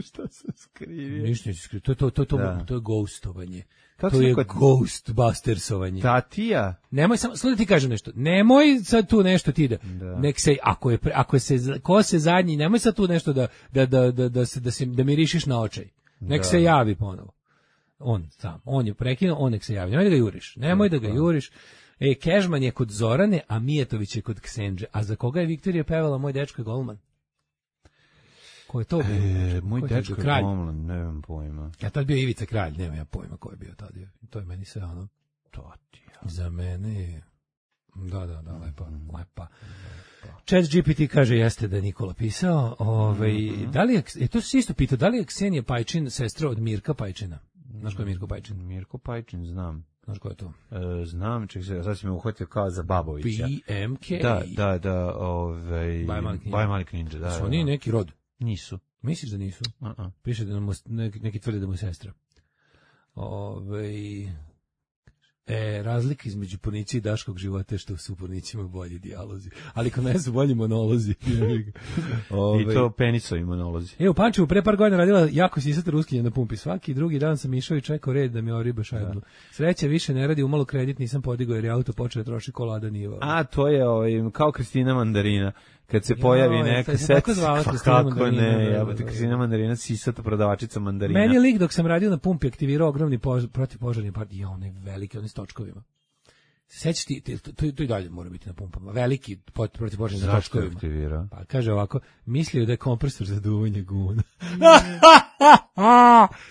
Šta sam skrivio? Ništa neću skrivio. To, to, to, to, Da. to je ghostovanje. Kako to si je rekao? ghostbustersovanje. Tatija? Nemoj samo, slušaj ti kažem nešto. Nemoj sad tu nešto ti da. Da. Nek se ako je pre- ako se ko se zadnji, nemoj sad tu nešto da da da da da se da se da mirišiš na očaj. Nek Da. se javi ponovo. On sam, on je prekinuo, on nek se javi. Nemoj da ga juriš. Nemoj da ga juriš. E, Kežman je kod Zorane, a Mijetović je kod Ksenđe. A za koga je Viktorija pevala Moj dečko je golman? Ko je to bio? E, moj Ko je to dečko bio? je Kralj. golman, ne znam pojma. Ja tad bio Ivica Kralj, nema ja pojma ko je bio tad. To je meni sve ono. Tatija. Za mene je... Da, da, da, lepa, lepa. Chat G P T kaže jeste da je Nikola pisao. Ovaj, da li je, e, to se isto pitao, da li je Ksenija Pajčin sestra od Mirka Pajčina? Znaš ko je Mirko Pajčin? Mirko Pajčin, znam. Znaš ko je to? E, znam, ček se, sad si me uhvatio kao za Babovića. B M K. Da, da, da, ovaj... Baj Malik Ninja. Baj Malik Ninja, da. Su da, oni da. neki rod? Nisu. Misliš da nisu? Uh-uh. Piše da mu, neki, neki tvrde da mu je sestra. Ove, e, razlika između Ponića i Daškog života je što su u Ponićima bolji dijalozi. Ali kod mene su bolji monolozi. Ove, I to penisovi monolozi. E, u Pančevu pre par godina radila jako sisata ruskinja na pumpi. Svaki drugi dan sam išao i čekao red da mi oriba šajbnu. Sreća više ne radi, umalo kredit nisam podigao jer je auto počeo da troši kolada niva. A, to je ovaj, kao Kristina Mandarina. Kad se pojavi Joj, neka to se tako set, zvala pa Kristina kako Mandarina, da, ne, da, jebote, da, da. Kristina Mandarina, sisata prodavačica mandarina. Meni je lik dok sam radio na pumpi aktivirao ogromni pož, protivpožarni part. Ja, onaj veliki, onaj s točkovima. Sećaš ti, ti- to, to i dalje mora biti na pumpama. Veliki pot- protivpožarni na Zašto je točkovima. aktivirao? Pa kaže ovako, mislio da je kompresor za duvanje guna.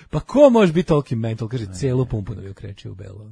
Pa ko može biti toliki mental? Kaže, celu pumpu da bi okrečio u belo.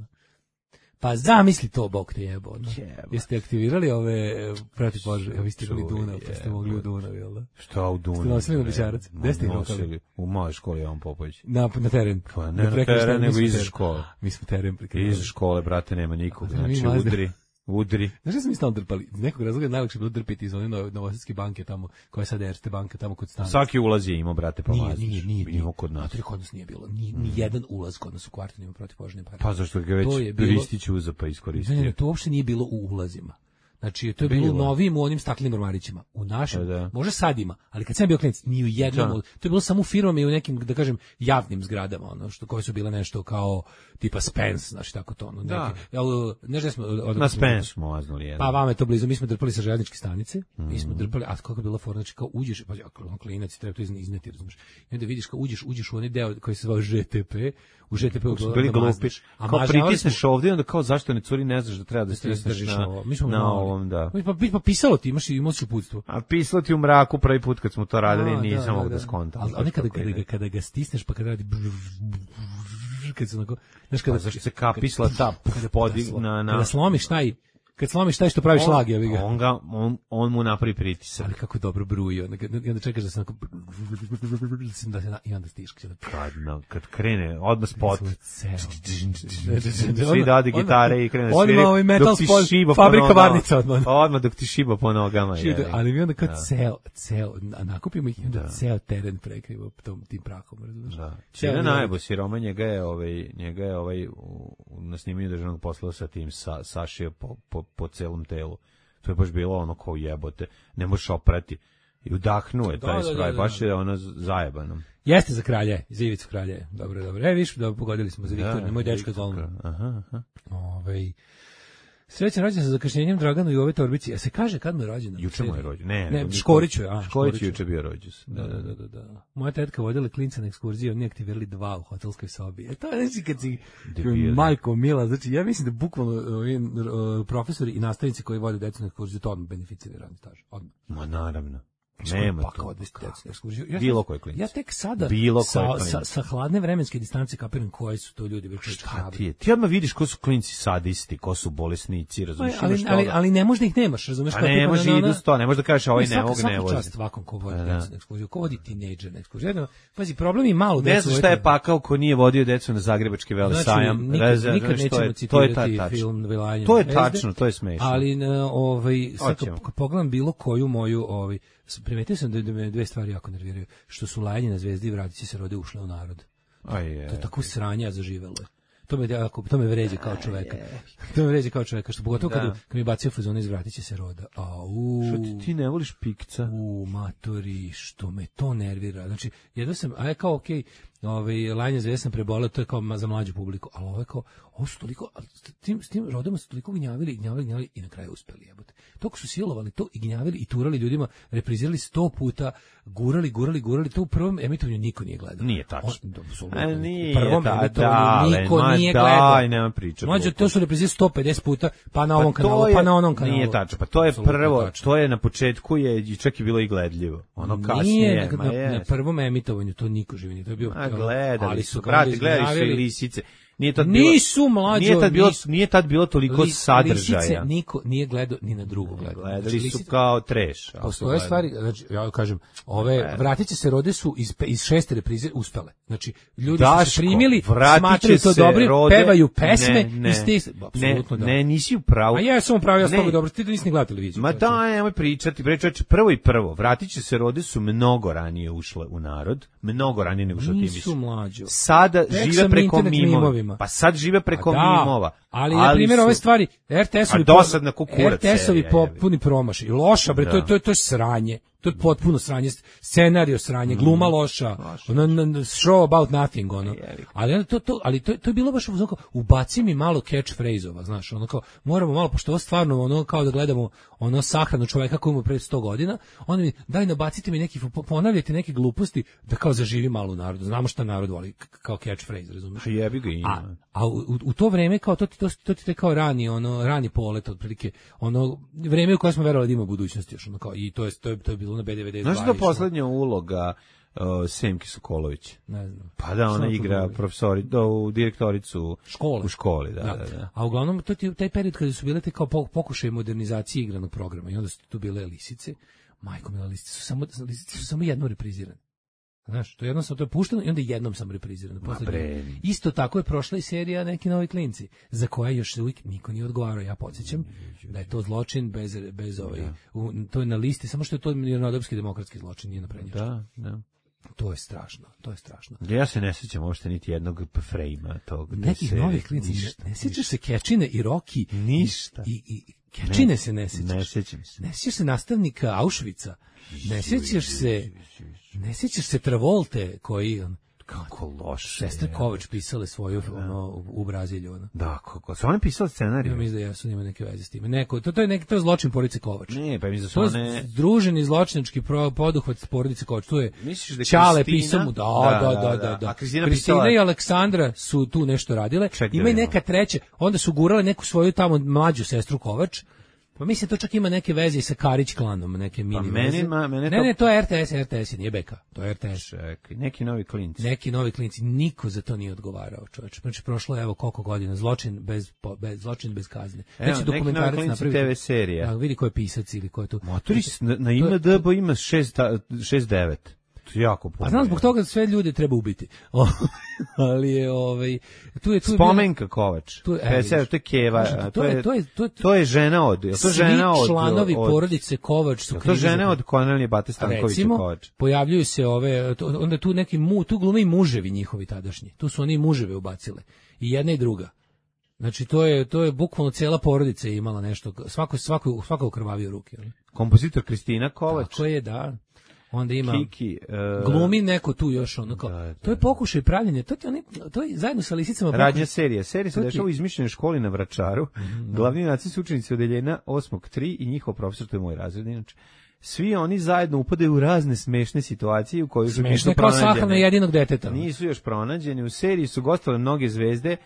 Pa zamisli to, bog te jebo. ono. Jeste aktivirali ove protivpožarne? Vi ste imali Dunav, pa ste mogli u Dunav, jel da? Šta u Dunavu? Ste nosili na Bečarac? Ma, Gde ste ih nosili. rokali? U mojoj školi Jovan Popović. Na, na teren. Pa ne na prekršajnom, teren, mi nego smo iza teren. škole. Mi smo teren prekršali. Iza škole, brate, nema nikog. A, mi Znači, mazde. udri, udri. Znaš da smo mi stalno drpali? Iz nekog razloga je najlakše bilo drpiti iz one Novo- Novosadske banke tamo, koja je sad Erste banka tamo kod stana. Svaki ulaz je imao, brate, pa Nije, mazdiš. nije, nije, nije. Imao kod nas. Znate li, kod nas nije bilo. Ni, ni jedan ulaz kod nas u kvartu nema protivpožarne pare. Pa zašto ga već To je bilo- Ristić uza pa Ne, ne, iskoristio? ne, to uopšte nije bilo u ulazima. Znači, to je bilo, Bilo. u novim, u onim staklenim ormarićima. U našem, Pa da. možda sad ima, ali kad sam bio klinac, ni u jednom, Da. od- to je bilo samo u firmama i u nekim, da kažem, javnim zgradama, ono, što, koje su bile nešto kao, tipa Spence, znači tako to, ono, neki. Da. Jel, ne znam, smo, od- Na od- Spence smo maznuli jedan. Pa vama je to blizu, mi smo drpali sa željezničke stanice, mi Mhm. smo drpali, a kako je bila fora, znači kao uđeš, pa on klinac, treba to izne- izneti, razumiješ. I onda vidiš kao uđeš, uđeš u onaj deo koji se zvao Ž T P, u Ž T P-u Su bili glupi. Kao pritisneš ovdje, onda kao zašto ne curi, ne znaš da treba da stisneš držiš na, ovo. Mi smo na mali. ovom, da. Pa, pa pisalo ti, imaš i imaš uputstvo. A pisalo ti u mraku prvi put kad smo to radili, A, nisam mogu da skontam. Ali ali kada, kada, ga- kada ga stisneš, pa kada radi kad se onako, znaš kada... Pa zašto se kapisla ta podi na... na Kada slomiš taj, kad slomiš taj što pravi šlag, ja ga. On, ga, on, on mu napravi pritisak. Ali kako dobro bruji, onda, i onda čekaš da se onako, da se, i onda stiškaš. Kad, na, kad krene, odmah spot. Ceo. Svi dade gitare i krene da Odmah svire, ovaj metal dok ti spot, šiba po fabrika nogama. varnica odmah. Odmah dok ti šiba po nogama. Čije, jebi. ali mi onda kao Da. ceo, ceo, na- nakupimo ih i onda Da. ceo teren prekrivo tom, tim prahom, razumiješ? Da. Ceo Čine dan. najbo siroma, njega je ovaj njega je ovaj u, u- na snimanju državnog posla sa tim sa sašio po, po, po celom telu. To je baš bilo ono kao jebote, ne možeš oprati. I udahnuo je taj Da, da, da, spraj, da. baš je ono zajebano. Jeste za kralje, za Ivicu kralje. Dobro, dobro. E, viš, da pogodili smo za Viktorinu, moj dečko je zvolno. Aha, aha. Ovaj Srećan rođendan sa zakašnjenjem Draganu i ove torbici. A se kaže kad mu je rođendan? Juče mu je rođen. Ne, Ne, nego niko- Škoriću je, a, Škorić Škoriću. je juče bio rođus. Da, da, da, da, da. Moja tetka vodila klinca na ekskurziju, oni aktivirali dva u hotelskoj sobi. E to je znači kad si Debili. majko mila, znači ja mislim da bukvalno ovi, uh, profesori i nastavnici koji vode decu na ekskurziju to odmah beneficiraju radni staž. Odmah. Ma naravno. Nema Nema pa to. kao odvesti decu na ekskurziju. Ja Bilo sam- koji klinac. Ja tek sada Bilo koji sa, klinac. sa, sa hladne vremenske distance kapiram koji su to ljudi već Šta ti je? Ti odmah vidiš ko su klinci sadisti, ko su bolesnici, razumiješ? ali, imaš ali, toga. ali ne možeš da ih nemaš, razumeš? Pa kao ne tipa može na- idu na- sto, ne može da kažeš ovaj ne svaka- ovog svaka ne vozi. čast svakom ko vodi Pa da. decu na ekskurziju, ko vodi tinejdžer na ekskurziju. Jedno, pazi, problem je malo Ne decu znam šta je voditi- pakao ko nije vodio decu na Zagrebački vele Znači, sajam. nikad, Reze- nikad znaš, to nećemo je- to je citirati ta- tačno. film Velanje To je zvezde, tačno, to je smešno. Ali na, ovaj, sad Hoćemo. kad pogledam bilo koju moju, ovaj, s- primetio sam da, da me dve stvari jako nerviraju. Što su lajanje na Zvezdi i Vratit će se rode ušle u narod. Aj, je. To je tako sranje, a zaživelo je. To me, jako, to me vređa kao čoveka. To me vređa kao čoveka, što pogotovo Da. kad, kad mi bacio fazone iz Vratit će se roda. Au. Što ti, ti ne voliš pikca? U matori, što me to nervira. Znači, jedno sam, a je kao, okej, ovaj, lajanje Zvezde sam preboleo, to je kao ma- za mlađu publiku, ali ovo je kao, ovo su toliko, ali s tim, s tim rodama su toliko gnjavili, gnjavili, gnjavili i na kraju uspeli, jebote. Toliko su silovali to i gnjavili i turali ljudima, reprizirali sto puta, gurali, gurali, gurali, to u prvom emitovanju niko nije gledao. Nije tačno. On- da, apsolutno. A U nije, prvom da, emitovanju dale, niko ma nije daj, gledao. nema priča. Mlađo, glupo. to su reprizirali sto pedeset puta, pa na ovom Pa to kanalu, je- pa na onom kanalu. Nije tačno, pa to je Apsolutno prvo, tačno. to je na početku je i čak i bilo i gledljivo. Ono kasnije, Nije, ma na, je. na prvom emitovanju to niko živi nije, to je bio... A gledali ali su, ga brate, onda gledali su i izgnjavili. lisice. Nije tad bilo, Nisu, mlađo, nije tad bilo, nisu. nije tad bilo toliko Lis- sadržaja. Lisice niko nije gledao ni na drugu gledao. Gledali Znači, su lisice- kao treš. ali su Postoje gledali. stvari, znači, ja kažem, ove vratit će se rode su iz, pe- iz šeste reprize uspele. Znači, ljudi su Daško, se primili, vratit smatraju će to se dobro, rode- pevaju pesme ne, ne, i ste, apsolutno ne, da. Ne, nisi u pravu. A ja sam upravo, ja sam Ne. toga dobro, ti to nisi ni gledao televiziju. Ma znači. da, nemoj pričati, bre čoveče, prvo i prvo, vratit će se rode su mnogo ranije ušle u narod, mnogo ranije nego što ti Nisu misliš. mlađo. Sada Tek žive sam preko internet mimova. mimovima. Pa sad žive preko Pa da, mimova. Ali, na primjer, su- ove stvari, R T S-ovi A dosadna ko kurac R T S-ovi serija, po, jebi. puni promašaj. Loša, bre, to, je- Da. to, je- to je sranje. To je potpuno sranje, scenario sranje, gluma loša, ono, show about nothing, ono. Ali to, to, ali to, to je bilo baš ono, ubaci mi malo catchphrase-ova, znaš, ono kao, moramo malo, pošto ovo stvarno, ono, kao da gledamo ono sahranu čoveka koji ima pre sto godina, onda mi, daj nabacite mi neki, ponavljajte neke gluposti, da kao zaživi malo u narodu, znamo šta narod voli, kao catchphrase, razumiješ? Jebi ga ima. A, a u, u to vreme, kao, to ti, to, to ti te kao rani, ono, rani polet, otprilike, ono, vreme u koje smo verovali da ima budućnost još, ono, kao, i to je, to je, to je bilo na B devedeset dva. Znaš da poslednja uloga uh, Semke Sokolović? Ne znam. Pa da, ona igra profesori, do, u direktoricu škole. U školi, da, da. da, da. A uglavnom, to ti taj period kada su bile te kao pokušaje modernizacije igranog programa i onda su tu bile lisice, majko mila, lisice su samo, lisice su samo jedno reprizirane. Znaš, to je jednostavno, to je pušteno i onda jednom sam reprizirano. Isto tako je prošla i serija Neki novi klinci, za koje još uvijek niko nije odgovarao. Ja podsjećam da je to zločin bez, bez ovaj, u, to je na listi, samo što je to mirnodopski demokratski zločin, nije naprednjački. Da, da. To je strašno, to je strašno. Ja se ne sjećam uopšte niti jednog frejma tog. Nekih novih klinci, ne, ne sjećaš se Kečine i Roki? Ništa. I, i, Kečine ne, se ne sjećaš. Ne sjećam se. Ne sjećaš se nastavnika Auschwitza. Ne sjećaš se, ne sjećaš se Travolte koji on, kako loše. Sestre Kovač pisale svoju ono, u Brazilju. Ono. Da, kako. Su one pisale scenariju? Ja mislim da jesu, nima neke veze s time. Neko, to, to, je neki, to je zločin porodice Kovač. Ne, pa mislim da su to one... je združeni zločinački poduhvat porodice Kovač. Tu je da Ćale pisao mu, da, da, da, da. da, da. A Kristina, Kristina pisala... i Aleksandra su tu nešto radile. Ček, ima i neka treća, onda su gurale neku svoju tamo mlađu sestru Kovač. Pa mislim to čak ima neke veze sa Karić klanom, neke mini pa meni, veze. Ma, mene ne, to... ne, to je R T S, R T S nije beka, to je R T S. Čekaj, neki novi klinci. Neki novi klinci, niko za to nije odgovarao, čoveče. Znači prošlo je evo koliko godina, zločin bez, bez zločin bez kazne. Evo, neki novi klinci T V serija. Da, vidi ko je pisac ili ko je tu. Motorić na, na I M D B ima šest devet. Jako puno. A znam, zbog toga sve ljude treba ubiti. Ali je ovaj tu je tu Spomenka Kovač. Tu je e, to je Keva, to, to je to je to je to je žena od, je to žena od članovi od, porodice Kovač su krivi. To žene od Kornelije Bate Stankovića Kovač. Pojavljuju se ove to, onda tu neki mu, tu glume i muževi njihovi tadašnji. Tu su oni muževe ubacile. I jedna i druga. Znači to je to je bukvalno cijela porodica je imala nešto, svako svako svako krvavio ruke, ali. Kompozitor Kristina Kovač. Tako je, da. Onda ima Kiki, uh, glumi neko tu još ono kao. Da, da. To je pokušaj pravljenja. To je to je zajedno sa lisicama. Radnja serija. Serija se dešava u izmišljenoj školi na Vračaru. Mm-hmm. Glavni junaci su učenici odeljenja osmog tri i njihov profesor, to je moj razred inače. Svi oni zajedno upadaju u razne smešne situacije u kojoj su nisu pronađeni. Kao sahrana jedinog deteta. Nisu još pronađeni. U seriji su gostovale mnoge zvezde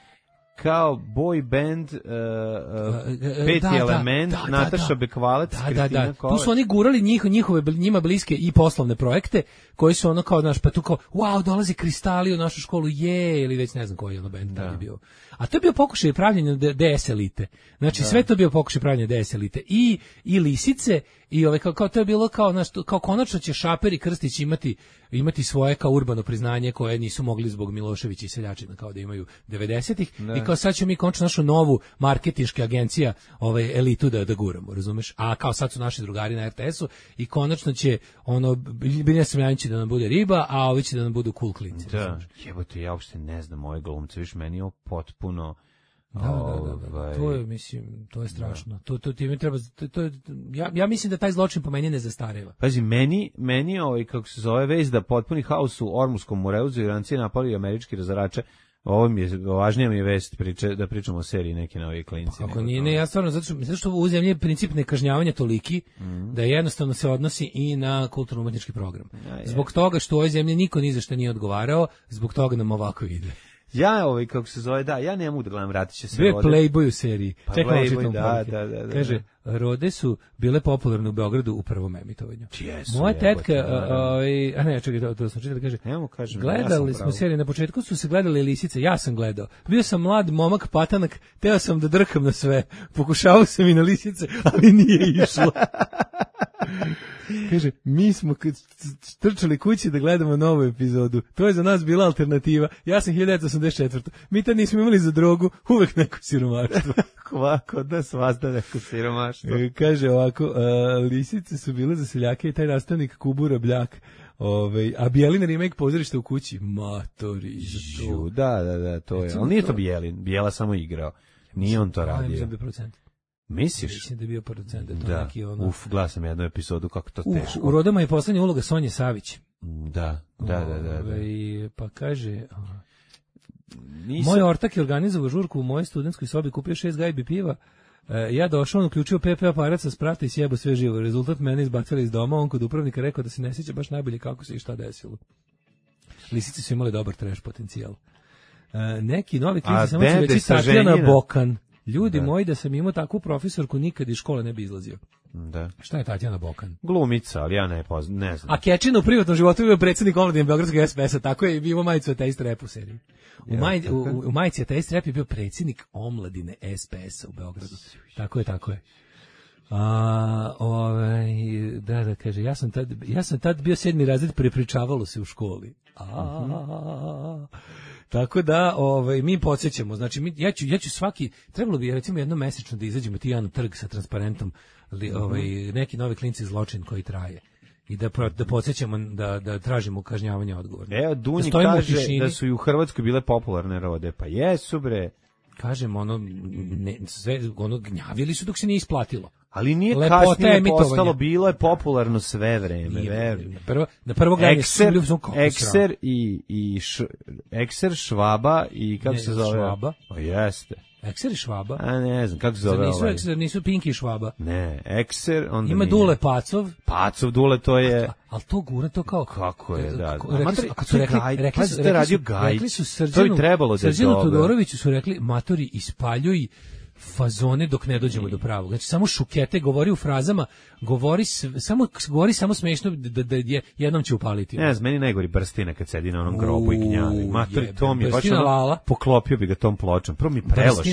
kao boy band, uh, uh, peti da, element, da, da, Nataša da, Bekvalac, da, Kristina da, da. Kovač. Tu su oni gurali njih, njihove, njima bliske i poslovne projekte, koji su ono kao, znaš, pa tu kao, wow, dolazi Kristali u našu školu, je, ili već ne znam koji je ono band da je bio. A to je bio pokušaj pravljenja D S elite. Znači, da. Sve to je bio pokušaj pravljenja D S elite. I, i lisice, i ove, kao, kao to je bilo kao, znaš, kao konačno će Šaper i Krstić imati, imati svoje kao urbano priznanje koje nisu mogli zbog Miloševića i Seljačina kao da imaju devedesetih i kao sad ćemo mi konačno našu novu marketinška agencija ovaj, elitu da, da guramo, razumeš? A kao sad su naši drugari na R T S-u i konačno će ono, Biljana Srbljanić da nam bude riba, a ovi će da nam budu cool klinci. Da, jebote, ja uopšte ne znam ove glumce, viš meni je ovo potpuno... Da, da, da, da, to je, mislim, to je strašno. Da. To, to, to mi treba, to, to, ja, ja mislim da taj zločin po meni ne zastareva. Pazi, meni, meni ovaj, kako se zove, vez da potpuni haos u Ormuskom Mureuzu Iranci napali američki razarače. Ovo mi je, važnija mi je vest priče, da pričamo o seriji Neki novi klinci. Ako nije, ne, ja stvarno, zato što, zato što u zemlji je princip nekažnjavanja toliki, mm. da jednostavno se odnosi i na kulturno-umetnički program. Ja, zbog toga što u ovoj zemlji niko ni za što nije odgovarao, zbog toga nam ovako ide. Ja, ovaj, kako se zove, da, ja ne mogu da gledam, vratit će se Rode. Bio je Playboy u seriji. Pa Playboy, da, da, da, da. Kaže, Rode su bile popularne u Beogradu u prvom emitovanju. Jesu, moja tetka, ovaj, a ne, čekaj, to, to sam čitao, kaže, Nemo kažem, gledali ja smo seriju, na početku su se gledali lisice, ja sam gledao. Bio sam mlad momak patanak, teo sam da drkam na sve. Pokušavao sam i na lisice, ali nije išlo. Kaže, mi smo trčali kući da gledamo novu epizodu. To je za nas bila alternativa. Ja sam hiljadu devetsto osamdeset četvrte. Mi tad nismo imali za drogu, uvek neko siromaštvo. Ovako, da svazda neko siromaštvo. Kaže ovako, uh, lisice su bile za seljake i taj nastavnik Kubura Bljak. Ove, a Bjelin remake Pozorište u kući. Matori. Žu, da, da, da, to je. Ali nije to Bjelin. Bijela samo igrao. Nije on to radio. Misliš? Mislim da je bio producent, da je to Da, neki ono... uf, glasam jednu epizodu, kako to Uf, teško. u Rodama je poslednja uloga Sonje Savić. Da, da, da, da. da. Ove, pa kaže... Nisam... Moj ortak je organizovao žurku u mojoj studentskoj sobi, kupio šest gajbi piva, e, ja došao, on uključio P P aparat sa sprata i sjebo sve živo. Rezultat mene izbacili iz doma, on kod upravnika rekao da se ne sjeća baš najbolje kako se i šta desilo. Lisice su imali dobar trash potencijal. E, neki novi klizi, samo ću reći Tatjana Bokan. Ljudi da. moji, da sam imao takvu profesorku, nikad iz škole ne bi izlazio. Da. Šta je Tatjana Bokan? Glumica, ali ja ne poznam, ne znam. A Kečin u privatnom životu je bio predsjednik omladine Beogradskog S P S-a, tako je i bio majicu Ateist Rap u seriji. U, ja, maj, u, u majici Ateist Rap je bio predsjednik omladine S P S-a u Beogradu. Tako je, tako je. A, ovaj, da, da, kaže, ja sam tad, ja sam tad bio sedmi razred, prepričavalo se u školi. A, uh-huh. Tako da, ovaj, mi podsjećamo, znači, mi, ja, ću, ja ću svaki, trebalo bi, recimo, jedno mesečno da izađemo ti ja na trg sa transparentom, li, ovaj, neki novi klinci zločin koji traje. I da, da podsjećamo da, da tražimo kažnjavanje odgovorna. Evo, Dunji da kaže da su i u Hrvatskoj bile popularne rode, pa jesu bre. Kažem, ono, ne, sve, ono, gnjavili su dok se nije isplatilo. Ali nije kasnije postalo, bilo je popularno sve vreme. Na prvo, na prvo gledanje Ekser, Ekser i, i š, Ekser, Švaba i kako ne, se zove? Švaba. O, jeste. Ekser i Švaba? A ne znam, kako se zove nisu, ovaj? Ekser, nisu Pinki i Švaba. Ne, Ekser, onda ima nije. Dule Pacov. Pacov, Dule, to je... Ali to gura, to kao... Kako je, da. Rekli su, a kad su rekli, rekli, pa su, rekli, su, rekli su Srđanu, to bi trebalo da je Srđanu dobro. Todoroviću su rekli, matori, ispaljuj fazone dok ne dođemo do pravog. Znači, samo šukete, govori u frazama, govori, samo, govori samo smešno da, da je, jednom će upaliti. Ne znam, meni najgori Brstina kad sedi na onom grobu i gnjavi. Matori, to mi je baš ono, poklopio bi ga tom pločom. Prvo mi preloš,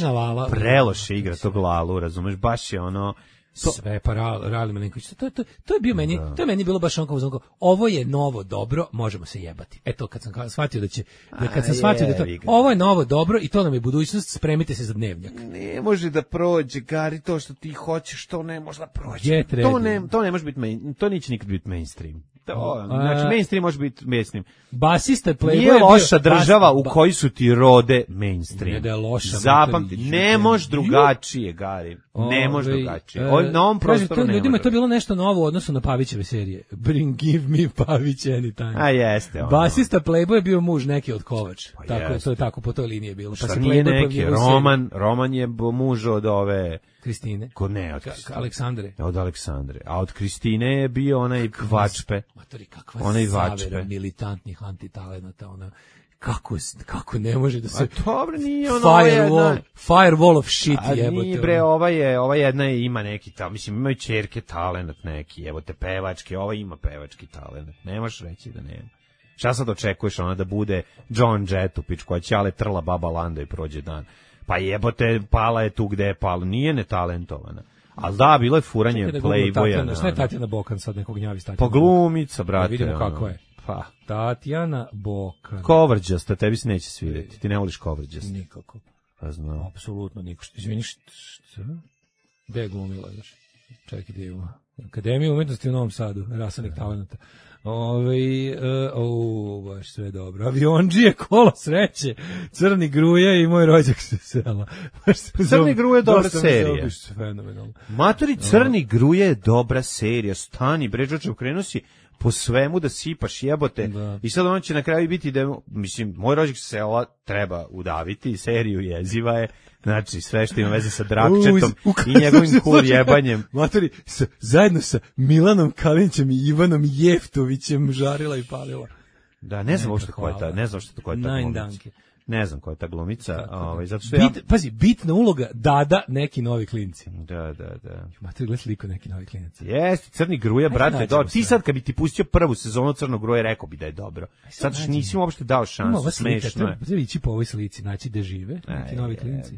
preloše igra tog Lalu, razumeš, baš je ono... To, sve pa Rali Malinković, to, to, to je bio meni, da. to je meni bilo baš onako, onako, ovo je novo dobro, možemo se jebati. Eto, kad sam shvatio da će, da kad sam shvatio da to, ovo je novo dobro i to nam je budućnost, spremite se za dnevnjak. Ne može da prođe, Gari, to što ti hoćeš, to ne može da prođe. To ne, to ne može biti, main, to neće nikad biti mainstream. To, znači, mainstream može biti mainstream. Basista Playboy nije loša država u kojoj su ti rode mainstream. Nije da je loša. Zapamti, ne može drugačije, Gari. Ne može drugačije. O, na ovom prostoru to, ne ljudima može. je to bilo nešto novo u odnosu na Pavićeve serije. Bring, give me Pavić anytime. A jeste. Ono. Basista Playboy je bio muž neki od Kovač. Pa tako je, to je tako po toj liniji je bilo. Pa se nije neki, Roman, Roman je muž od ove... Kristine. Ko ne, od Kristine. Aleksandre. Od Aleksandre. A od Kristine je bio onaj Vačpe. Matori, kakva onaj zavera militantnih antitalenata, ona... Kako, kako ne može da se... A dobro, nije ono firewall, jedna... Firewall of shit, a jebote. A nije bre, ova je, ova jedna je, ima neki tal, mislim, imaju ćerke talent neki, jebote, pevačke, ova ima pevački talent. Ne možeš reći da nema. Šta sad očekuješ, ona da bude John Jetupić, koja će ale trla baba Landa i prođe dan. Pa jebote, pala je tu gde je pala, nije netalentovana. Ali da, bilo je furanje da Playboya. Šta je Tatjana Bokan sad nekog gnjavi statio? Pa glumica, brate. Da vidimo kako je. Pa. Tatjana Bokan. Kovrđasta, tebi se neće svidjeti. Ti ne voliš kovrđasta. Nikako. Pa znam. Apsolutno niko. Izvini, šta? Gde je glumila još? Čekaj, gdje je Akademija umetnosti u Novom Sadu, rasanih talenata. Ove, uh, o, baš sve dobro. Avionđije, kola sreće, Crni Gruje i Moj rođak se sela. Crni Gruje je dobra serija. Fenomenalno. Matori, Crni Gruje je dobra serija. Stani, bređoče, ukrenu si po svemu da sipaš jebote. Da. I sad on će na kraju biti da, mislim, Moj rođak se sela treba udaviti, seriju jeziva je. Znači, sve što ima veze sa Drakčetom u, u, i njegovim kur jebanjem. Matori, sa, zajedno sa Milanom Kalinićem i Ivanom Jeftovićem žarila i palila. Da, ne znam uopšte ko je ta, ne znam što ko je ta glumica. Ne znam ko je ta glumica, ovaj zato što Bit, ja pazi, bitna uloga Dada, neki novi klinci. Da, da, da. Matori, gledaj sliku neki novi klinac. Jeste, Crni Gruja, brate, do. Ti sad kad bi ti pustio prvu sezonu Crnog Gruja, rekao bi da je dobro. Sad što nisi uopšte dao šansu, smešno je. Treba ići po ovoj slici, naći gde žive, neki novi klinci.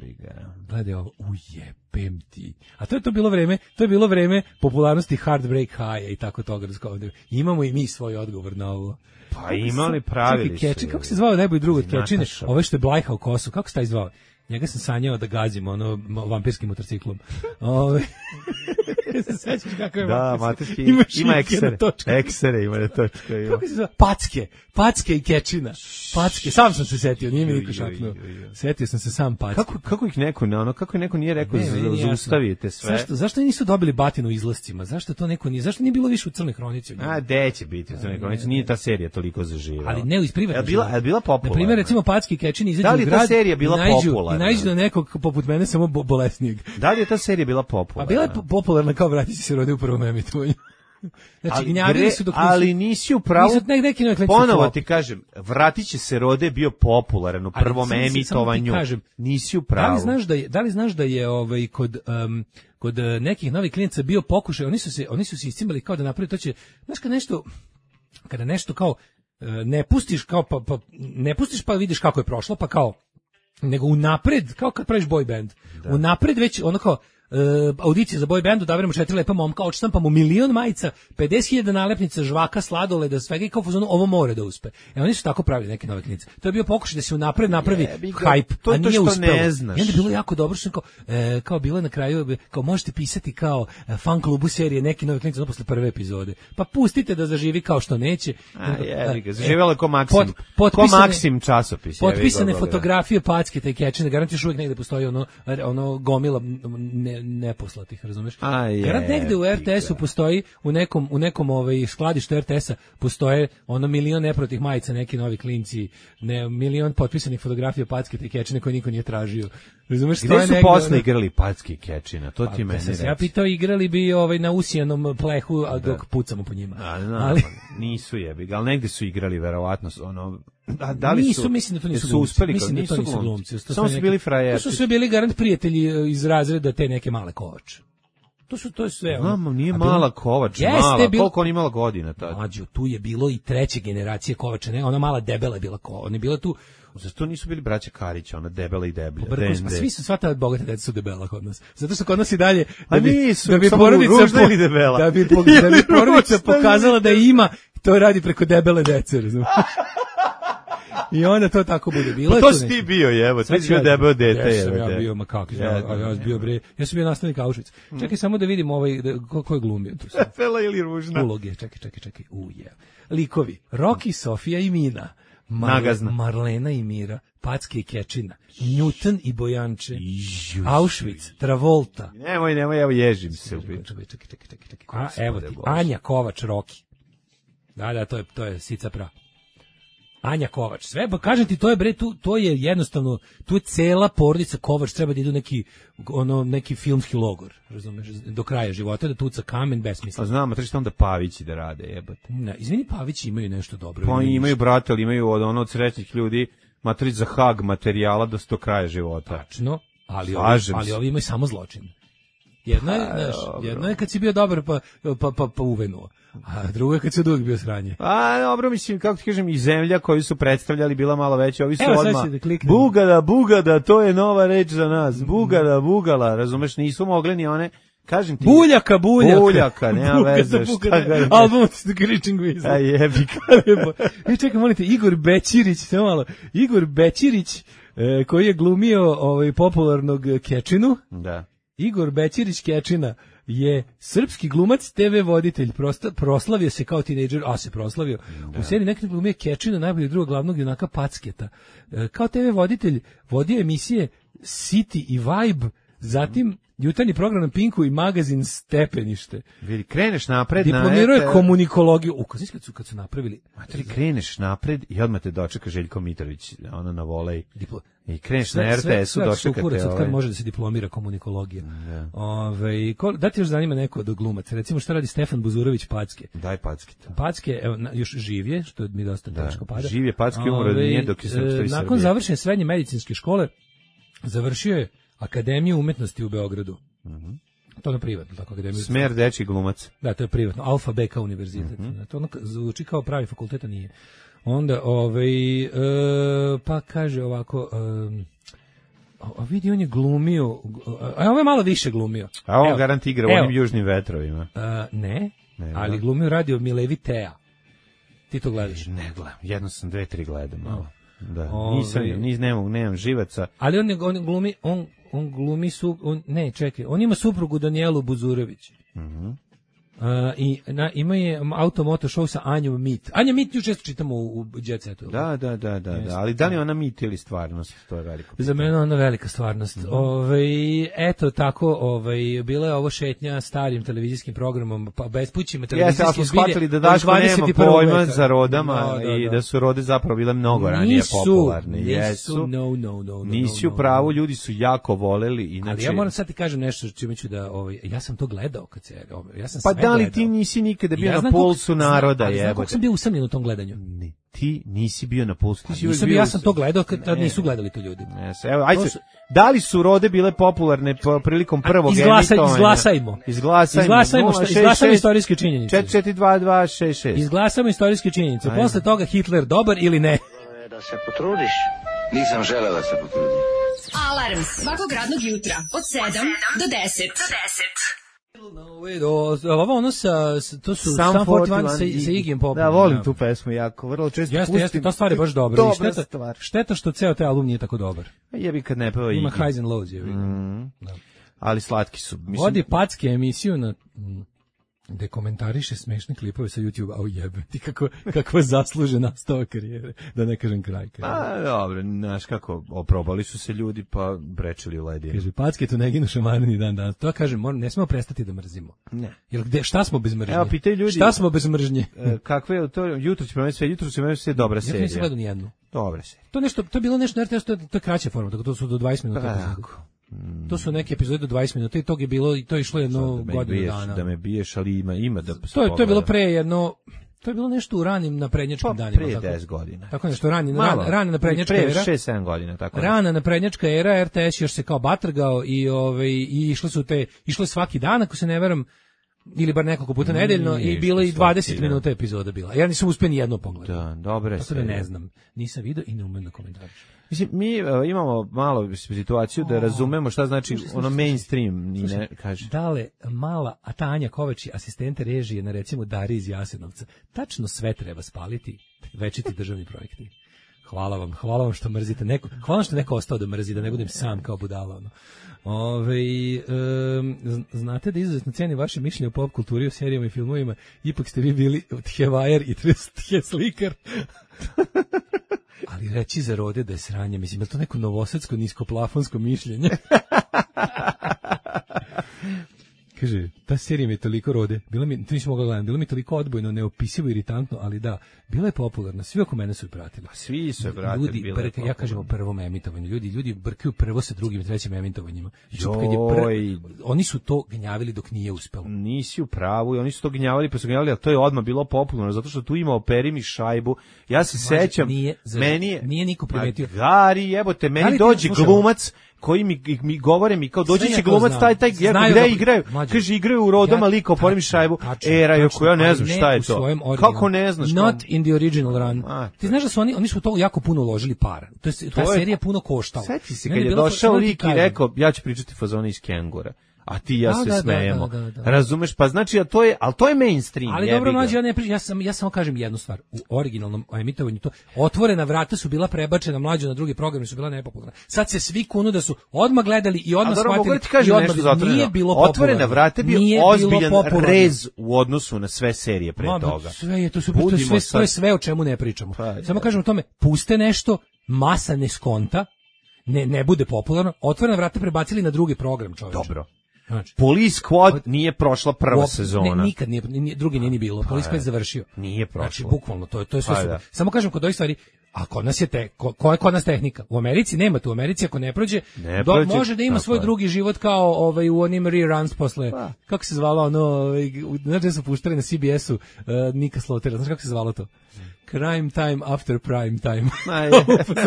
Gledaj ovo, ujebem ti. A to je to bilo vreme, to je bilo vreme popularnosti Heartbreak High i tako toga. Imamo i mi svoj odgovor na ovo. Pa imali pravili su. Kako se zvao najbolji drug od Kečine? Ovo što je Blajha u kosu, kako se taj zvao? Njega sam sanjao da gazim ono vampirskim motorciklom. Ove. Se sećaš kako je Da, vampirski? materski, Ima ima šike eksere, na točku. eksere ima na točku. Ima. Kako se zove? Packe. Packe i kečina. Packe. Sam sam se setio, nije mi niko šapnuo. Setio sam se sam packe. Kako, kako ih neko, ono, kako neko nije rekao, Ne, meni nije jasno. zaustavite sve. Zašto, zašto nisu dobili batinu u izlascima? Zašto to neko nije? Zašto nije bilo više u Crnoj hronici? od njega? A, gde će biti u Crnoj hronici? Nije ta serija toliko zaživela. Ali ne iz privatnog. Je bila, života. je bila popularna? Na primjer, recimo Packi i Kečini izađu Da li u je grad ta serija bila i nađu, popularna? I nađu na nekog poput mene samo bo, bolesnijeg. Da li je ta serija bila Pa popularna? bila je po- popularna kao vratići se rode u prvom emitovanju. Znači, ali, gnjavili gre, su dok nisu... ali nisi u pravu. Nisu nek, neki neki Ponovo flop. ti kažem, vratit će se rode bio popularan u Ali prvom samo ti- samo ti emitovanju. kažem, Nisi u Da pravu. li znaš da je, da li znaš da je ovaj kod um, kod uh, nekih novih klinaca bio pokušaj, oni su se oni su se iscimali kao da naprave to će, znaš kad nešto kada nešto kao uh, ne pustiš kao pa, pa ne pustiš pa vidiš kako je prošlo, pa kao nego unapred, kao kad praviš boy band. Unapred već ono kao Uh, audicije za boy band, odaberemo četiri lepa momka, odštampamo milion majica, pedeset hiljada nalepnica, žvaka, sladoleda, svega i kao fazonu, ovo more da uspe. E oni su tako pravili neke nove klinice. To je bio pokušaj da se unapred napravi Jebi ga, hype, to je a to nije što uspelo. ne znaš. I onda je bilo jako dobro što kao, e, kao bilo je na kraju, kao možete pisati kao e, fan klubu serije neki novi klinice, ono posle prve epizode. Pa pustite da zaživi kao što neće. A, jebi ga, E, zaživjelo je ko Maksim. pot- Ko potpisane- Maksim časopis. jebi ga, Potpisane Boga. fotografije Packe te Kečine, garant još uvijek negde postoji ono, ono gomila ne, neposlatih, razumeš? A, je, Garant negde u R T S-u ga. postoji, u nekom, u nekom ovaj, skladištu R T S-a postoje ono milion neprotih majica, neki novi klinci, ne, milion potpisanih fotografija Packe te Kečine koje niko nije tražio. Razumeš? Gde stoje su negde, posle ono- igrali Packi i Kečina? To ti Pa, meni da sam se reci. ja pitao, igrali bi ovaj, na usijanom plehu, a dok pucamo po njima. A, znam, Ali- pa nisu jebi ga, ali negde su igrali verovatno ono da, da li nisu, su mislim da to nisu jesu glumci. uspeli, Mislim da nisu to nisu glumci. glumci. To Samo su su neki- bili frajerci. To su sve bili garant prijatelji e, iz razreda te neke male Kovač. To su to je sve. ono. Mamo, nije A bilo- mala Kovač, Jeste, mala. bilo- Koliko on imala godina tad? Mlađo, tu je bilo i treće generacije Kovača, ne, ona mala debela je bila ko, ona je bila tu Zašto nisu bili braća Karić, ona debela i deblja? Brkos, pa D N D. svi su sva ta bogata deca su debela kod nas. Zato što kod nas i dalje A da bi nisu, da bi samo porodica ružna ili debela? da bi po- da bi porodica Ružna ili pokazala da ima, to radi preko debele dece, razumiješ? I onda to tako bude bilo. Pa je to tu si neki- ti bio, jevo, Sad ti si ću bio ja- debelo dete, Jesam jevo. ja bio, ma kako, ja, Ja, a ja sam bio bre, ja sam bio nastavnik Auschwitz. Čekaj samo da vidimo ovaj, da, ko, ko je glumio tu sad. Debela ili ružna? Uloge, čekaj, čekaj, čekaj, uje. Likovi, Rocky, Sofija i Mina. Mar- Nagazna. Marlena i Mira, Packe i Kečina, Newton i Bojanče, Auschwitz, Travolta. Nemoj, nemoj, evo ježim se. u Čekaj, biti. čekaj, čekaj, čekaj, čekaj, čekaj. A, evo ti, Bože. Anja Kovač, Rocky. Da, da, to je, to je Sica Pra. Anja Kovač, sve, pa kažem ti, to je bre, tu, to je jednostavno, tu je cela porodica Kovač, treba da idu neki, ono, neki filmski logor, razumeš, do kraja života, da tuca kamen, besmisla. A znam, a treći onda Pavići da rade, jebate. Ne, izvini, Pavići imaju nešto dobro. Pa imaju imaju brate, ali imaju od ono od srećnih ljudi materić za hag materijala do sto kraja života. Tačno, ali ovi, Slažem ali se. ovi imaju samo zločin. Jedno je, Pa, znaš, dobro. jedno je kad si bio dobar pa, pa, pa, pa uvenuo, a drugo je kad si od uvijek bio sranje. A, dobro, mislim, kako ti kažem, i zemlja koju su predstavljali bila malo veća, ovi su Evo, sad odmah, ću da kliknem. bugada, bugada, to je nova reč za nas, bugada, bugala, razumeš, nisu mogli ni one, kažem ti, Buljaka, buljaka. Buljaka, nema Bugada, veze, šta bugada. ga je. Album s The Green Weasel. A jebi ga. E, čekaj, molite, Igor Bećirić, samo malo, Igor Bećirić, e, koji je glumio ovaj, popularnog Kečinu, Da. Igor Bećirić Kečina je srpski glumac, te ve voditelj, prosta, proslavio se kao tinejdžer, a se proslavio. U seriji nekada glumio Kečina, najbolji drugog glavnog junaka Packeta. E, kao te ve voditelj vodio emisije City i Vibe, zatim jutarnji program na Pinku i magazin Stepenište. Vidi, kreneš napred na... Diplomirao je ete- komunikologiju. U, kad su, kad su napravili... Materi, kreneš napred i odmah te dočeka Željko Mitrović, ono na volej. Diplo... I kreneš Sve- na R sve- T S-u, sve dočeka sukurac te od kad ovaj. može da se diplomira komunikologija. Ove, ko, da ti još zanima neko od glumaca? Recimo šta radi Stefan Buzurović Packe? Daj packita. Packe, evo, na- još živ je, što mi dosta Da, teško pada. živ je Packe, umro Ove, nije dok je Srpstvo i e, Nakon Srbije. završene srednje medicinske škole, završio je Akademiju umetnosti u Beogradu. To je ono privatno, tako Akademiju. Smer dečji glumac. Da, to je privatno. Alfa Beka univerzitet. Mhm. To ono zvuči kao pravi fakultet, a nije. Onda, ovaj, e, pa kaže ovako... E, a vidi, on je glumio... A ovo je malo više glumio. A on Evo, garant igra u evo. onim južnim vetrovima. E, ne, Ne, ali da. glumio radio Milevi Tea. Ti to gledaš? Ne gledam, jedno sam dve, tri gledam. Malo. Da, Ove, nisam, nis, nemam, nemam živaca. Ali on, on glumi, on, on glumi su, on, ne, čekaj, on ima suprugu Danijelu Buzurović. Mhm. Uh, i na, ima je automoto show sa Anjom Mit. Anja Mit ju često čitamo u, u Jet Setu. Da, da, da, da, da, ali da li ona mit ili stvarnost, to je veliko. Za mene ona velika stvarnost. Mm. Ove, eto tako, ovaj bila je ovo šetnja starim televizijskim programom, pa bespućima televizijskim. Jeste, ali smo shvatili da Daško nema pojma za rodama no, da, da. i da su rode zapravo bile mnogo ranije nisu, popularne. Nisu, Jesu, no, no, no, no, nisi no, u no, pravu, no. ljudi su jako voleli. Inače... Ali ja moram sad ti kažem nešto čime ću da, ovaj, ja sam to gledao kad se, ovaj, ja sam pa sve da li gledao. Ti nisi nikada bio ja na pulsu naroda, jebote. Znam kako sam bio usamljen u tom gledanju. Ne, ti nisi bio na pulsu. Ti si nisam bio, ja sam to gledao kad tad nisu gledali to ljudi. Ne, evo, ajde, su... da li su rode bile popularne po, prilikom prvog Izglasa, emitovanja? Izglasajmo. Izglasajmo. Izglasajmo, šta, izglasajmo istorijske činjenice. četiri četiri dva dva šest šest. Izglasajmo istorijske činjenice. Ajde. Posle toga Hitler dobar ili ne? Da se potrudiš. Nisam želeo da se potrudim. Alarm svakog radnog jutra od sedam do deset. Do deset. Ovo ono sa, to su Sam četrdeset jedan sa, sa Iggyjem Popom. Da, volim tu pesmu jako, vrlo često jeste, pustim. Jeste, ta stvar je baš dobra. Dobra šteta, stvar. Šteta što ceo taj album nije tako dobar. Jebi kad ne peva Iggy. Ima highs and lows, jebi. Mm. Da. Ali slatki su. Mislim... Vodi packe emisiju na... gde komentariše smešne klipove sa YouTube, a ujebe, ti kako, kako zasluže nastava karijere, da ne kažem kraj karijere. A, dobro, znaš kako, oprobali su se ljudi, pa brečili u ledinu. Kaže, packe tu ne ginu šamarni dan danas. To kažem, moram, ne smemo prestati da mrzimo. Ne. Jer gde, šta smo bez mržnje? Evo, pitaju ljudi. Šta smo bez mržnje? E, kakve je to, jutro će promeniti sve, jutro će promeniti sve dobra serija. Ja nisam gledao nijednu. Dobra serija. To, nešto, to je bilo nešto, to je, to je kraća forma, tako to su do dvadeset minuta. Tako. Mm. To su neke epizode do dvadeset minuta i tog je bilo, i to je išlo jedno da godinu biješ, dana. Da me biješ, ali ima, ima da to je, to je bilo pre jedno, to je bilo nešto u ranim naprednjačkim pa, danima. Pre tako, deset godina. Tako nešto, rani, ran, rana naprednjačka era. Pre šest sedam godina, tako. Rana naprednjačka era, R T S još se kao batrgao i, ove, i išle su te, išle svaki dan, ako se ne veram, ili bar nekoliko puta nedeljno i bilo i dvadeset minuta epizoda bila. Ja nisam uspio ni jedno pogledati. Da, dobre se. Ne znam, nisam video i ne umem da komentarišem. Mislim, mi uh, imamo malo situaciju da razumemo šta znači slušaj, ono mainstream, ni ne kaže. Dale, mala, a Tanja Kovači, asistente režije na recimo Dari iz Jasenovca, tačno sve treba spaliti, večiti državni projekti. Hvala vam, hvala vam što mrzite neko, hvala što neko ostao da mrzi, da ne budem sam kao budala. Ono. Ove, um, znate da izuzetno cenim vaše mišljenje o pop kulturi, o serijama i filmovima, ipak ste vi bili tjevajer i tjeslikar. Ali reći za rode da je sranje, mislim, je to neko novosadsko niskoplafonsko mišljenje? Kaže, ta serija mi je toliko rode, bila mi, to nisam mogla gledati, bilo mi toliko odbojno, neopisivo, iritantno, ali da, bila je popularna, svi oko mene su je pratili. Svi su je pratili, ljudi, bila je brka, ja kažem o prvom emitovanju, ljudi, ljudi brkaju prvo sa drugim i trećim emitovanjima. Joj. Oni su to gnjavili dok nije uspelo. Nisi u pravu, i oni su to gnjavili, pa su gnjavili, a to je odmah bilo popularno, zato što tu ima operi mi šajbu. Ja se Maži, sećam, nije, zar, meni je... Nije niko primetio. Gari, jebote, meni dođe glumac, koji mi, mi govore mi kao doći će glumac taj taj gdje gde igraju, kaže igraju u rodama, ja, lik opori mi šajbu, era jako ja ne znam šta je to, kako ne znaš, not in the original run. A, ti znaš da su oni oni su to jako puno uložili para, to je ta serija puno koštala. Sjeti se kad je došao lik i rekao ja ću pričati fazone iz Kengura, a ti ja se da, smejemo. Da, da, da, da. Razumeš? Pa znači, a to je, al to je mainstream. Ali dobro, mlađi, ja ne pričam, ja sam ja samo kažem jednu stvar. U originalnom emitovanju to otvorena vrata su bila prebačena mlađe na drugi program, su bila nepopularna. Sad se svi kunu da su odmah gledali i odmah shvatili i odmah nije bilo popularno. Otvorena vrata bio ozbiljan rez u odnosu na sve serije pre Ma, toga. Sve je to su to sve, to je sve o čemu ne pričamo. Pa, samo kažem o tome, puste nešto, masa ne skonta, ne ne bude popularno, otvorena vrata prebacili na drugi program, čoveče. Dobro. Znači, Police Squad nije prošla prva op, sezona. Ne, nikad nije, nije, drugi nije ni bilo. Pa, Police Squad je završio. Nije prošlo. Znači, bukvalno, to je, to je sve pa, super. Da. Samo kažem kod ovih stvari, a kod nas je te, ko, ko je kod nas tehnika? U Americi nema tu. U Americi ako ne prođe, ne do, prođe može da ima svoj je. drugi život kao ovaj, u onim reruns posle, pa. kako se zvalo ono, ovaj, znaš da su puštali na C B S-u uh, Nika Slotera, znaš kako se zvalo to? Crime time after prime time.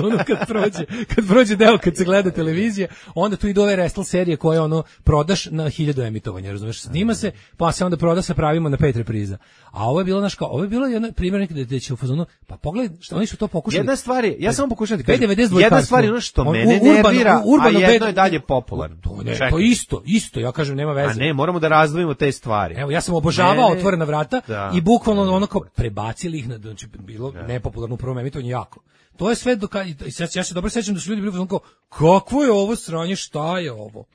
ono kad prođe, kad prođe deo kad se gleda televizija, onda tu idu ove wrestle serije koje ono prodaš na hiljadu emitovanja, razumeš? Snima se, pa se onda proda sa pravima na pet repriza. A ovo je bilo naš kao, ovo je bilo jedan primjer nekada da će u fazonu, pa pogledaj, što oni su to pokušali Jedna stvar je, ja samo pokušam da B kažem, devedeset dva jedna stvar je ono što on- mene urbano- nervira, urbano a jedno B- je dalje popularno. To, ne, Čekaj. to isto, isto, ja kažem, nema veze. A ne, moramo da razdvojimo te stvari. Evo, ja sam obožavao Ne, ne. Otvorena vrata Da. i bukvalno ono kao prebacili ih na, znači, bilo nepopularno u prvom emitovanju jako. To je sve do kad, i sad ja se dobro sećam da su ljudi bili ono kao, kakvo je ovo sranje, šta je ovo?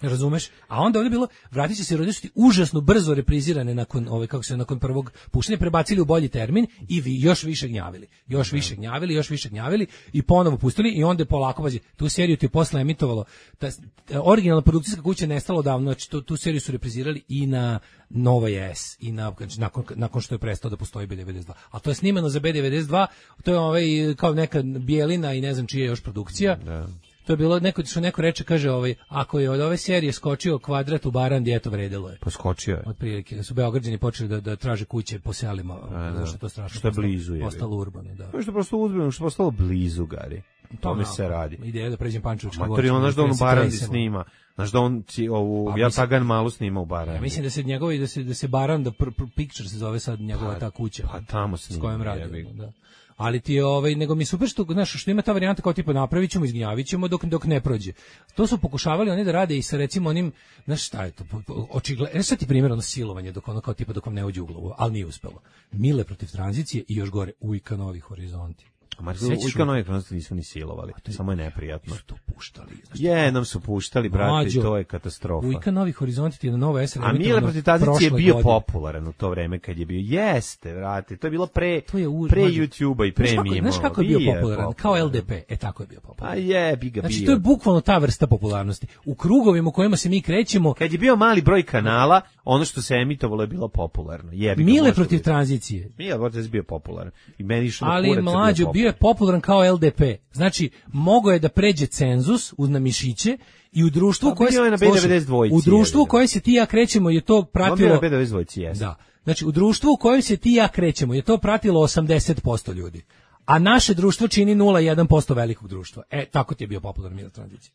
Razumeš? A onda ovdje je bilo, vratit će se roditelji užasno brzo reprizirane nakon ove kako se nakon prvog puštanja, prebacili u bolji termin i vi još više gnjavili. Još više gnjavili, još više gnjavili i ponovo pustili i onda je polako, pazi, tu seriju ti je posle emitovalo, ta, ta originalna produkcijska kuća je nestala davno, znači tu, tu seriju su reprizirali i na Nova S i na, znači, nakon, nakon što je prestao da postoji B devedeset dva. A to je snimano za B devedeset dva, to je ovaj, kao neka Bijelina i ne znam čija je još produkcija. Da. To je bilo neko što neko reče, kaže, ovaj ako je od ove serije skočio kvadrat u Barandi, eto vredelo je. Poskočio je. Otprilike su Beograđani počeli da da traže kuće po selima, zato što je to strašno. Što je postalo- blizu je. Postalo urbano, da. To je što prosto uzmano, što je postalo blizu, Gari. To mi se radi. Ideja da pređem Pančevački Mater, on znaš da on u Barandi snima. Znaš da on ci, ovu, Pa, ja mislim- Tagan malo snima u Barandi. Ja mislim da se njegovi da se da se Baranda pr, pr, Picture se zove sad njegova ta kuća. Pa tamo s snima, kojom radi, jebi. da. Ali ti je ovaj nego mi je super što znaš što ima ta varijanta kao tipa napravićemo, izgnjavićemo dok dok ne prođe. To su pokušavali oni da rade i sa recimo onim, znaš šta je to? Očigledno, sad ti primjer ono silovanje dok ono kao tipa dok vam ne uđe u glavu, ali nije uspelo. Mile protiv tranzicije i još gore Ujka Novi horizonti. Marko, Ujka Novi horizonti nisu ni silovali, samo je neprijatno. Su to puštali. Znaš, Jednom su puštali, brate, Mlađo, to je katastrofa. Ujka Novi horizonti ti je na Nova S. A Mile protiv tranzicije je bio popularan u to vreme kad je bio. Jeste, vrate, to je bilo pre, To je už- pre mlađo. YouTube-a i pre Znaš kako, mimo. znaš kako je bio popularan? Kao L D P. E, tako je bio A popularan. jebi ga Znači, bio. to je bukvalno ta vrsta popularnosti. U krugovima u kojima se mi krećemo, Kad je bio mali broj kanala, ono što se emitovalo je bilo popularno. Jebi ga, Mile može protiv biti. tranzicije. Mile protiv je bio popularan. I meni išlo na Ali kurac, mlađo, bio je popularan kao L D P. Znači, mogao je da pređe cenzus uz na mišiće i u društvu Pa koje bio je na B devedeset dva u društvu u jebi ga. kojem se ti i ja krećemo je to On bio pratilo na B devedeset dva, jeste. Da. Znači, u društvu u kojem se ti i ja krećemo je to pratilo osamdeset posto ljudi. A naše društvo čini nula zarez jedan posto velikog društva. E, tako ti je bio popularan Mile tranzicija.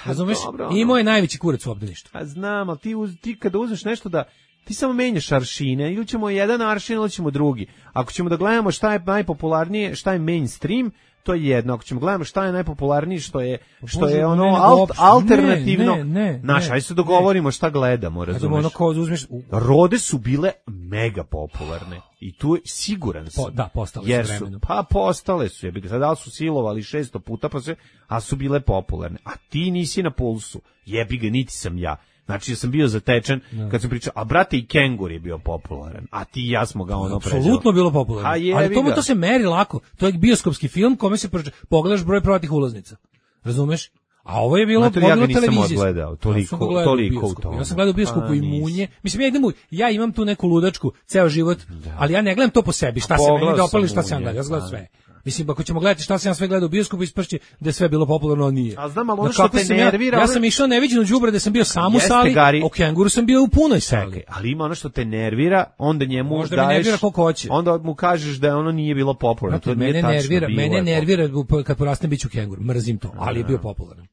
Razumeš? dobro, ono. Imao je najveći kurac u obdaništvu. A znam, ali ti, uz, ti kada uzmeš nešto da ti samo menjaš aršine, ili ćemo jedan aršin ili ćemo drugi. Ako ćemo da gledamo šta je najpopularnije, šta je mainstream, to je jedno. Ako ćemo gledamo šta je najpopularnije, što je što Bože, je ono ne, nego alt, uopšte. alternativno. Ne, ne, Naš, ne, ajde se dogovorimo šta gledamo, Znači, razumeš? ono kao uzmeš... u- Rode su bile mega popularne i tu je siguran sam. Po- da, postale su jer vremenom. Pa postale su, jebi ga, sad da li su silovali šesto puta, pa sve, a su bile popularne. A ti nisi na pulsu, jebi ga, niti sam ja. Znači, ja sam bio zatečen kad sam pričao, a brate i Kengur je bio popularan, a ti i ja smo ga ono preželi. Apsolutno bilo popularno. A jebi Ali to, ga. to se meri lako. To je bioskopski film kome se prođe- pogledaš broj prodatih ulaznica. Razumeš? A ovo je bilo Znate, ja ga bilo nisam televizijsko. odgledao, toliko- Ja sam ga gledao u toliko u bioskopu. tome. Ja sam gledao u bioskopu Pa, i nisi. munje. Mislim, ja idem u, ja imam tu neku ludačku ceo život, ali ja ne gledam to po sebi. Šta se pogledao meni dopali, sam šta se ja munje, gledam. Ja gledam da. sve. Mislim, ako ćemo gledati šta sam ja sve gledao u bioskopu, ispršće da je sve bilo popularno, a nije. A znam, ali ono Na što kako te sam ja- nervira, Ja ono- sam išao neviđeno đubre da sam bio sam u Jeste, sali, Gari. o Kenguru sam bio u punoj sali. Čekaj, ali ima ono što te nervira, onda njemu Možda me daješ, nervira koliko hoće. onda mu kažeš da ono nije bilo popularno. Znate, To nije mene tačno, nervira, bilo mene je nervira kad porastem biću kengur. Mrzim to, ali je bio popularan.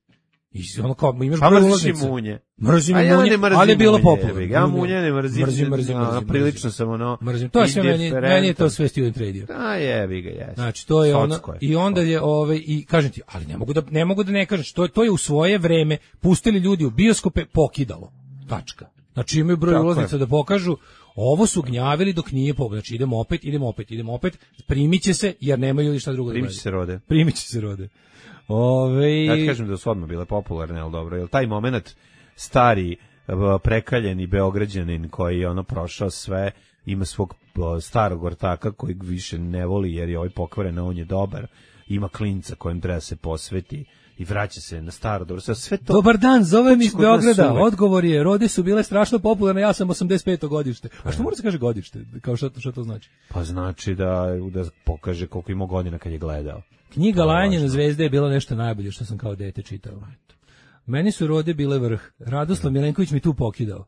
I ono kao imaš Pa broj mrziš i ulaznica. munje. Mrzim A i ja munje, ne mrzim ali je bilo munje, popularno. jebi ga. Ja munje ne mrzim. Mrzim, mrzim, ono, mrzim. Prilično sam ono... Mrzim. To je sve meni, indiferentan. meni je to sve student radio. A jebi ga, jes. Znači to je ono Socko je. i onda je ovaj i kažem ti, ali ne mogu da ne mogu da ne kažem što to je u svoje vreme pustili ljudi u bioskope, pokidalo. Tačka. Znači imaju broj Tako ulaznica je. da pokažu. Ovo su gnjavili dok nije pobog. Znači idemo opet, idemo opet, idemo opet. Primiće se jer nemaju ljudi šta drugo da Primiće gledaju. se rode. Primiće se rode. Ove Ja ti kažem da su odmah bile popularne, ali dobro, jel taj moment stari, eh, prekaljeni Beograđanin koji je ono prošao sve, ima svog eh, starog ortaka kojeg više ne voli jer je ovaj pokvaren, a on je dobar, ima klinca kojem treba se posveti i vraća se na staro dobro. Sve- Sve to... Dobar dan, zovem iz kod nas Beograda. uvek. Odgovor je, rode su bile strašno popularne, ja sam osamdeset peto godište. A što mora se kaže godište? Kao što, što to znači? Pa znači da, da pokaže koliko ima godina kad je gledao. Knjiga To je Lajanje na važno. zvezde je bila nešto najbolje što sam kao dete čitao. Meni su rode bile vrh. Radoslav Milenković mi tu pokidao.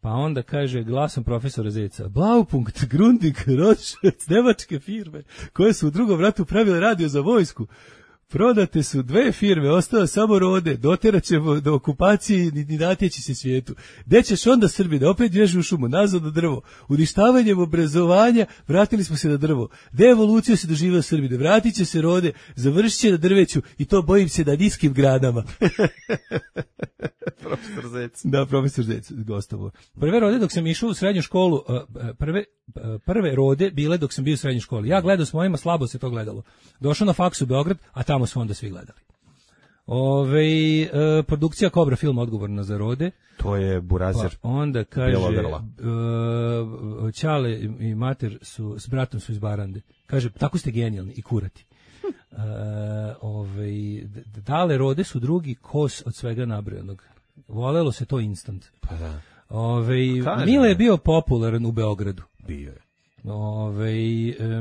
Pa onda kaže glasom profesora Zeca, Blaupunkt, Grundig, Rothschild, nemačke firme, koje su u drugom ratu pravile radio za vojsku. Prodate su dve firme, ostao samo Rode, doterat ćemo do okupacije i ni natjeći se svijetu. Gde ćeš onda Srbine, opet bježi u šumu, nazad na drvo. Uništavanjem obrazovanja vratili smo se na drvo. Devoluciju se doživio Srbine, vratit će se Rode, završit će na drveću i to bojim se na niskim granama. Profesor Zec. Da, profesor Zec, gostovo. Prve Rode dok sam išao u srednju školu, prve, prve Rode bile dok sam bio u srednjoj školi. Ja gledao s mojima, slabo se to gledalo. Došao na faks u Beograd, a tamo su onda svi gledali. Ove, e, produkcija Kobra film odgovorna za Rode. To je Burazir. Pa onda kaže, e, Ćale i mater su, s bratom su iz Barande. Kaže, tako ste genijalni i kurati. E, ove, dale Rode su drugi kos od svega nabrojanog. Volelo se to instant. Pa da. Ove, Mile je bio popularan u Beogradu. Bio je. Ove,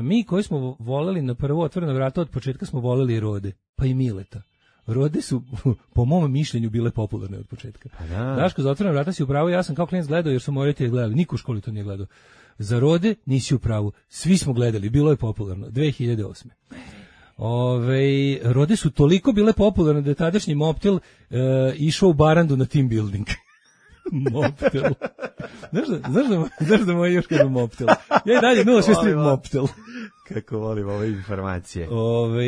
mi koji smo voleli na prvo otvoreno vrata od početka smo voleli i Rode, pa i Mileta. Rode su, po mom mišljenju, bile popularne od početka. Pa da. Daško, za otvoreno vrata si u pravu, ja sam kao klinac gledao jer su moji roditelji gledali, niko u školi to nije gledao. Za Rode nisi u pravu, svi smo gledali, bilo je popularno, dve hiljade osme. Ove, Rode su toliko bile popularne da je tadašnji Moptel e, išao u Barandu na team building. Moptel. Znaš da, znaš da, znaš da moj još kažu Moptel. Ja i dalje nula šest tri Moptel. Kako volim ove informacije. Ove,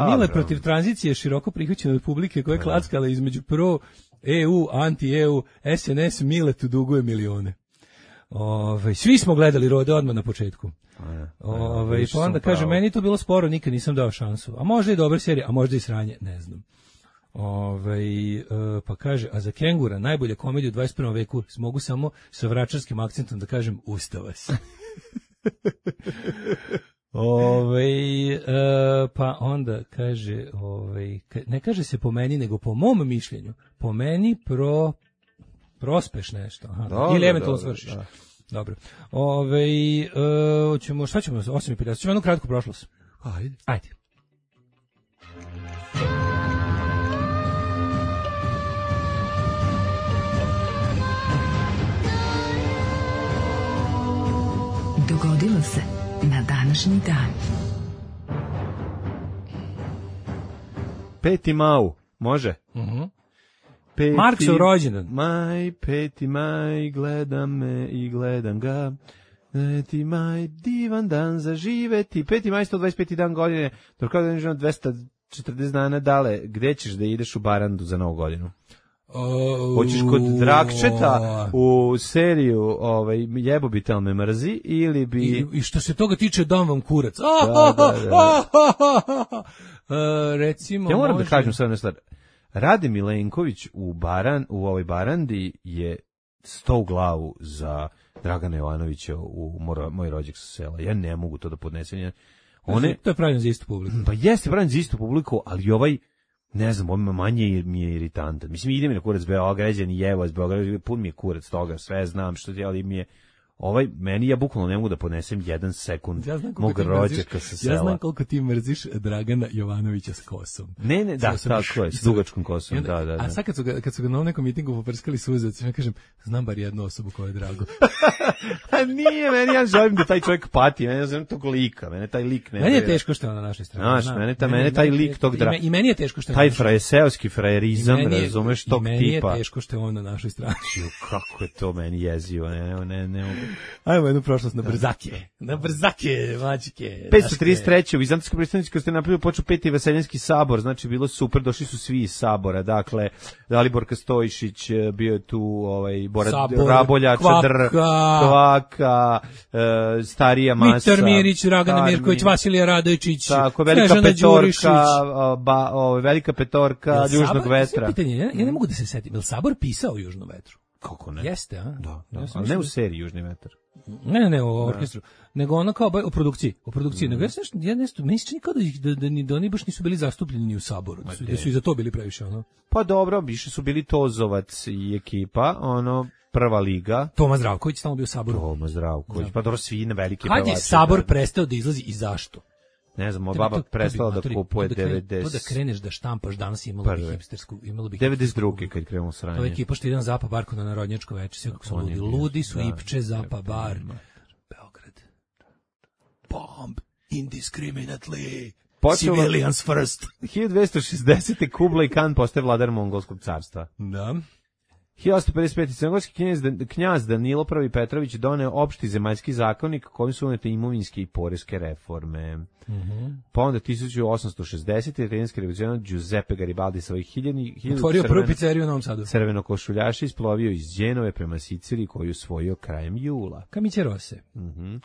Mile protiv tranzicije široko prihvaćene od publike koja je klackala između pro, E U, anti-E U, S N S, Miletu duguje milione. Ove, svi smo gledali Rode odmah na početku. Ove, pa onda kaže, meni to bilo sporo, nikad nisam dao šansu. A možda i dobra serija, a možda i sranje, ne znam. Ove, pa kaže, a za Kengura najbolja komedija u dvadeset prvom veku mogu samo sa vračarskim akcentom da kažem ustava se. Ove, pa onda kaže, ove, ne kaže se po meni, nego po mom mišljenju. Po meni pro, prospeš nešto. Aha, dobro, ili eventualno svršiš. Da. Dobro. Ove, uh, ćemo, šta ćemo, osam i pedeset, ćemo jednu kratku prošlost. Ajde. Ajde. Dogodilo se na današnji dan. Peti Mau, može? Mhm. Peti, Marksov rođendan. Maj, peti maj, gledam me i gledam ga. Peti maj, divan dan za živeti. Peti maj, sto dvadeset peti dan godine. Dok kada je dvesta četrdeset dana dale, gde ćeš da ideš u Barandu za novu godinu? Oh, hoćeš kod Drakčeta u seriju ovaj, Jebobitel me mrzi ili bi... I, i što se toga tiče, dam vam kurac. Da, da, da. uh, recimo... Ja moram može... da kažem sve jednu stvar. Rade Milenković u, Baran, u ovoj Barandi je sto u glavu za Dragana Jovanovića u Moro, Moj rođak sa sela. Ja ne mogu to da podnesem. One, to je pravljeno za istu publiku. Pa jeste pravljeno za istu publiku, ali ovaj, ne znam, ovaj manje mi je iritantan. Mislim, ide mi na kurac Beograđani, jevo iz Beograda, pun mi je kurac toga, sve znam što je, ali mi je... Ovaj, meni ja bukvalno ne mogu da podnesem jedan sekund ja mog rođaka sa sela. Ja znam koliko ti mrziš Dragana Jovanovića s kosom. Ne, ne, da, tako je, s dugačkom kosom, onda, da, da, da. A sad kad su ga, kad su ga na nekom mitingu poprskali suzac, ja kažem, znam bar jednu osobu koja je drago. A nije, meni ja želim da taj čovjek pati, meni ja znam tog lika, mene taj lik ne... Meni je teško što je on na našoj strani. Znaš, mene, ta, mene taj lik tog draga... I meni je teško što je... Taj frajeseoski frajerizam, razumeš, tog tipa. I meni je teško što je on na našoj strani. Kako je to meni jezivo, ne, ne, ne mogu. Ajmo jednu prošlost na brzake. Na brzake, mačke. petsto trideset treće u Vizantijskoj prestonici kad ste napravili počeo peti Vaseljenski sabor, znači bilo super, došli su svi iz sabora, dakle Dalibor Stojišić, bio je tu ovaj Bora Raboljača, Dr, Kvaka, e, starija masa. Mitar Mirić, Dragana Mirković, Vasilija Radojičić, tako, velika petorka, ba, ovaj velika petorka Južnog vetra. Pitanje, ja, ja ne mogu da se setim, je li sabor pisao o Južnom vetru? Kako ne? Jeste, a? Da, da. Ja ali ne u seriji Južni vetar. Ne, ne, ne, u orkestru. Nego ono kao u produkciji, u produkciji. Mm. Nego ja se nešto, ja nešto, meni se čini kao da, da, da, da oni baš nisu bili zastupljeni ni u saboru. Da su, da su i za to bili previše, ono. Pa dobro, više su bili Tozovac i ekipa, ono, prva liga. Toma Zdravković tamo bio u saboru. Toma Zdravković, da. Pa dobro, svi na velike pevače. Kad je sabor prestao da izlazi i zašto? Ne znam, moja baba prestala da kupuje devedeset. To da kreneš da štampaš danas imalo bi hipstersku, imalo bi devedeset druge kad krenulo sranje. To je ekipa što ide na Zapa bar kod na narodnjačko veče, sve kako su ludi. Ludi su Ipče, Zapa bar, Beograd. Bomb indiscriminately. Počelo- Civilians first. hiljadu dvesta šezdesete. Kublai Khan postaje vladar Mongolskog carstva. Da. hiljadu osamsto pedeset pete. Crnogorski knjaz, knjaz Danilo Prvi Petrović doneo opšti zemaljski zakonik kojim su unete imovinske i poreske reforme. Mm-hmm. Pa onda hiljadu osamsto šezdesete. italijanski revolucionar Giuseppe Garibaldi svojih hiljadnih Otvorio prvu pizzeriju u Novom Sadu. crvenokošuljaša isplovio iz Đenove prema Siciliji koju osvojio krajem jula. Camicie Rosse. Mhm.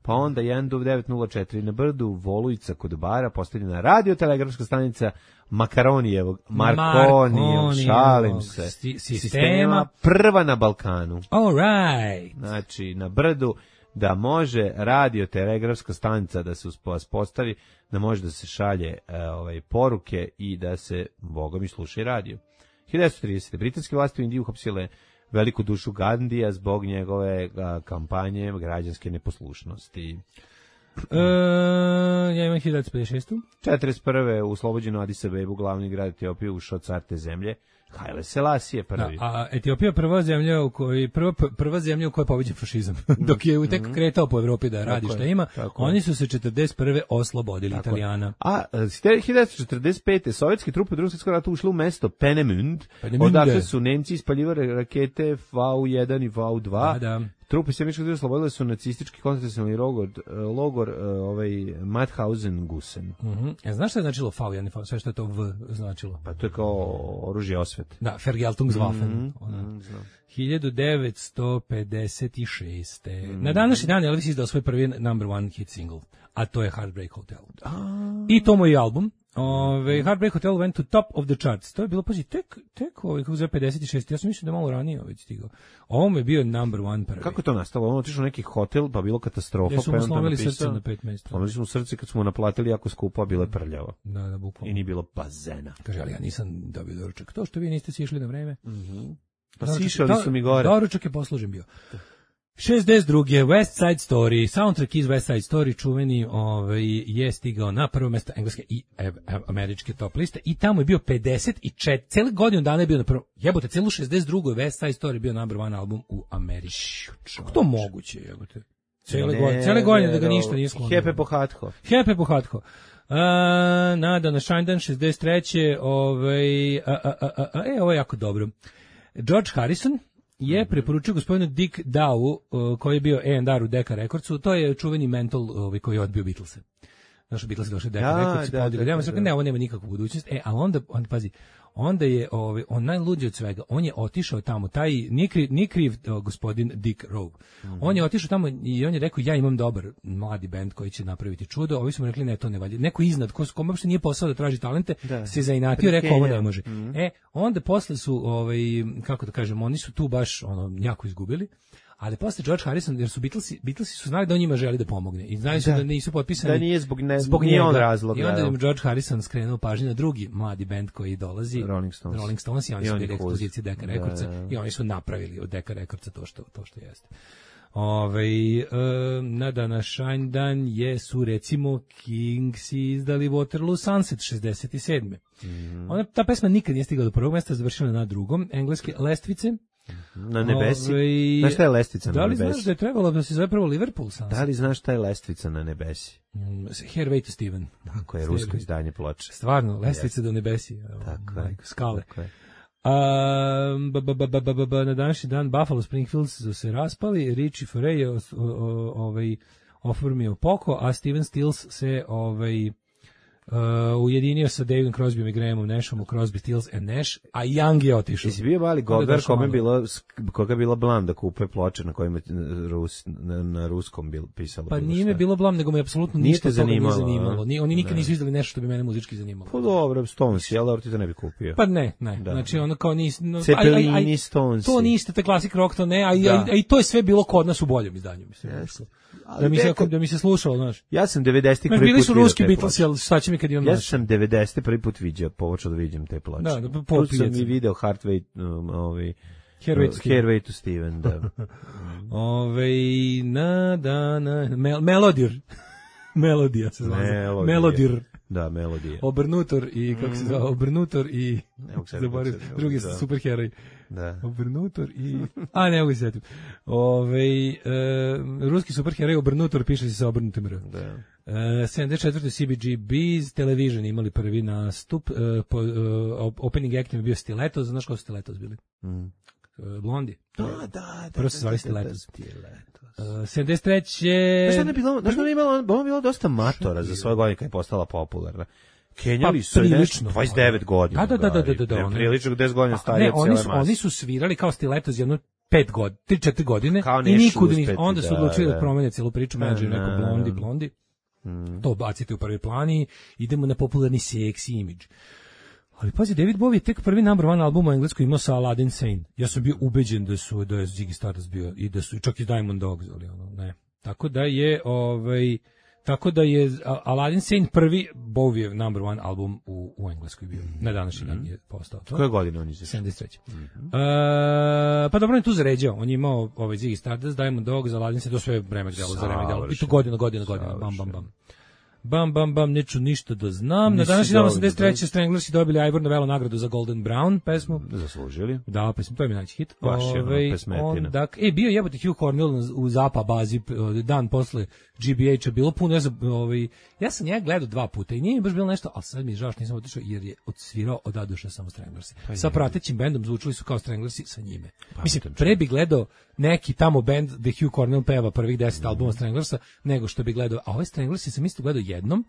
Pa onda jedan do devet nula četiri na Brdu, Volujica kod Bara, postavljena radiotelegrafska stanica Makaronijevog, Markonijevog, šalim se, sti- sistema. sistema, prva na Balkanu. All right. Znači, na Brdu, da može radiotelegrafska stanica da se uspostavi, da može da se šalje e, ovaj, poruke i da se, boga mi, sluša i radio. hiljadu devetsto tridesete. Britanske vlasti u Indiji uhapsile veliku dušu Gandija zbog njegove a, kampanje građanske neposlušnosti. E, ja imam hiljadu devetsto pedeset šeste. četrdeset prve u oslobođenu Adis Abebu, glavni grad Etiopije, ušao car te zemlje, Haile Selasije prvi. Da, a Etiopija je prva zemlja u kojoj prva prva zemlja u kojoj je pobeđen fašizam. Dok je tek kretao po Evropi da radi šta ima, oni su se četrdeset prve oslobodili Tako Italijana. A hiljadu devetsto četrdeset pete. sovjetski trupe u Drugom svjetskom ratu ušle u mesto Penemund, Penemunde. odakle su Nemci ispaljivali rakete V U jedan i V U dva. Da, da. Trupe sjemičkog država oslobodile su nacistički koncentracioni logor, logor ovaj, Mauthausen-Gusen. Mhm. Ja, znaš šta je značilo V jedan, sve što je to V značilo? Pa to je kao oružje osvete. Da, Vergeltungswaffen. Mhm, Ona. mhm, znam. hiljadu devetsto pedeset šeste. Mm. Na današnji dan Elvis izdao svoj prvi number one hit single, a to je Heartbreak Hotel. I to mu je album. Ove, Heartbreak Hotel went to top of the charts. To je bilo, pazi, tek, tek ovaj, kako zove pedeset šest. Ja sam mislio da je malo ranije već stigao. Ovo mu je bio number one prvi. Kako je to nastalo? On otišao u neki hotel, pa bilo katastrofa. Ja su pa mu je on tamo slomili napisao- srce na pet mesta. Slomili su mu srce kad smo mu naplatili jako skupo, a bilo je prljavo. Da, da, bukvalno. I nije bilo bazena. Kaže, ali ja nisam dobio doručak. To što vi niste sišli na vreme. Pa Doručak- sišali su mi gore. Doručak je poslužen bio. šezdeset druge. West Side Story, soundtrack iz West Side Story, čuveni, ovaj, je stigao na prvo mesto engleske i e, američke top liste i tamo je bio pedeset četiri, cele godinu dana je bio na prvo, jebote, celu šezdeset drugu West Side Story bio number one album u Americi. Kako to moguće, jebote? Cele godine, cele godine da ga ništa nije sklonilo. Hepe pohatko. Hepe pohatko. Uh, nada na Shinedan šezdeset treće. Ovaj, a, a, a, a, a, e, ovo je jako dobro. George Harrison je preporučio gospodinu Dick Dow, uh, koji je bio A and R u Decca Recordsu, to je čuveni mental uh, koji je odbio Beatlese. Znaš, Beatlesi došli u Decca Da, Records i da, podigli. da, Ja da, sam da. ne, ovo nema nikakvu budućnost. E, ali onda, onda pazi, onda je ovaj, on najluđi od svega, on je otišao tamo, taj, nije kriv, nije kriv uh, gospodin Dick Rowe. Mhm. On je otišao tamo i on je rekao, ja imam dobar mladi bend koji će napraviti čudo, ovi su mu rekli, ne, to ne valja. Neko iznad, ko, kome uopšte nije posao da traži talente, Da. se zainatio, rekao, ovo ne Prikenja. može. E, onda posle su, ovaj, kako da kažem, oni su tu baš ono, jako izgubili. Ali posle George Harrison, jer su Beatlesi, Beatlesi su znali da on njima želi da pomogne. I znali su da, Da. nisu potpisani. Da nije zbog, ne, zbog nije njega. on razlog. I onda da, je George Harrison skrenuo pažnju na drugi mladi bend koji dolazi. Rolling Stones. Rolling Stones i oni I su oni bili cool. ekspozicije Decca Da, Recordsa da. i oni su napravili od Decca Recordsa to što, to što jeste. Ove, e, na današnji dan je su recimo Kingsi izdali Waterloo Sunset šezdeset sedme. Mhm. Ona, ta pesma nikad nije stigla do prvog mesta, završila na drugom. Engleske Lestvice. Na nebesi. Ove, Znaš šta je lestvica Da na li nebesi? znaš da je trebalo da se zove prvo Liverpool Sunset? Da li znaš šta je lestvica na nebesi? Mm, Hervey to Steven. Tako je, rusko izdanje ploče. Stvarno, lestvice do nebesi. Evo, Tako je. majko, skale. Tako je. A, ba, ba, ba, ba, ba, ba, na današnji dan Buffalo Springfield su se raspali, Richie Foray je os- o- o- ovaj, oformio Poco, a Steven Stills se ovaj, uh, ujedinio sa Davidom Crosbyom i Grahamom Nashom u Crosby, Stills and Nash, a Young je otišao. Jesi bio mali Onda Gogar došao kome je malo. bilo, koga je bila blam da kupe ploče na kojima je Rus, na, na ruskom bil, pisalo? Pa bilo nije me šta? bilo blam, nego me apsolutno Nije ništa te od toga nije zanimalo, zanimalo. a? Ni, oni nikad Da. nisu izdali nešto što bi mene muzički zanimalo. Pa dobro, Stones, jel, ali ti to ne bi kupio. Pa ne, ne. Da. Znači ono kao nis, no, Cepelini, aj, aj, aj, Stonesi. To niste te klasik rock, to ne, a, i- Da. a, i to je sve bilo kod nas u boljem izdanju, mislim. Jeste. Da mi se nekad- da mi se slušalo, znaš. Ja sam devedesetih Ma, prvi bili put su vidio ruski te Beatlesi, ploče. ali šta će mi kad imam Ja naš? sam devedesetih prvi put vidio, počeo da vidim te ploče. Da, da, po- Tu po sam pijaci. i video Heartway, um, ovi, Hairway to Steven. Hairway to Steven, da. Ove, na, da, na, mel, Melodir. Melodija se zove. Melodija. Melodir. Da, Melodija. Obrnutor i, kako se zove, Obrnutor i, zaboravim, drugi da. superheroj. Da. Obrnutor i... A, ne mogu se sjetiti. Ove, e, ruski superheroj Obrnutor piše se sa obrnutim R. Da. E, sedamdeset četvrte C B G B's Television imali prvi nastup. E, po, e, opening actom je bio Stilettos. Znaš ko su Stilettos bili? Mm. E, Blondi. Da, da, da. Prvo se zvali Stilettos. Stilettos. Uh, sedamdeset treće Znaš šta je bilo? Znaš šta je bilo? Ona je bilo dosta matora za svoje godine kad je postala popularna. Kenjali su nešto dvadeset devet godina. Da, da, da, da, da, da. Prilično deset godina starije od cijele mase. Oni su svirali kao Stilettos jedno pet godina, tri četiri godine i nikud nisu. Onda su odlučili da promene celu priču, menadžer rekao blondi, blondi. To bacite u prvi plan i idemo na popularni seksi imidž. Ali pazi, David Bowie je tek prvi number one album u engleskoj imao sa Aladdin Sane. Ja sam bio ubeđen da su da je Ziggy Stardust bio i da su čak i Diamond Dogs, ali ono, ne. Tako da je ovaj tako da je Aladdin Sane prvi Bowiev number one album u u engleskoj bio. Na današnji dan je postao. Koje godine on izašao? sedamdeset treće Mm-hmm. Uh, pa dobro, on je tu zaređao. On je imao ovaj Ziggy Stardust, Diamond Dogs, Aladdin Sane, to sve vreme delo za vreme delo. I to godina, godina, godina, bam, bam, bam. Bam, bam, bam, neću ništa da znam. Na današnji dan osamdeset treće Stranglersi dobili Ivor Novello nagradu za Golden Brown pesmu. Zaslužili. Da, pesmu, to je mi najveći hit. Baš je Ove, pesmetina. Dak, e, bio jebote Hugh Cornell u Zapa bazi dan posle G B H-a, bilo puno. Ja sam, ovaj, ja sam njega gledao dva puta i nije mi baš bilo nešto, ali sad mi je žao što nisam otišao jer je odsvirao od Aduša samo Stranglersi. Pa sa pratećim bendom zvučili su kao Stranglersi sa njime. Pa, mislim, pre bi gledao neki tamo bend gde Hugh Cornell peva prvih deset mm. albuma Stranglersa, nego što bi gledao, a ove Stranglersi sam isto gledao jednom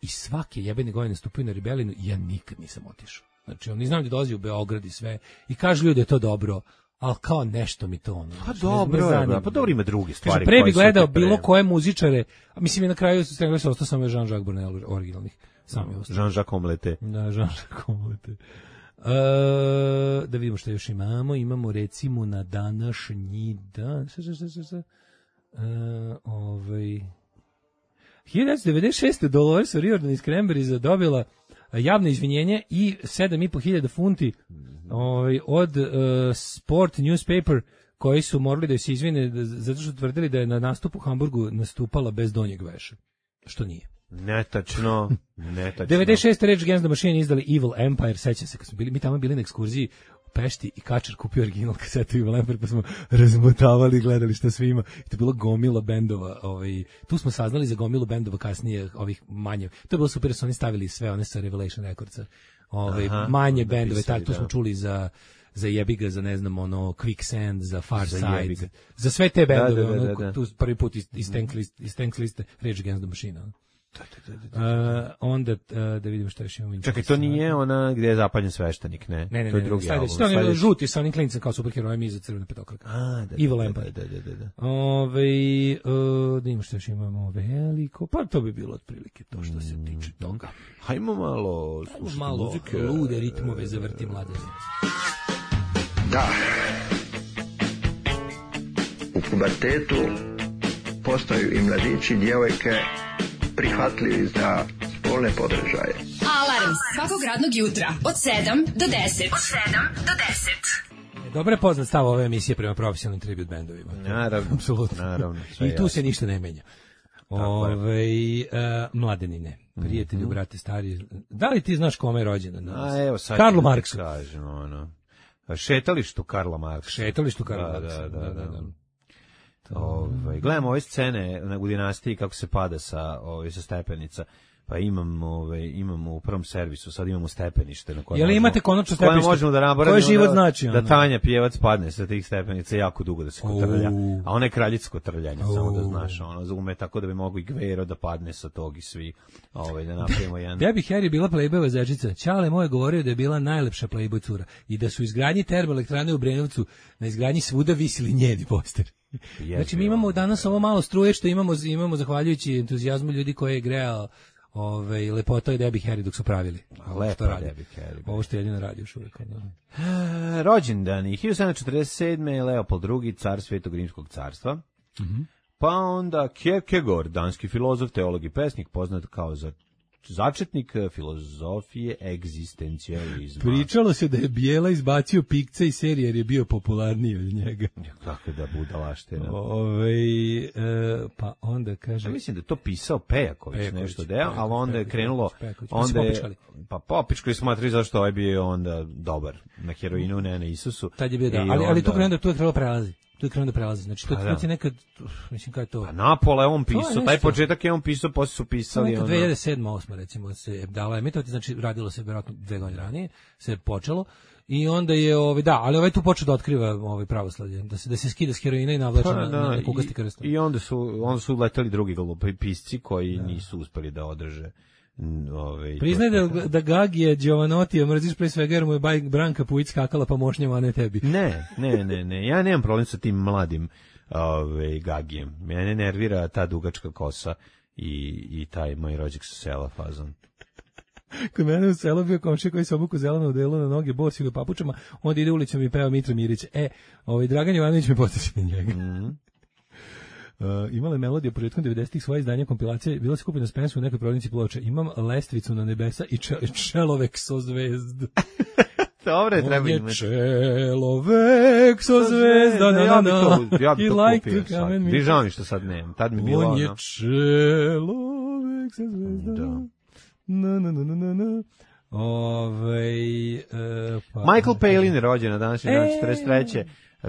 i svake jebene godine stupio na Rebelinu i ja nikad nisam otišao. Znači, oni znam da dolazi u Beograd i sve i kažu ljudi da je to dobro, ali kao nešto mi to ono. Pa dobro, je, pa dobro ima druge stvari. Kaže, pre bi gledao bilo koje muzičare, a mislim i na kraju Stranglersi ostao samo Jean-Jacques Brunel originalnih. Sam je ostao. Jean-Jacques Omelette. Da, Jean-Jacques Omelette. Uh, da vidimo što još imamo. Imamo recimo na današnji dan. Šta, šta, šta, šta? Uh, ovaj... hiljadu devetsto devedeset šeste Dolores O'Riordan iz Cranberriesa dobila javno izvinjenje i sedam i po hiljada funti ovaj, od uh, Sport Newspaper koji su morali da se izvine zato što tvrdili da je na nastupu u Hamburgu nastupala bez donjeg veša. Što nije. Netačno, netačno. devedeset šeste Rage Against the Machine izdali Evil Empire, sećam se kad smo bili, mi tamo bili na ekskurziji u Pešti i Kačar kupio original kasetu Evil Empire pa smo razmotavali i gledali šta sve ima. I to je bilo gomila bendova, ovaj, tu smo saznali za gomilu bendova kasnije, ovih manje. To je bilo super, su oni stavili sve one sa Revelation Recordsa, ovaj, Aha, manje bendove, tak, tu smo čuli za za Jebiga, za ne znam, ono, Quicksand, za Far za Side, jebiga. Za sve te bendove, da, da, da, da, da. Ono, tu prvi put iz, iz, tank, list, iz tank liste Rage Against the Machine, ono. Da, da, da, da, da. Uh, onda uh, da vidimo šta još imamo. Čekaj, to nije ona gdje je zapaljen sveštenik, ne? Ne, ne, to je ne, drugi ne, album. To je žuti sa onim klincem kao superherojem iza crvene petokrake. A, da, Evil da, Empire. Da, da, da, da. Ove, uh, da vidimo šta još imamo veliko, pa to bi bilo otprilike to što se tiče toga. Hajmo malo slušati malo muzike. Lude ritmove zavrti mlade. Da. U pubertetu postaju i mladići, djevojke prihvatljivi za spolne podržaje. Alarm svakog radnog jutra od sedam do deset. Od sedam do deset. Dobro je poznat stav ove emisije prema profesionalnim tribute bendovima. Naravno, apsolutno. Naravno, i tu jasno. Se ništa ne menja. Ove, uh, mladenine, prijatelji, mm-hmm. brate, stari. Da li ti znaš kome je rođena danas? A evo sad Karlu Marksu. Kažem, ono. Šetalištu Karla Marksa. Šetalištu Karla da, Marksa. Da, da, da. da. Ove, gledamo ove scene u dinastiji kako se pada sa, ove, sa stepenica. Pa imamo, ove, imamo u prvom servisu, sad imamo stepenište na koje možemo, imate konačno stepenište? Možemo da naboravimo, koje život znači? Da, da Tanja Pjevac padne sa tih stepenica jako dugo da se kotrlja. Uh. A ona je kraljica kotrljanja, uh. samo da znaš. Ona ume tako da bi mogo i Gvero da padne sa tog i svi. Ove, da napravimo jedan... Debbie Harry bila Playboyova zečica. Ćale moj govorio da je bila najlepša Playboy cura. I da su izgradnji termoelektrane u Brenovcu, na izgradnji svuda visili njeni poster. Znači mi imamo danas ovo malo struje što imamo, imamo zahvaljujući entuzijazmu ljudi koje je grejao Ove, lepota je Debbie Harry dok su pravili. Lepa Debbie Harry. Ovo što jedino radi još uvijek. E, rođendani. hiljadu sedamsto četrdeset sedme Leopold drugi, car Svetog Rimskog carstva. Mm-hmm. Pa onda Kierkegaard, danski filozof, teolog i pesnik, poznat kao za začetnik filozofije egzistencijalizma. Pričalo se da je Bijela izbacio Pikca iz serije jer je bio popularniji od njega. Kako da budalaština. Ove, e, pa onda kaže... Ja mislim da je to pisao Pejaković, Pejaković nešto deo, ali onda je krenulo... Pejaković, onda je, pa pa popičkali smatrali zašto ovaj bio onda dobar na heroinu, ne na Isusu. Tad je bio da, ali, onda... ali tu krenuo da tu je trebalo prelazi. Tu je krenuo da prelazi. Znači, to, to je nekad, mislim, kada je to... Pa Napola je on pisao, taj početak je on pisao, posle su pisali... To je dve hiljade sedma osma recimo, se dala emitovati, znači radilo se vjerojatno dve godine ranije, se je počelo, i onda je, ovaj, da, ali ovaj tu počeo da otkriva ovaj pravoslavlje, da se, da se skida s heroina i navlače pa, na, na, na kukasti krst. I onda su, onda su letali drugi glupisci koji da. nisu uspeli da održe. Ove, Priznaj da, da Gagije Giovanotti mrziš pre svega jer mu je bajk Branka Pujić skakala pa mošnjama, a ne tebi. Ne, ne, ne, ne, ja nemam problem sa tim mladim ove, Gagijem. Mene nervira ta dugačka kosa i, i taj moj rođak sa sela fazon. Kod mene u selu bio komšija koji se obuku zeleno u delu na noge, bos i u papučama, onda ide ulicom i peva Mitra Mirić. E, ovaj Dragan Jovanović me potiče na njega. Mm-hmm. Uh, imala je melodija početkom devedesetih svoje izdanja kompilacije, bila se kupljena s Spensu u nekoj prodavnici ploče. Imam Lestvicu na nebesa i če, čelovek so zvezd. Dobre, treba imati. On je čelovek so zvezda, na, ja bi to, ja bi to like kupio sad. Dižao mi što sad nemam, tad mi bilo ono. On je čelovek so zvezda. Da. Na, na, na, na, na. Ovej, uh, pa, Michael Palin je rođen na današnji dan četrdeset treće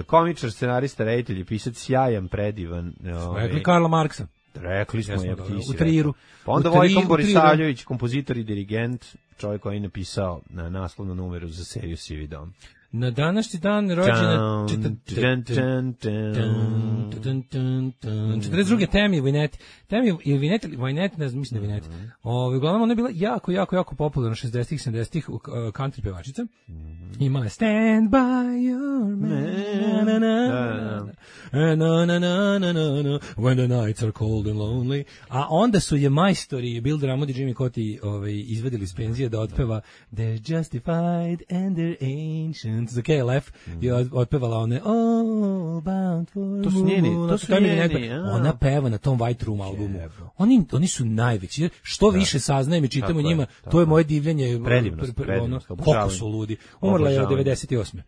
Komičar, scenarista, reditelj i pisac, sjajan, predivan. Ove, rekli Karla Marksa. Rekli smo, je ti u triru. Pa onda Vojko Borisavljević, kompozitor i dirigent, čovjek koji je napisao na naslovnu numeru za seriju Sivi dom. Na današnji dan rođena četrdeset druge Tammy Wynette. Tammy i Wynette, Wynette, ne znam, mislim da Wynette. Ove, uglavnom, ona je bila jako, jako, jako popularna šezdesetih, sedamdesetih country pevačica. Imala je Stand by your man, na, na, na, na, na, na, na, na, na, when the nights are cold and lonely. A onda su je majstori Bill Drummond i Jimmy Coti ovaj, izvedili iz penzije da otpeva They're justified and they're ancient za K L F mm. je otpevala one All bound for to su njeni, to su njeni, ona peva na tom White Room albumu. Oni, oni su najveći. Što da. više saznajem i čitam o njima, to je moje divljenje. Predivnost, pr, pr, predivnost. Ono, koliko su ludi. Umrla je od devedeset osme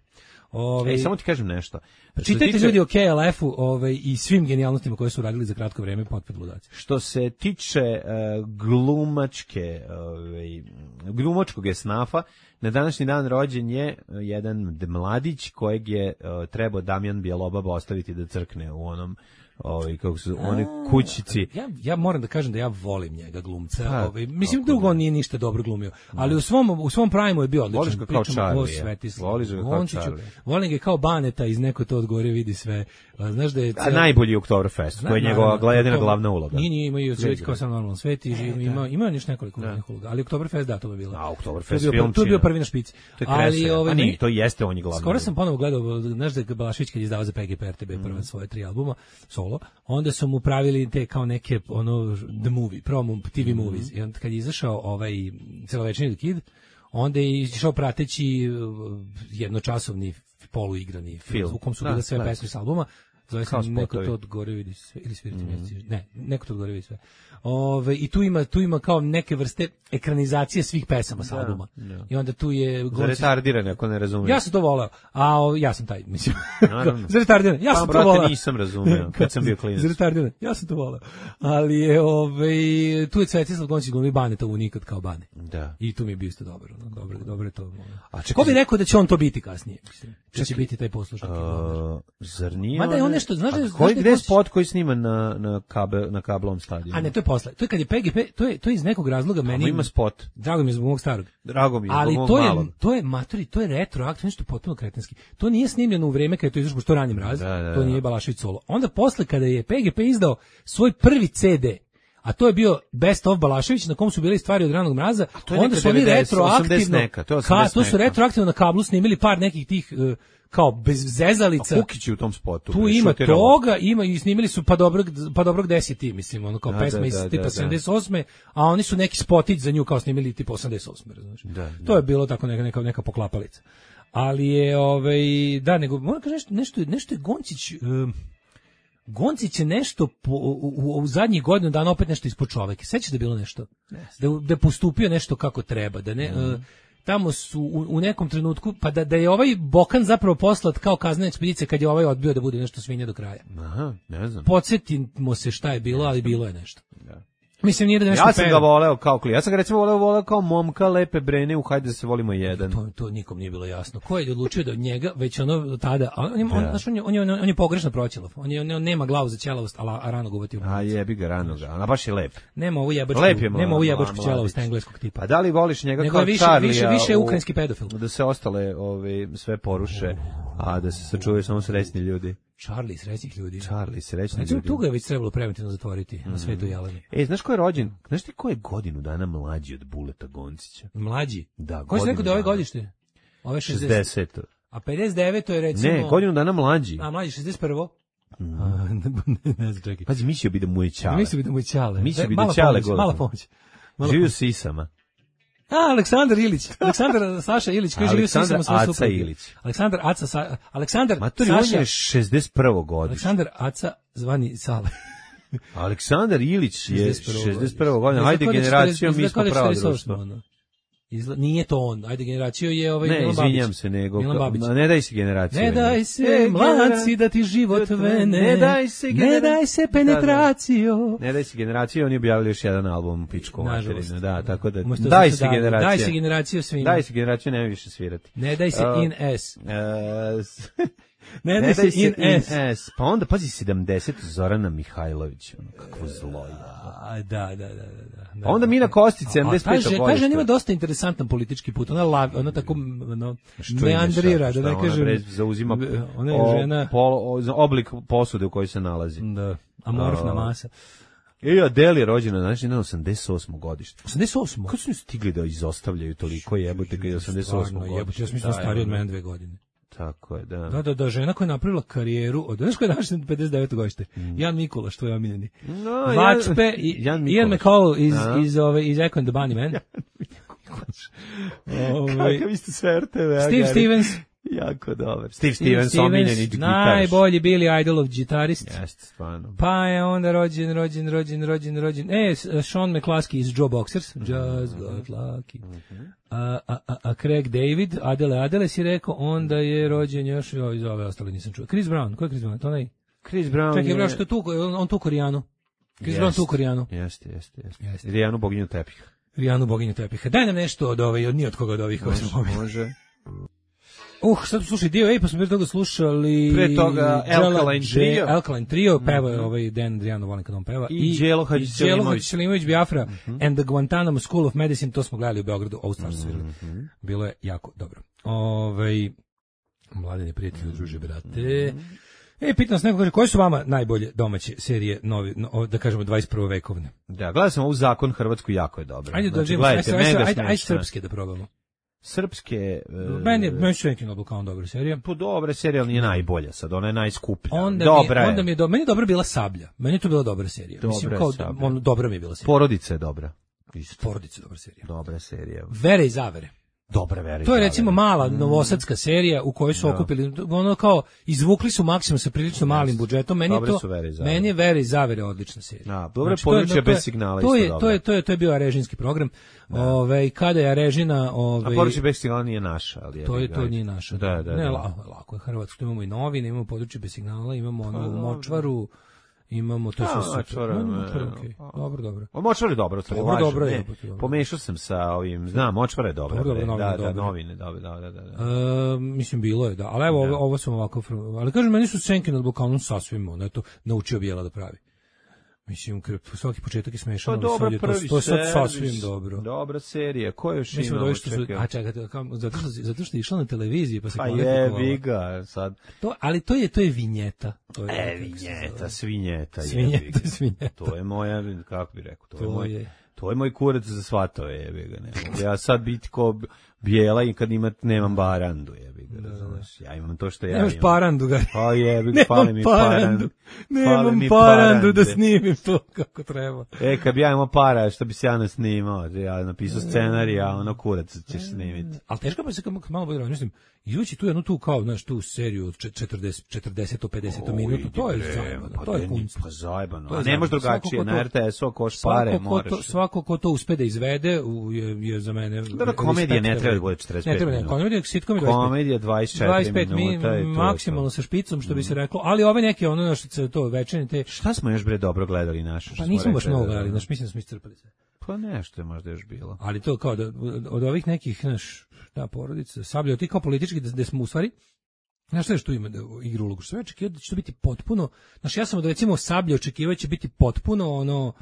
Ove, Ej, samo ti kažem nešto. Čitajte tiče, ljudi o K L F-u ove, i svim genijalnostima koje su radili za kratko vreme potpred ludaci. Što se tiče uh, glumačke, ove, glumačkog esnafa, na današnji dan rođen je jedan mladić kojeg je uh, trebao Damjan Bjelobaba ostaviti da crkne u onom ovaj kako su one kućici. Ja ja moram da kažem da ja volim njega glumca. Pa, ovaj mislim drugo on nije ništa dobro glumio, ali u svom u svom primu je bio odličan. Voliš ga kao Charlie. Voliš ga kao Charlie. Volim ga kao Baneta iz Neko to od gore vidi sve. Znaš da je cel... A najbolji Oktoberfest, to je njegova jedina glavna uloga. Nije, nije, imaju sve kao sam normalan svet i ima ima još nekoliko glavnih uloga, ali Oktoberfest da to bi bilo. A Oktoberfest film. To je bio prvi na špici. Ali ovaj nije, to jeste on je glavni. Skoro sam ponovo gledao, znaš da je Balašević kad je izdavao za P G P R T B prva svoje tri albuma solo, onda su mu pravili te kao neke ono the movie, promo T V movies. I onda kad je izašao ovaj celovečernji The Kid, onda je išao prateći jednočasovni poluigrani film u kom su bile sve pesme s albuma. Zove se Neko to od gore vidi sve ili svirati mm. mjeseci. Ne, Neko to od gore vidi sve. Ove, i tu ima tu ima kao neke vrste ekranizacije svih pesama sa albuma. Da. I onda tu je za retardirane, ako ne razumiješ. Ja sam to voleo. A o, ja sam taj, mislim. Za retardirane. Ja sam pa, to voleo. Nisam razumeo kad sam bio klinac. Za retardirane. Ja sam to voleo. Ali je ovaj tu je Svetislav Gončić glumi Baneta u Nikad kao Bane. Da. I tu mi je bio isto dobro, no, dobro, dobro je to. A čekaj, ko bi rekao da će on to biti kasnije, mislim. Da će biti taj poslušnik. Uh, zar nije? Mada je on nešto, znaš da koji gde spot koji snima na na kabel na kablom stadionu. A ne, to je posle. To je kad je P G P, to je to je iz nekog razloga meni. Ima spot. Drago mi je zbog mog starog. Drago mi je. Ali to je malom. To je matori, to je retroaktivno, nešto potpuno kretenski. To nije snimljeno u vreme kad je to izašlo što ranim raz. Da, da, to nije Balašević solo. Onda posle kada je P G P izdao svoj prvi C D, a to je bio Best of Balašević na kom su bile stvari od ranog mraza, onda su oni retroaktivno neka, to, ka, to su retroaktivno na kablu snimili par nekih tih uh, kao bez zezalica. A Kukić u tom spotu. Tu ima toga, ima i snimili su pa dobrog pa dobrog deset ti, mislim, ono kao da, pesma da, iz da, tipa da, sedamdeset osme, a oni su neki spotić za nju kao snimili tipa osamdeset osme, znači. Da, da. To je bilo tako neka neka neka poklapalica. Ali je ovaj da nego moram kažem nešto nešto nešto je Gončić um, Goncić je nešto po, u, u, u zadnjih godinu dana opet nešto ispod čoveka. Sećaš da je bilo nešto? Da, da je postupio nešto kako treba, da ne... Mm. Uh, tamo su u, u nekom trenutku, pa da, da je ovaj Bokan zapravo poslat kao kaznena ekspedicija kad je ovaj odbio da bude nešto svinja do kraja. Aha, ne znam. Podsjetimo se šta je bilo, ali bilo je nešto. Da. Mislim, nije da nešto ja sam peva. ga voleo kao klinac. Ja sam ga recimo voleo, voleo kao momka lepe brene u Hajde da se volimo jedan. To, to nikom nije bilo jasno. Ko je odlučio da od njega, već ono tada, on, on, on, on, on, on, on je pogrešno proćelav. On, je, on, on nema glavu za ćelavost, a, a rano govati u A jebi ga rano ga, ona baš je lep. Nema ovu jebačku, je nema ovu jebačku ćelavost engleskog tipa. Pa da li voliš njega nego kao više, Charlie? Više, više je ukrajinski pedofil. Da se ostale ove, sve poruše, a da se sačuvaju samo srećni ljudi. Charlie, srećnih ljudi. Charlie, srećni znači, ljudi. Tu ga je već trebalo preventivno zatvoriti mm. na svetu Jeleni. E, znaš ko je rođen? Znaš ti ko je godinu dana mlađi od Buleta Goncića? Mlađi? Da, ko si rekao da je ove godište? Ove šezdeset. A pedeset devet je recimo... Ne, godinu dana mlađi. A, mlađi, šezdeset prvo. Mm. A, ne, ne znam, čekaj. Pazi, mislio bi da mu je Ćale. Mislio bi da mu je Ćale. Mislio bi da Ćale godinu. Mala pomoć. Živio s Isama. A, Aleksandar Ilić. Aleksandar Saša Ilić, koji živi s Isama svoje Aca supruge. Ilić. Aleksandar Aca Sa, Aleksandar Matori, Saša. on je šezdeset prvo godište. Aleksandar Aca zvani Sale. Aleksandar Ilić je šezdeset prvo godine. Ajde generacijom mi smo pravo društvo. Izla, nije to on. Ajde generaciju je ovaj ne, Milan Babić. Ne, izvinjam se, nego Ma ne daj se generaciju. Ne daj se e, mladci da ti život vene. Ne daj se ne daj se penetraciju. Da, da. Ne daj se generaciju, oni objavili još jedan album Pičko materinu, da, tako da Umesto daj da se generaciju. Daj se generaciju svima. Daj se generaciju, nema više svirati. Ne daj se uh, in S. Uh, Ne, ne daj se in, in S. S. Pa onda, pazi, sedamdeset Zorana Mihajlović, ono, kakvo zlo. A, da, da, da, da. Pa onda Mina Kostić, sedamdeset pet godište. Ta žena ima dosta interesantan politički put, ona, lav, ona tako ono, meandrira, da ne kažem. Ona zauzima ona je žena, pol, oblik posude u kojoj se nalazi. Da, amorfna masa. I Adele je rođena, znači, na osamdeset osmo godište. osamdeset osmo? Kako su mi stigli da izostavljaju toliko jebote kad je osamdeset osmo godište? Jebote, ja sam mislim stariji od mene dve godine. Tako je, da. Da, da, da, žena koja je napravila karijeru, od znaš koja je današnja pedeset deveto godište? Mm. Jan Mikulaš, tvoj omiljeni. No, Vačpe i Ian McCall iz, iz, ove, iz Echo and the Bunny Man. Ove, kakav isto sve R T V. Steve Stevens. Jako dobar. Steve Stevens, Stevens omiljeni gitarist. Najbolji Billy Idolov gitarist. Jeste, stvarno. Pa je onda rođen, rođen, rođen, rođen, rođen. E, Sean McCluskey iz Joe Boxers. Just got lucky. A, a, a, a Craig David, Adele Adele si rekao, onda je rođen još, joj, iz ove ostale nisam čuo. Chris Brown, ko je Chris Brown? To ne? Chris Brown Čekaj, je... Čekaj, što tu, on, on tu Korijanu. Chris Brown tu Korijanu. Jeste, jeste, jeste. Rijanu boginju tepiha. Rijanu boginju tepiha. Daj nam nešto od ove, od nije od koga od ovih. Može, može. Uh, sad slušaj dio, ej, pa smo prije toga slušali... Pre toga Alkaline Trio. Alkaline Trio, peva je mm -hmm. ovaj Dan Adriano, volim kad on peva. I Đelo Hadžiselimović Biafra mm -hmm. and the Guantanamo School of Medicine, to smo gledali u Beogradu, ovu stvar su svirali. Mm -hmm. Bilo je jako dobro. Ovaj, mladine prijatelji, druže, brate... Mm -hmm. E, pitam se neko kaže, koje su vama najbolje domaće serije, novi, no, da kažemo, dvadeset prve vekovne? Da, gledao sam ovu Zakon Hrvatsku, jako je dobro. Ajde, znači, da ajde, ajde, ajde, ajde srpske da probamo. Srpske... Uh, meni je meni je Noble kao dobra serija. Po dobra serija, ali nije najbolja sad, ona je najskuplja. Onda dobra mi, je. Onda mi je, do, meni je dobra bila Sablja. Meni je to bila dobra serija. Dobra Mislim, kao, on, dobra mi je bila serija. Porodica je dobra. Isto. Porodica je dobra serija. Dobra serija. Vere i zavere. Dobra Vera. To je recimo mala novosadska serija u kojoj su okupili, ono kao, izvukli su maksimum sa prilično malim budžetom. Meni je to, meni je Vera i zavere odlična serija. Da, dobro, područje bez signala to isto je, to je, to je, to je bio arežinski program. Ove, kada je Arežina... Ove, a područje bez signala nije naša, ali je... To je, to nije naša. Da, da, ne, da. lako je Hrvatsko, imamo i novine, imamo područje bez signala, imamo ono u Močvaru, imamo to sve super. Dobro, dobro. O Močvar je dobro, to je dobro, dobro je. Pomešao sam sa ovim, znam, Močvar je dobro. Da, da, novine, da, da, da. Mislim, bilo je, da. Ali evo, ovo sam ovako... Ali kažem, meni su Senke nad Balkanom sasvim, ono je to naučio Bijela da pravi. Mislim, svaki početak je smešan, pa dobro, prvi to je sad sasvim dobro. Dobra serija, ko je još imao? A čekajte, zato što, zato što je išla na televiziji, pa se kvalifikovala. Pa je, ga, sad. To, ali to je, to je vinjeta. To je, e, vinjeta, svinjeta. Svinjeta, svinjeta. To je moja, kako bi rekao, to, to je moj... Je. To je moj kurac za svatove, jebi ga, ne mogu. Ja sad biti ko bijela i kad imat, nemam barandu, jebi ga, razumeš. Ja imam to što ja Nemaš imam. parandu, ga. Pa jebi ga, fali mi parandu. Nemam mi parandu da parande. snimim to kako treba. E, kad bi ja imao para, što bi se ja nasnimao, ja napisao scenarij, a ono kurac ćeš snimiti. Ali teško pa se kad malo bude mislim, izući tu jednu tu kao, znaš, tu seriju od četrdeset, četrdeset, pedeset minuta, to je zajebano, to je kunst. Pa zajebano, To a je ne može zajebano. drugačije, Svako ko na to- R T S-u ako hoš pare, Svako ko, moraš. to, svako ko to uspe da izvede u- je, je za mene... Dobro, komedija ne treba da bude četrdeset pet Ne treba, ne, minuta. komedija, sitcom je Komedija dvadeset četiri mi- minuta i to je maksimalno to. sa špicom, što bi se reklo, ali ove neke, ono, znaš, se to večerne, te... Šta smo još bre dobro gledali naše? što Pa smo nismo baš rekli mnogo da- gledali, znaš, mislim da smo iscrpali sve. Pa nešto je možda još bilo. Ali to kao da, od ovih nekih, znaš, da, porodica, Sablja, ti kao politički, da, da smo u stvari, znaš što je što ima da igru ulogu, što ja očekivao da će to biti potpuno, znaš, ja sam od recimo Sablja očekivao će biti potpuno ono,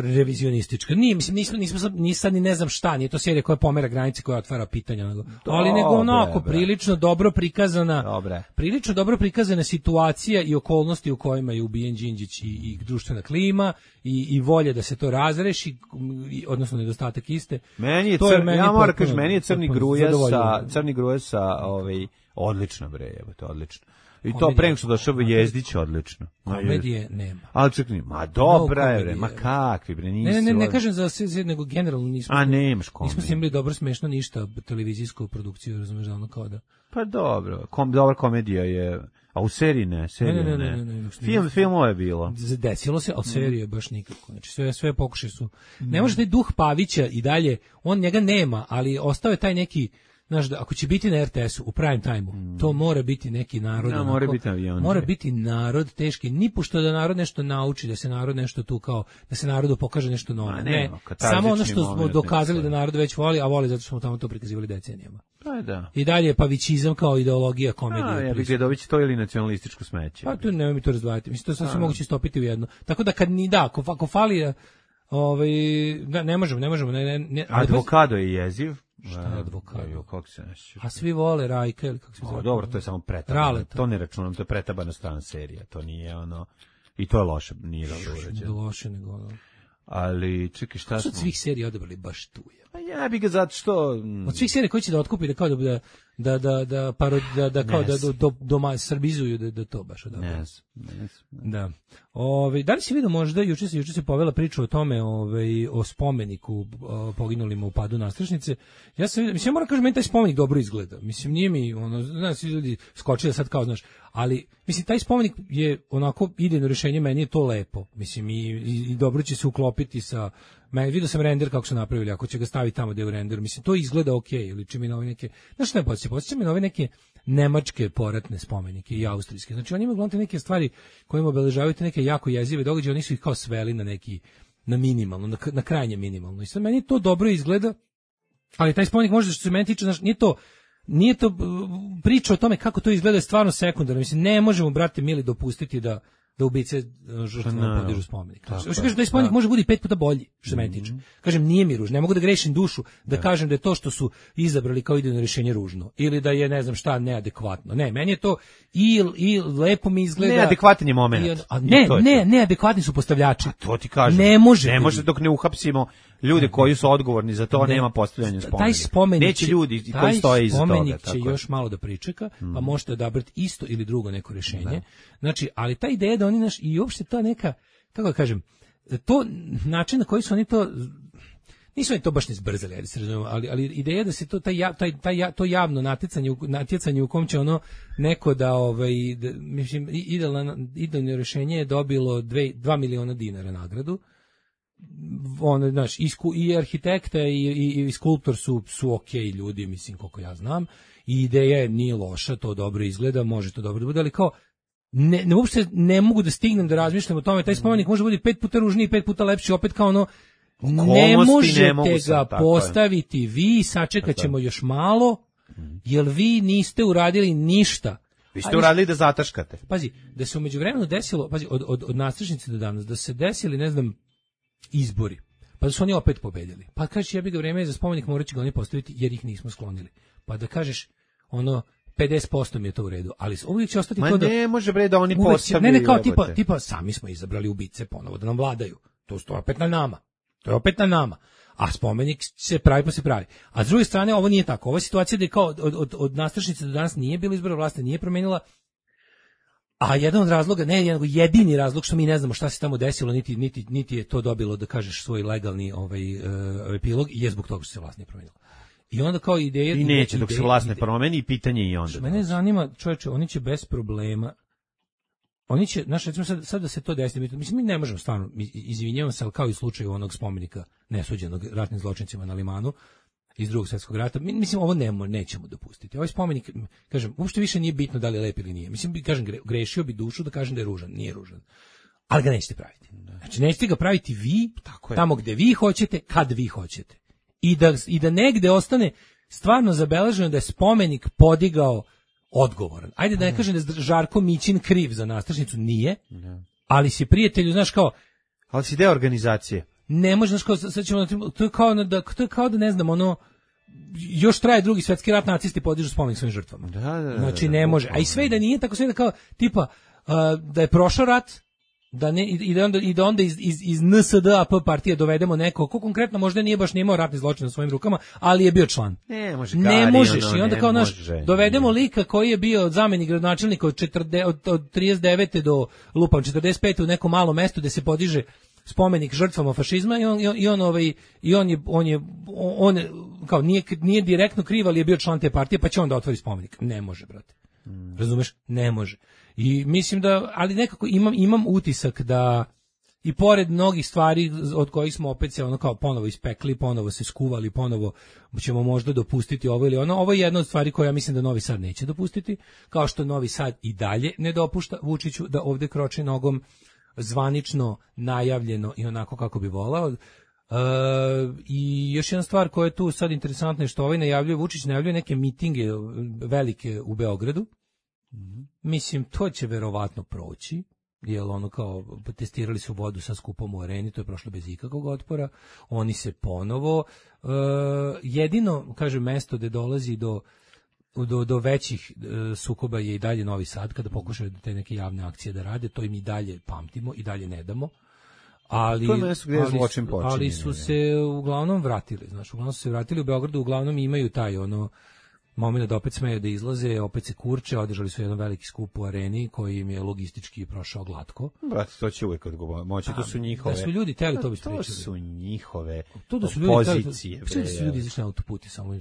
revizionistička. Nije, mislim, nismo, nismo sad, ni sad ni ne znam šta, nije to serija koja pomera granice, koja otvara pitanja, nego, ali nego onako, bre. prilično dobro prikazana, Dobre. prilično dobro prikazana situacija i okolnosti u kojima je ubijen Đinđić i, i društvena klima i, i volje da se to razreši, i, odnosno nedostatak iste. Meni je, To cr, je meni ja moram potpuno- kažem, meni je Crni potpuno gruja sa, zadovoljilo. Crni gruja sa, ovaj, odlično bre, jebote, odlično. I to Komedija- pre nego što došao Jezdić, odlično. Ma, Komedije nema. Ali čekaj, ma dobra je bre, komedije. ma kakvi bre, nisi. Ne, ne, ne, ne od- kažem za sve, sve, nego generalno nismo. A nemaš Nismo komediju. snimili dobro smešno ništa televizijsku produkciju, razumeš, da ono kao da. Pa dobro, kom, dobra komedija je, a u seriji ne, serija Ne, ne. ne, ne, ne, ne, ne, Film, filmovo je bilo. Desilo se, ali serije baš nikako. Znači sve sve pokušaje su. Ne može taj duh Pavića i dalje, on njega nema, ali ostao je taj neki, znaš, da ako će biti na R T S-u u prime time-u, to mora biti neki narod. Da, onako, mora biti avion. Mora biti narod teški, ni pošto da narod nešto nauči, da se narod nešto tu kao, da se narodu pokaže nešto novo. Ma, Ne, nema, katarzični samo ono što smo moment dokazali neki da narod već voli, a voli zato što smo tamo to prikazivali decenijama. Pa da. I dalje je pavićizam kao ideologija komedije. A, ja bih prisutna. Gledović to ili nacionalističko smeće. Pa tu nemoj mi to razdvajati. Mislim, to sve se moguće stopiti u jedno. Tako da kad ni da, ako, ako fali, ovaj, da, ne možemo, ne možemo. Ne, ne, ne, Advokado je jeziv. Šta je Advokado? Jo, kako se neće. A svi vole Rajka ili kako se O, zove? dobro, to je samo pretabana. Raleta. To ne računam, to je pretabana strana serija. To nije ono... I to je loše, nije dobro Ne urađeno. loše nego ono. Ali, čekaj, šta Što smo? od svih serija odabrali baš tu je? Pa ja bih ga zato što... mm, Od svih serija koji će da otkupi da kao da da da da paro, da, da kao Ne da znam. do, do, doma srbizuju da da to baš odabrali. Ne znam, ne znam. Da. Ove, da li si vidio možda, juče se, juče se povela priča o tome, ovaj, o spomeniku o, poginulima u padu Nastrešnice. Ja sam vidio, mislim, ja moram kažem, meni taj spomenik dobro izgleda. Mislim, nije mi, ono, znaš, svi ljudi skočili sad kao, znaš, ali, mislim, taj spomenik je onako idejno rješenje, meni je to lepo. Mislim, i, i, i dobro će se uklopiti sa, meni, vidio sam render kako su napravili, ako će ga staviti tamo gde je u renderu, mislim, to izgleda okej, ili či mi na ove neke, znaš šta ne podsjeća, podsjeća mi na ove neke nemačke poratne spomenike i austrijske. Znači oni imaju uglavnom neke stvari kojima obeležavaju te neke jako jezive događaje, oni su ih kao sveli na neki, na minimalno, na, na krajnje minimalno. I sad meni to dobro izgleda, ali taj spomenik možda što se meni tiče, znači nije to, nije to uh, priča o tome kako to izgleda je stvarno sekundarno. Mislim, ne možemo, brate mili, dopustiti da da ubice žrtvama naravno. podižu spomenik. Tako Što je, kažem da je spomenik da. može biti pet puta bolji, što se meni tiče. Kažem, nije mi ružno, ne mogu da grešim dušu, da kažem da je to što su izabrali kao idejno rješenje ružno ili da je ne znam šta neadekvatno. Ne, meni je to i i lepo mi izgleda. Neadekvatan je moment. I on- a I ne, to je ne, to. neadekvatni su postavljači. To ti kažem. Ne može. Ne biti. može dok ne uhapsimo ljude koji su odgovorni za to, Ne. nema postavljanja spomenika. Taj spomenik Neće će- ljudi taj koji stoje iza toga. spomenik će tako je. još malo da pričeka, pa možete odabrati isto ili drugo neko rješenje. Znači, ali ta ideja da oni naš i uopšte ta neka, kako da kažem, to način na koji su oni to nisu oni to baš ne zbrzali, ali se razumemo, ali ali ideja da se to taj ja- taj taj ja- to javno natjecanje u- natjecanje u kom će ono neko da ovaj da, mislim i- idealno idealno rješenje je dobilo dva miliona dinara nagradu. On, znaš, i, sku, i arhitekta i, i, i skulptor su, su okej ljudi, mislim, koliko ja znam, i ideja je nije loša, to dobro izgleda, može to dobro da bude, ali kao, ne, ne, uopšte ne mogu da stignem da razmišljam o tome, taj spomenik može biti pet puta ružniji, pet puta lepši, opet kao ono, ne Okolnosti možete ne mogu ga sad, tako je. postaviti vi, sačekat ćemo još malo, jer vi niste uradili ništa. Vi A ste uradili da zataškate. Pazi, da se u međuvremenu desilo, pazi, od, od, od nastrešnice do danas, da se desili, ne znam, izbori, pa da su oni opet pobedili. Pa kažeš, jebi ga, vreme je za spomenik, morat će ga oni postaviti jer ih nismo sklonili. Pa da kažeš, ono, pedeset posto mi je to u redu, ali uvijek će ostati Ma to da... ne može bre da oni uvijek će- postavljaju. ne, ne, kao tipa, jebote. tipa, sami smo izabrali ubice ponovo da nam vladaju. To sto opet na nama. To je opet na nama. A spomenik se pravi pa se pravi. A s druge strane, ovo nije tako. Ova situacija da je kao od, od, od nastrešnice do danas nije bilo izbora vlasti, nije promenila. A jedan od razloga, ne jedan, jedini razlog što mi ne znamo šta se tamo desilo, niti, niti, niti je to dobilo, da kažeš, svoj legalni ovaj, uh, epilog, je zbog toga što se vlast nije promenila. I onda kao ideja... I neće ideja, dok se vlast ne promeni i pitanje i onda. Mene zanima, čovječe, oni će bez problema, oni će, znaš, recimo sad, sad da se to desi, mislim, mi ne možemo stvarno, izvinjavam se, ali kao i u slučaju onog spomenika nesuđenog ratnim zločincima na Limanu, iz Drugog svjetskog rata, mislim, ovo ne, nećemo dopustiti. Ovaj spomenik, kažem, uopšte više nije bitno da li je lep ili nije. Mislim, kažem, grešio bi dušu da kažem da je ružan, nije ružan. Ali ga nećete praviti. Znači, nećete ga praviti vi, tako tamo gde vi hoćete, kad vi hoćete. I da, i da negde ostane stvarno zabeleženo da je spomenik podigao odgovoran. Ajde da ne kažem da je Žarko Mićin kriv za nastrešnicu, nije, ali si prijatelju, znaš kao... Ali si deo organizacije. Ne može, znaš kao, sad ćemo, to je kao da, to je kao da ne znam, ono, još traje Drugi svjetski rat, nacisti podižu spomenik svojim žrtvama. Da, da, da, znači ne može. A i sve da nije tako, sve da kao, tipa, uh, da je prošao rat, da ne, i da onda, i da onda iz, iz, iz N S D A P partije dovedemo neko, ko konkretno možda nije baš nije imao ratni zločin na svojim rukama, ali je bio član. Ne, može ne gari, možeš. ono, I onda ne kao naš, može, dovedemo lika koji je bio zamenik gradonačelnika od, četrdeset, od, od trideset devete do lupam četrdeset pete u nekom malom mestu gde se podiže spomenik žrtvama fašizma i on, i on, ovaj, i on je, on je, on je, kao nije, nije direktno kriv, ali je bio član te partije, pa će on da otvori spomenik. Ne može, brate. Mm. Razumeš? Ne može. I mislim da, ali nekako imam, imam utisak da i pored mnogih stvari od kojih smo opet se ono kao ponovo ispekli, ponovo se skuvali, ponovo ćemo možda dopustiti ovo ili ono, ovo je jedna od stvari koja ja mislim da Novi Sad neće dopustiti, kao što Novi Sad i dalje ne dopušta Vučiću da ovde kroči nogom zvanično, najavljeno i onako kako bi volao. E, I još jedna stvar koja je tu sad interesantna je što ovaj najavljuje, Vučić najavljuje neke mitinge velike u Beogradu. Mm-hmm. Mislim, to će verovatno proći, jer ono kao testirali su vodu sa skupom u areni, to je prošlo bez ikakvog otpora. Oni se ponovo, e, jedino, kaže, mesto gde dolazi do Do, do većih e, sukoba je i dalje Novi Sad, kada pokušaju te neke javne akcije da rade, to im i dalje pamtimo, i dalje ne damo. Ali, to je mesto gdje je zločin počinjen. Ali su se uglavnom vratili, znaš, uglavnom su se vratili u Beogradu, uglavnom imaju taj ono moment da opet smeju da izlaze, opet se kurče, održali su jedan veliki skup u areni koji im je logistički prošao glatko. Brate, to će uvijek odgovoriti. Moći, to su njihove... Da su ljudi teli, to bi pričali. To su njihove to da su ljudi pozicije. Teli, da su ljudi izašli na autoput i samo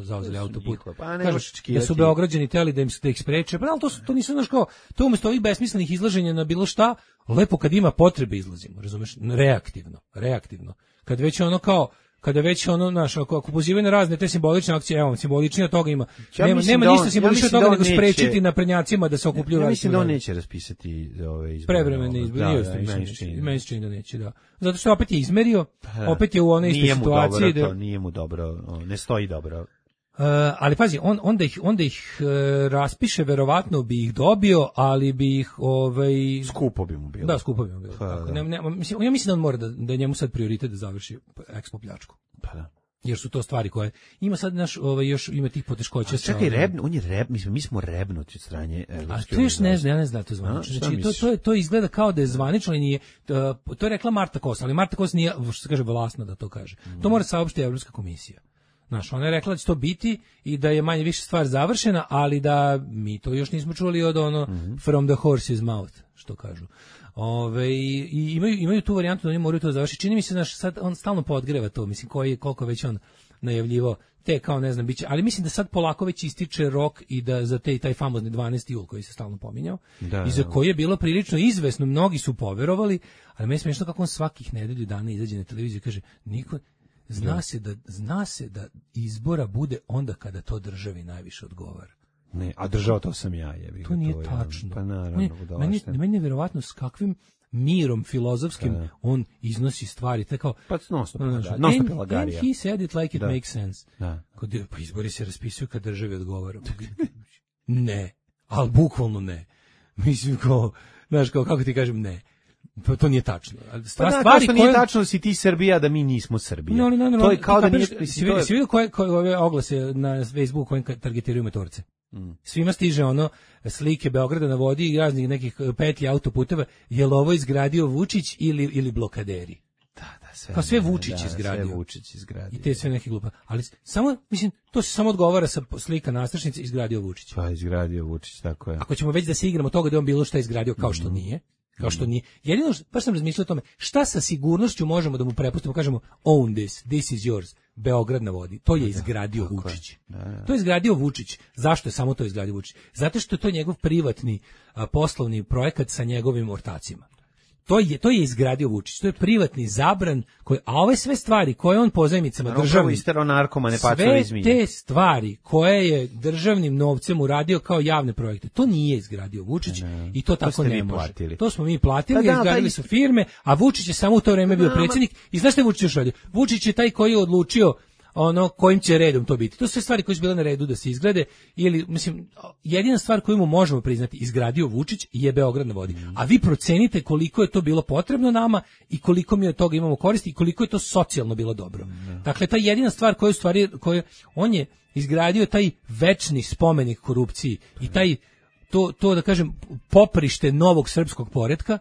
zauzeli autoput. Pa ne Kažu, da su Beograđani teli da im da ih spreče. Pa ali to, su, to nisu, znaš kao, to umjesto ovih besmislenih izlaženja na bilo šta, lepo kad ima potrebe izlazimo, razumeš? Reaktivno, reaktivno. Kad već ono kao, kada već ono, naš, ako, ako pozivaju na razne te simbolične akcije, evo, simboličnije od toga ima. Ja nema nema da on, ništa simboličnije od toga da nego neće, sprečiti naprednjacima da se okupljuju. Ja mislim da on neće raspisati ove izbore. Prevremene izbore, da, da, da, meni se čini da neće, da. Zato što opet je izmerio, opet je u onoj istoj situaciji. Nije mu dobro, da, to, nije mu dobro, ne stoji dobro. Uh, ali pazi, on, onda ih, onda ih uh, raspiše, verovatno bi ih dobio, ali bi ih ovaj skupo bi mu bilo. Da, skupo bi mu bilo. Pa, tako, ne, ne, mislim, ja mislim da on mora da, da je njemu sad prioritet da završi Expo pljačku. Pa da. Jer su to stvari koje ima sad naš ovaj još ima tih poteškoća. A čekaj, reb, on je reb, mislim mi smo rebnuti od strane Evropske unije. A to još ne znam, ja ne znam to zvanično. Znači to to je to izgleda kao da je zvanično, ali nije. To, to je rekla Marta Kos, ali Marta Kos nije, što se kaže, vlasna da to kaže. Mm. To mora saopštiti Evropska komisija. Znaš, ona je rekla da će to biti i da je manje više stvar završena, ali da mi to još nismo čuli od ono mm-hmm. from the horse's mouth, što kažu. Ove, i imaju, imaju tu varijantu da oni moraju to završiti. Čini mi se, znaš, sad on stalno podgreva to, mislim, koji je, koliko već on najavljivo, te kao ne znam, biće, ali mislim da sad polako već ističe rok i da za te, taj famozni dvanaesti jul koji se stalno pominjao, da, i za koji je bilo prilično izvesno, mnogi su poverovali, ali meni smiješno kako on svakih nedelju dana izađe na televiziju i kaže, niko, zna se da, zna se da izbora bude onda kada to državi najviše odgovara. Ne, a držao to sam ja, jebi. To nije to tačno. Pa naravno, ne, meni, meni je verovatno s kakvim mirom filozofskim da. On iznosi stvari, tako kao pa non-stop non-stop and he said it like it da. makes sense. Da. Kod pa izbori se raspisuju kad državi odgovara. Ne, al bukvalno ne. Mislim kao, znaš, kao kako ti kažem, ne. To, to nije tačno. Stva, pa stvari koje nije tačno da si ti Srbija, da mi nismo Srbija. No, no, no, no, to je kao da nije... Si vidio koje, koje ove oglase na Facebooku kojim targetiraju motorce? Mm. Svima stiže ono slike Beograda na vodi i raznih nekih petlji autoputeva. Je li ovo izgradio Vučić ili, ili blokaderi? Da, da, sve. Kao sve Vučić da, izgradio. Sve Vučić izgradio. I te sve neke glupa. Ali samo, mislim, to se samo odgovara sa slika nastrešnice izgradio Vučić. Pa izgradio Vučić, tako je. Ako ćemo već da se igramo toga da je on bilo šta izgradio kao što nije, kao što nije. Jedino, što- baš sam razmišljao o tome, šta sa sigurnošću možemo da mu prepustimo, kažemo own this, this is yours, Beograd na vodi. To je izgradio Vučić. To je izgradio Vučić. Zašto je samo to izgradio Vučić? Zato što je to njegov privatni a, poslovni projekat sa njegovim ortacima. To je to je izgradio Vučić. To je privatni zabran koji, a ove sve stvari koje on pozajmicama Državu državnim istero narkomane pacove sve iz Milje. te stvari koje je državnim novcem uradio kao javne projekte, to nije izgradio Vučić i to tako ste ne vi može. platili. To smo mi platili, Pa da, izgradili taj su firme, a Vučić je samo u to vreme bio Da, predsjednik. I znaš šta je Vučić još radio? Vučić je taj koji je odlučio ono kojim će redom to biti. To su sve stvari koje su bile na redu da se izgrade ili mislim jedina stvar koju mu možemo priznati izgradio Vučić je Beograd na vodi. A vi procenite koliko je to bilo potrebno nama i koliko mi od toga imamo koristi i koliko je to socijalno bilo dobro. Dakle ta jedina stvar koju stvari koju on je izgradio taj večni spomenik korupciji i taj to to da kažem poprište novog srpskog poretka.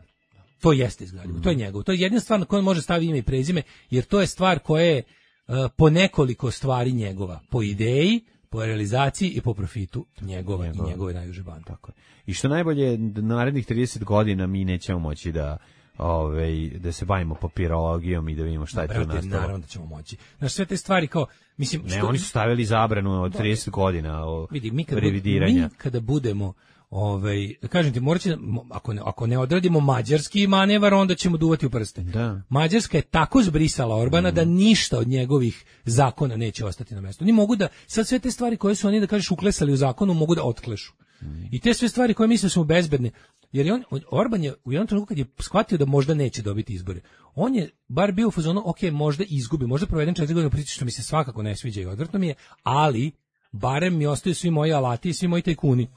To jeste izgradio. To je njegov. To je jedina stvar na koju on može staviti ime i prezime jer to je stvar koja je Uh, po nekoliko stvari njegova, po ideji, po realizaciji i po profitu njegova Njegova. i njegove najuže bande. Tako je. I što najbolje, narednih trideset godina mi nećemo moći da ovaj da se bavimo papirologijom i da vidimo šta je to Brate, nastalo. naravno da ćemo moći. Znaš, sve te stvari kao, mislim, Ne, oni su stavili zabranu od trideset godina o vidi, mi kada, revidiranja. mi kada budemo ovaj, kažem ti, morat će, ako ne, ako ne odradimo mađarski manevar, onda ćemo duvati u prste. Da. Mađarska je tako zbrisala Orbana Mm. da ništa od njegovih zakona neće ostati na mjestu. Oni mogu da, sad sve te stvari koje su oni, da kažeš, uklesali u zakonu, mogu da otklešu. Mm. I te sve stvari koje misle su bezbedne, jer je on, Orban je u jednom trenutku kad je shvatio da možda neće dobiti izbore, on je bar bio u fazonu, ok, možda izgubi, možda provedem četiri godine priče što mi se svakako ne sviđa i odvrtno mi je, ali barem mi ostaju svi moji alati i svi moji tajkuni.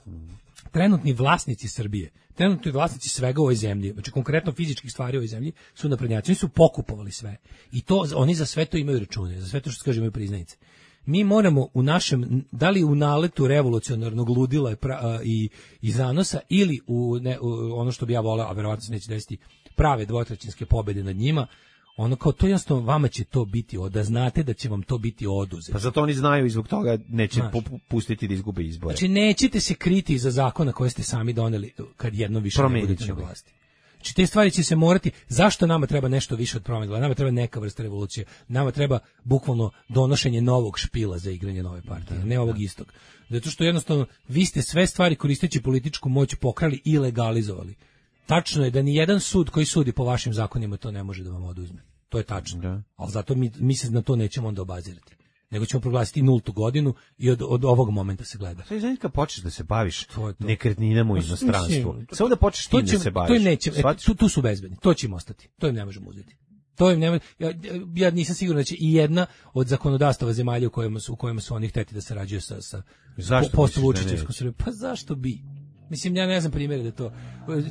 Trenutni vlasnici Srbije, trenutni vlasnici svega u ovoj zemlji, znači konkretno fizičkih stvari u ovoj zemlji, su naprednjaci, oni su pokupovali sve. I to oni za sve to imaju račune, za sve to što se kaže imaju priznanice. Mi moramo u našem, da li u naletu revolucionarnog ludila i, pra, i, i zanosa, ili u, ne, u ono što bi ja voleo, a verovatno se neće desiti, prave dvotrećinske pobede nad njima, ono kao to jednostavno vama će to biti, da znate da će vam to biti oduzeto. Pa zato oni znaju i zbog toga neće Znaš. pu- pustiti da izgube izbore. Znači nećete se kriti iza zakona koje ste sami doneli kad jednom više ne Promenit budete na ćemo ih. vlasti. Znači te stvari će se morati, zašto nama treba nešto više od promjene? Nama treba neka vrsta revolucije. Nama treba bukvalno donošenje novog špila za igranje nove partije, ne ovog istog. Zato što jednostavno vi ste sve stvari koristeći političku moć pokrali i legalizovali. Tačno je da ni jedan sud koji sudi po vašim zakonima to ne može da vam oduzme. To je tačno. Da. Ali zato mi, mi se na to nećemo onda obazirati. Nego ćemo proglasiti nultu godinu i od, od ovog momenta se gleda. Sve znači kad počneš da se baviš To je to. nekretninama u Pa, inostranstvu. mislim, Samo da počneš To tim će, da se baviš. to im neće, e, Shvatiš? tu, tu su bezbedni, to će im ostati, to im ne možemo uzeti. To im ne, mo- ja, ja nisam siguran da će i jedna od zakonodavstava zemalja u kojima su, u kojima su oni hteti da sarađuju sa, sa Zašto po- misliš da post-Vučićevskom neće? Srbijom. Pa zašto bi? Mislim, ja ne znam primjere da to...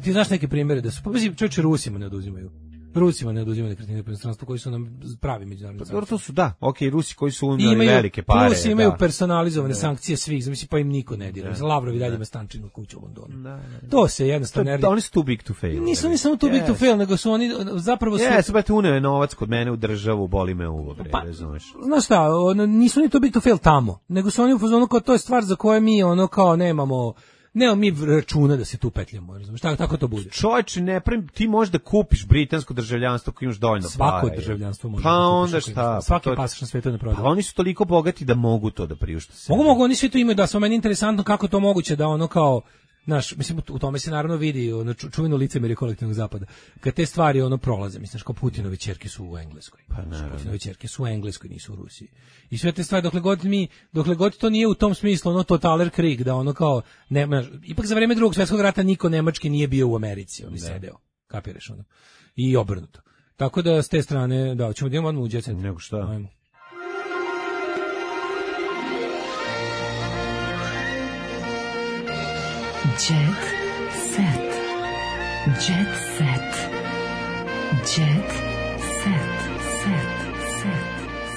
Ti znaš neke primjere da su... Pa mislim, čovječe, Rusima ne oduzimaju. Rusima ne oduzimaju nekretnine po inostranstvu koji su nam pravi međunarodni Pa dobro, to su da, okej, Rusi koji su umeli imaju, velike pare. Rusi imaju da. personalizovane sankcije svih, mislim, pa im niko ne dira. Lavrov i dalje ima stančinu kuću u Londonu. To se jednostavno To- ne da, oni su too big to fail. Nisu oni samo too big to Yes. fail, nego su oni zapravo su... Jes, brate, uneo je novac kod mene u državu, boli me uvo, bre, Pa, razumeš. Znaš šta, ono, nisu oni to big to fail tamo, nego su oni u fazonu kao to je stvar za koje mi ono kao nemamo, nemamo mi računa da se tu petljamo, razumeš, tako, tako to bude. Čovječe, ne pravim, ti možeš da kupiš britansko državljanstvo ako imaš dovoljno Svako para. državljanstvo može Pa da kupiš onda ako imaš šta? para. Svaki Pa to- pasoš na svetu ne prodaje. Pa oni su toliko bogati da mogu to da priušte se. Mogu, mogu, oni svi to imaju, da, samo meni je interesantno kako je to moguće da ono kao, znaš, mislim, u tome se naravno vidi ono ču- čuveno licemerje kolektivnog zapada. Kad te stvari ono prolaze, mislim, znaš, kao Putinove ćerke su u Engleskoj. Pa Znaš, naravno. Putinove ćerke su u Engleskoj, nisu u Rusiji. I sve te stvari, dokle god mi, dokle god to nije u tom smislu, ono totaler krig, da ono kao, nema, ipak za vreme drugog svjetskog rata niko nemački nije bio u Americi, on je sedeo, kapiraš ono. I obrnuto. Tako da, s te strane, da, ćemo da imamo odmah u Jet Set. Nego šta? Ajmo. Jet set. Jet set. Jet set. Set. Set.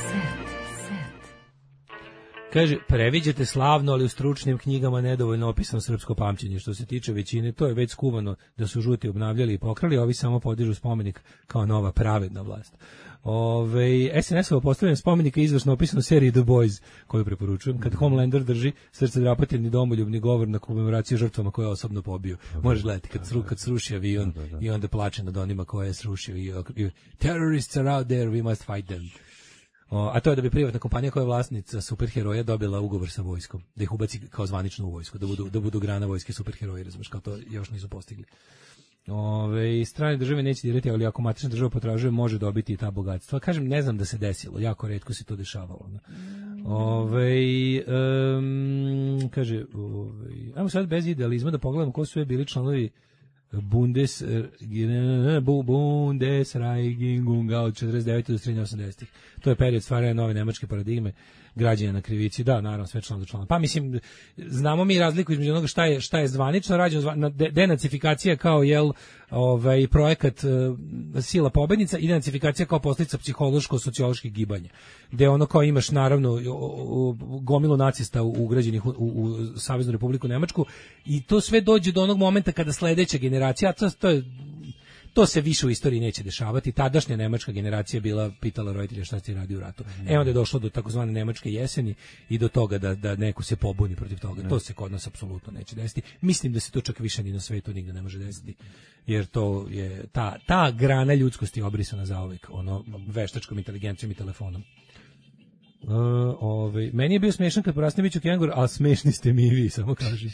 Set. Set. Kaže, previđate slavno, ali u stručnim knjigama nedovoljno opisano srpsko pamćenje. Što se tiče većine, to je već skuvano da su žuti obnavljali i pokrali, a ovi samo podižu spomenik kao nova pravedna vlast. Ove, es en es-ovo postavljanje spomenika je izvršno opisano u seriji The Boys, koju preporučujem, kad Homelander drži srce drapatilni domoljubni govor na komemoraciju žrtvama koje je osobno pobio. Možeš gledati kad, sru, kad sruši avion i onda plače nad onima koje je srušio i, i terrorists are out there, we must fight them. O, a to je da bi privatna kompanija koja je vlasnica superheroja dobila ugovor sa vojskom, da ih ubaci kao zvaničnu vojsku, da budu, da budu grana vojske superheroji, razumiješ, kao to još nisu postigli. Ove, strane države neće dirati, ali ako matična država potražuje, može dobiti i ta bogatstva. Kažem, ne znam da se desilo, jako retko se to dešavalo. Ove, um, kaže, ove, ajmo sad bez idealizma da pogledamo ko su je bili članovi Bundes Bundesregierung od četrdeset devete do srednje osamdesetih. To je period stvaranja nove nemačke paradigme, građenja na krivici, da, naravno, sve član do člana. Pa mislim, znamo mi razliku između onoga šta je, šta je zvanično rađeno, denacifikacija kao, jel, ovaj, projekat uh, sila pobednica i denacifikacija kao posljedica psihološko-socioloških gibanja, gde ono kao imaš, naravno, gomilu nacista ugrađenih u, u, u Saveznu Republiku Nemačku i to sve dođe do onog momenta kada sledeća generacija, to, to je to se više u istoriji neće dešavati. Tadašnja nemačka generacija bila pitala roditelja šta ste radi u ratu. Mm. E onda je došlo do takozvane nemačke jeseni i do toga da, da neko se pobuni protiv toga. Mm. To se kod nas apsolutno neće desiti. Mislim da se to čak više ni na svetu nigde ne može desiti. Jer to je ta, ta grana ljudskosti obrisana zauvek, ono, veštačkom inteligencijom i telefonom. Uh, ovaj, meni je bio smešan kad porasne biću kengur, a smešni ste mi i vi, samo kažem.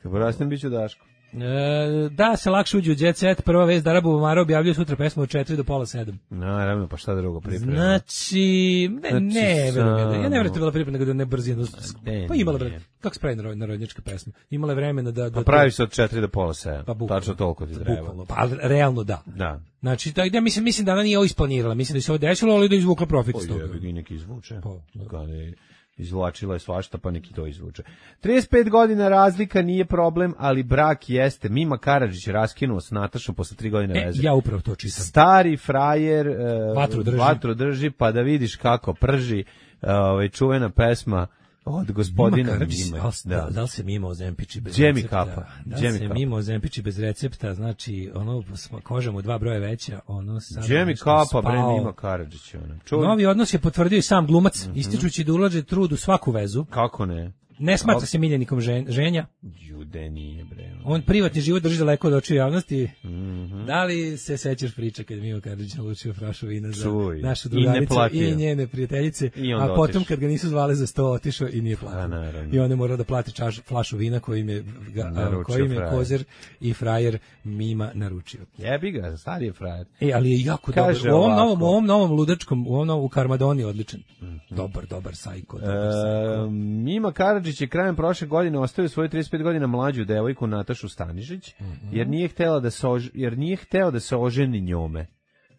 Kad porasne biću Daško. E, da se lakše uđe u Jet Set, prva vez da Arabu Bumara objavljuje sutra pesmu od četiri do pola sedam. Naravno, pa šta drugo priprema? Znači, ne, znači ne, samo... ja ne vjerujem da je bila priprema nego da ne brzino. Ne, pa imala vremena, kako se pravi narodnjačka pesma? Imala je vremena da... da pa pravi se od četiri do pola sedam, pa bukvalno, tačno toliko ti treba. Bukvalno, pa realno da. Da. Znači, da, ja mislim, mislim da ona nije ovo isplanirala, mislim da se ovo desilo, ali da izvukla profit iz toga. Pa je, neki izvuče. Pa, da. Kada izvlačila je svašta, pa neki to izvuče. trideset pet godina razlika nije problem, ali brak jeste. Mima Karadžić raskinuo s Natašom posle tri godine e, veze. Ja upravo to čitam. Stari frajer uh, vatru, drži. vatru drži, pa da vidiš kako prži uh, ovaj, čuvena pesma od gospodina Mima. Da, da li se Mima ozempiči bez Džemi recepta? kapa. Da li se Mima ozempiči bez recepta, znači, ono, koža mu dva broja veća, ono sad... Džemi kapa, bre, Mima Karadžić. Ono. Novi odnos je potvrdio i sam glumac, mm-hmm. ističući da ulaže trud u svaku vezu. Kako ne? Ne smatra se miljenikom žen, ženja. Jude nije, bre. On privatni život drži daleko od očiju javnosti. Mm-hmm. Da li se sećaš priče kad je Mima Karadžić nalučio frašu vina za Čuj. našu drugaricu i, i njene prijateljice, a potom otiš. Kad ga nisu zvali za sto, otišao i nije platio. I on je morao da plati čaš, flašu vina kojim je, ga, kojim je kozer i frajer Mima naručio. Jebi ga, stari je frajer. E, ali je jako dobar. U ovom novom, u ovom novom ludačkom, u ovom novom, u Karmadoni odličan. Mm-hmm. Dobar, dobar sajko. Dobar sajko. E, Mima Karadžić je krajem prošle godine ostavio svoju trideset pet godina mlađu devojku Natašu Stanišić, mm-hmm. jer nije htela da se ož... jer nije hteo da se oženi njome.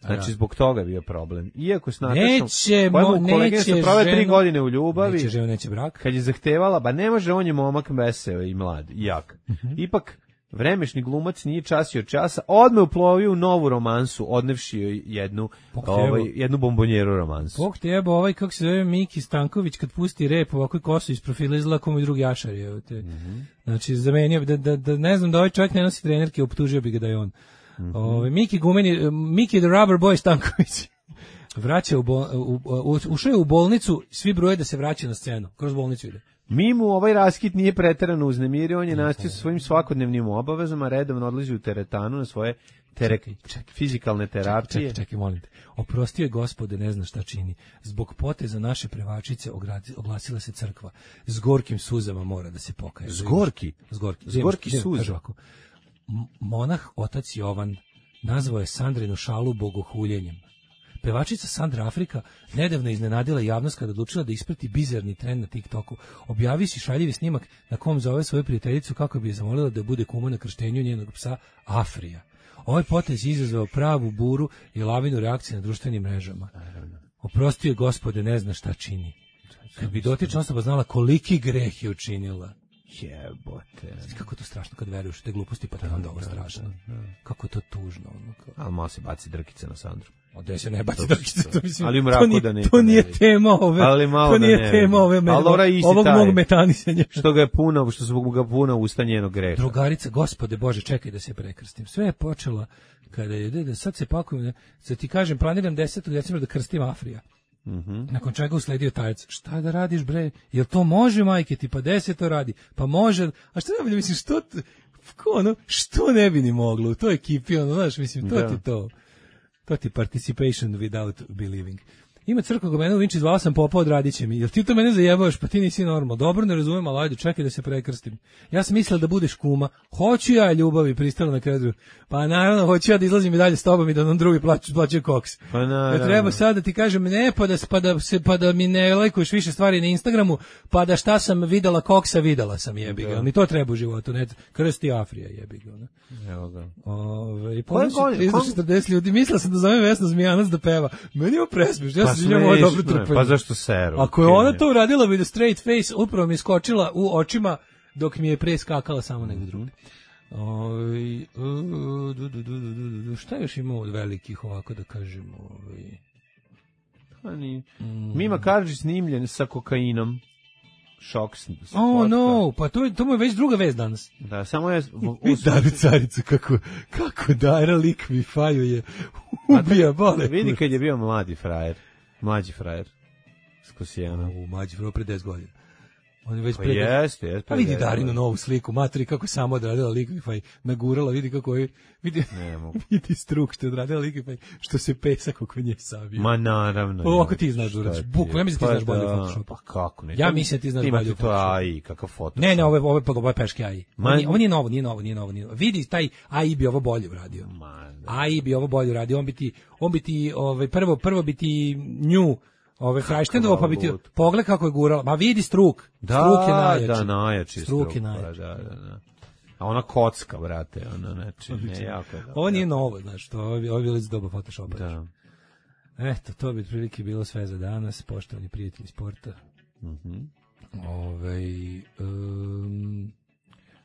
Znači, zbog toga je bio problem. Iako s Natašom, neće, mo, neće se prove tri godine u ljubavi, neće žena, neće brak. Kad je zahtevala, ba ne može, on je momak veseo i mlad, i jak. Mm-hmm. Ipak, vremešni glumac nije časio časa, odme uplovio u novu romansu, odnevši joj jednu, ovaj, jednu bombonjeru romansu. Bog te jebo, ovaj, kako se zove, Miki Stanković, kad pusti rep, ovako kosu iz profila izgleda kao moj drugi Jašar, evo te. Mm-hmm. Znači, zamenio bi, da, da, da, ne znam da ovaj čovjek ne nosi trenerke, optužio bi ga da je on. Mm-hmm. Ove, Miki Gumeni, Miki the Rubber Boy Stanković. Vraća u, bol, u, u, ušao je u bolnicu, svi broje da se vraća na scenu, kroz bolnicu ide. Mimu ovaj raskid nije preterano uznemirio, on je nastavio sa svojim svakodnevnim obavezama, redovno odlazi u teretanu na svoje tere, čekaj, čekaj, fizikalne terapije. Čekaj, čekaj, molim te. Oprostio je Gospode, ne zna šta čini. Zbog poteza naše prevačice oglasila se crkva. S gorkim suzama mora da se pokaje. S gorki? S gorki. S gorki suza. Monah otac Jovan nazvao je Sandrinu šalu bogohuljenjem. Pevačica Sandra Afrika nedavno iznenadila javnost kada odlučila da isprati bizarni trend na TikToku. Objavi si šaljivi snimak na kom zove svoju prijateljicu kako bi je zamolila da bude kuma na krštenju njenog psa Afrija. Ovaj potez je izazvao pravu buru i lavinu reakcije na društvenim mrežama. Oprostio je Gospode, ne zna šta čini. Kad bi dotična osoba znala koliki greh je učinila. Jebote. Kako je to strašno kad veruješ te gluposti, pa te onda ovo strašno. Kako je to tužno. Ono, kao. Ali malo se baci drkice na Sandru. Ode se ne baci drkice, to mislim. Ali u mraku to nije, da ne. To nije tema ove. Ali malo to nije da ne tema ove. Ovog taj, mog metanisanja. Što ga je puno, što su ga puno usta njenog greha. Drugarica, gospode Bože, čekaj da se prekrstim. Sve je počela kada je, da sad se pakujem, sad ti kažem, planiram desetog decembra da krstim Afrija. Mm-hmm. Nakon čega usledio tajac, šta da radiš bre, jel to može majke ti, pa deset to radi, pa može, a šta ne bi, mislim, što, ko ono, što ne bi ni moglo u toj ekipi, ono, znaš, mislim, to da. ti to, to ti participation without believing. Ima crkva go mene u Vinči, zvala sam popa, odradit će mi. Jel ti to mene zajebavaš, pa ti nisi normalno. Dobro, ne razumijem, ali ajde, čekaj da se prekrstim. Ja sam mislila da budeš kuma. Hoću ja ljubavi, pristala na kraju. Pa naravno, hoću ja da izlazim i dalje s tobom i da nam drugi plaću, plaćaju koks. Pa naravno. Ja treba sad da ti kažem ne, pa da, pa da, se, pa da mi ne lajkuješ više stvari na Instagramu, pa da šta sam videla koksa, videla sam jebi ga. Ni to treba u životu, ne. Krsti Afrija jebi ga. Ne? Evo ga. Ove, i ponoći tristo četrdeset ljudi, mislila sam da zove Vesna Zmijanac da peva. Meni je presmiješ, ja pa sam njemu ovo dobro trpanje. Pa zašto seru? Ako je ona to uradila with a straight face, upravo mi iskočila u očima dok mi je preskakala samo negdje drugdje. Oj, uh, du, du, du, du, du, šta još ima od velikih ovako da kažem? Oj. Pa ni. Mm. Mima Karadžić snimljen sa kokainom. Šok. Oh no, pa to, to mu je već druga vez danas. Da, samo je... I Daru Caricu, kako, kako Dara lik mi faju je ubija bole. Vidi kad je bio mladi frajer. Mlađi frajer. Skosijano. U mlađi frajer pre deset godina. On je već pa pre... jeste, jeste. Pa vidi Darinu novu sliku, materi kako samo odradila Liquify, nagurala, vidi kako je, vidi, vidi struk što je odradila Liquify, što se pesak oko nje savio. Ma naravno. O, ako ti znaš da uradiš, bukvalno, ja mislim da ti znaš bolje u Photoshopu. Pa kako ne? Ja mislim da ti znaš bolje u Photoshopu. Imate to A I, kakav Photoshop. Ne, ne, ovo je, ovo je, ovo je peški A I. Man... Ovo nije novo, nije novo, nije novo, nije novo. Vidi, taj A I bi ovo bolje uradio. A I bi ovo bolje uradio, on bi ti, on bi ti, ovaj, prvo, prvo bi ti nju, ove Frajštendovo, pa bi ti pogled kako je gurala. Ma vidi struk. Da, struk je najjači. Da, najjači struk. Struk je najjači. Da, da, da. A ona kocka, brate, ona neči, ne jako. Da, ovo nije novo, znaš, to ovo je bilo iz doba Photoshopa. Da. Eto, to bi otprilike bilo sve za danas, poštovani prijatelji sporta. Mhm. Mm Ovaj um,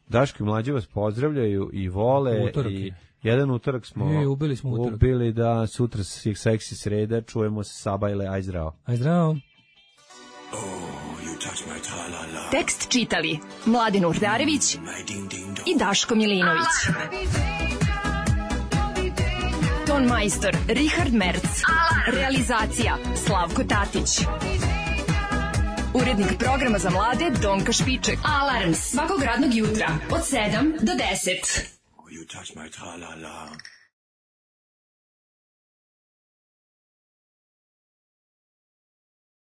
Daško i Mlađe vas pozdravljaju i vole utorak i jedan utorak smo e, ubili smo utorak. Ubili da sutra seksi sreda, čujemo se Sabajle, aj zdravo. Aj zdravo. Tekst čitali Mladin Urdarević i Daško Milinović. Ton majstor Richard Merc. Realizacija Slavko Tatić. Urednik programa za mlade Donka Špiček. Alarms svakog radnog jutra od sedam do deset. You touch my tra-la-la.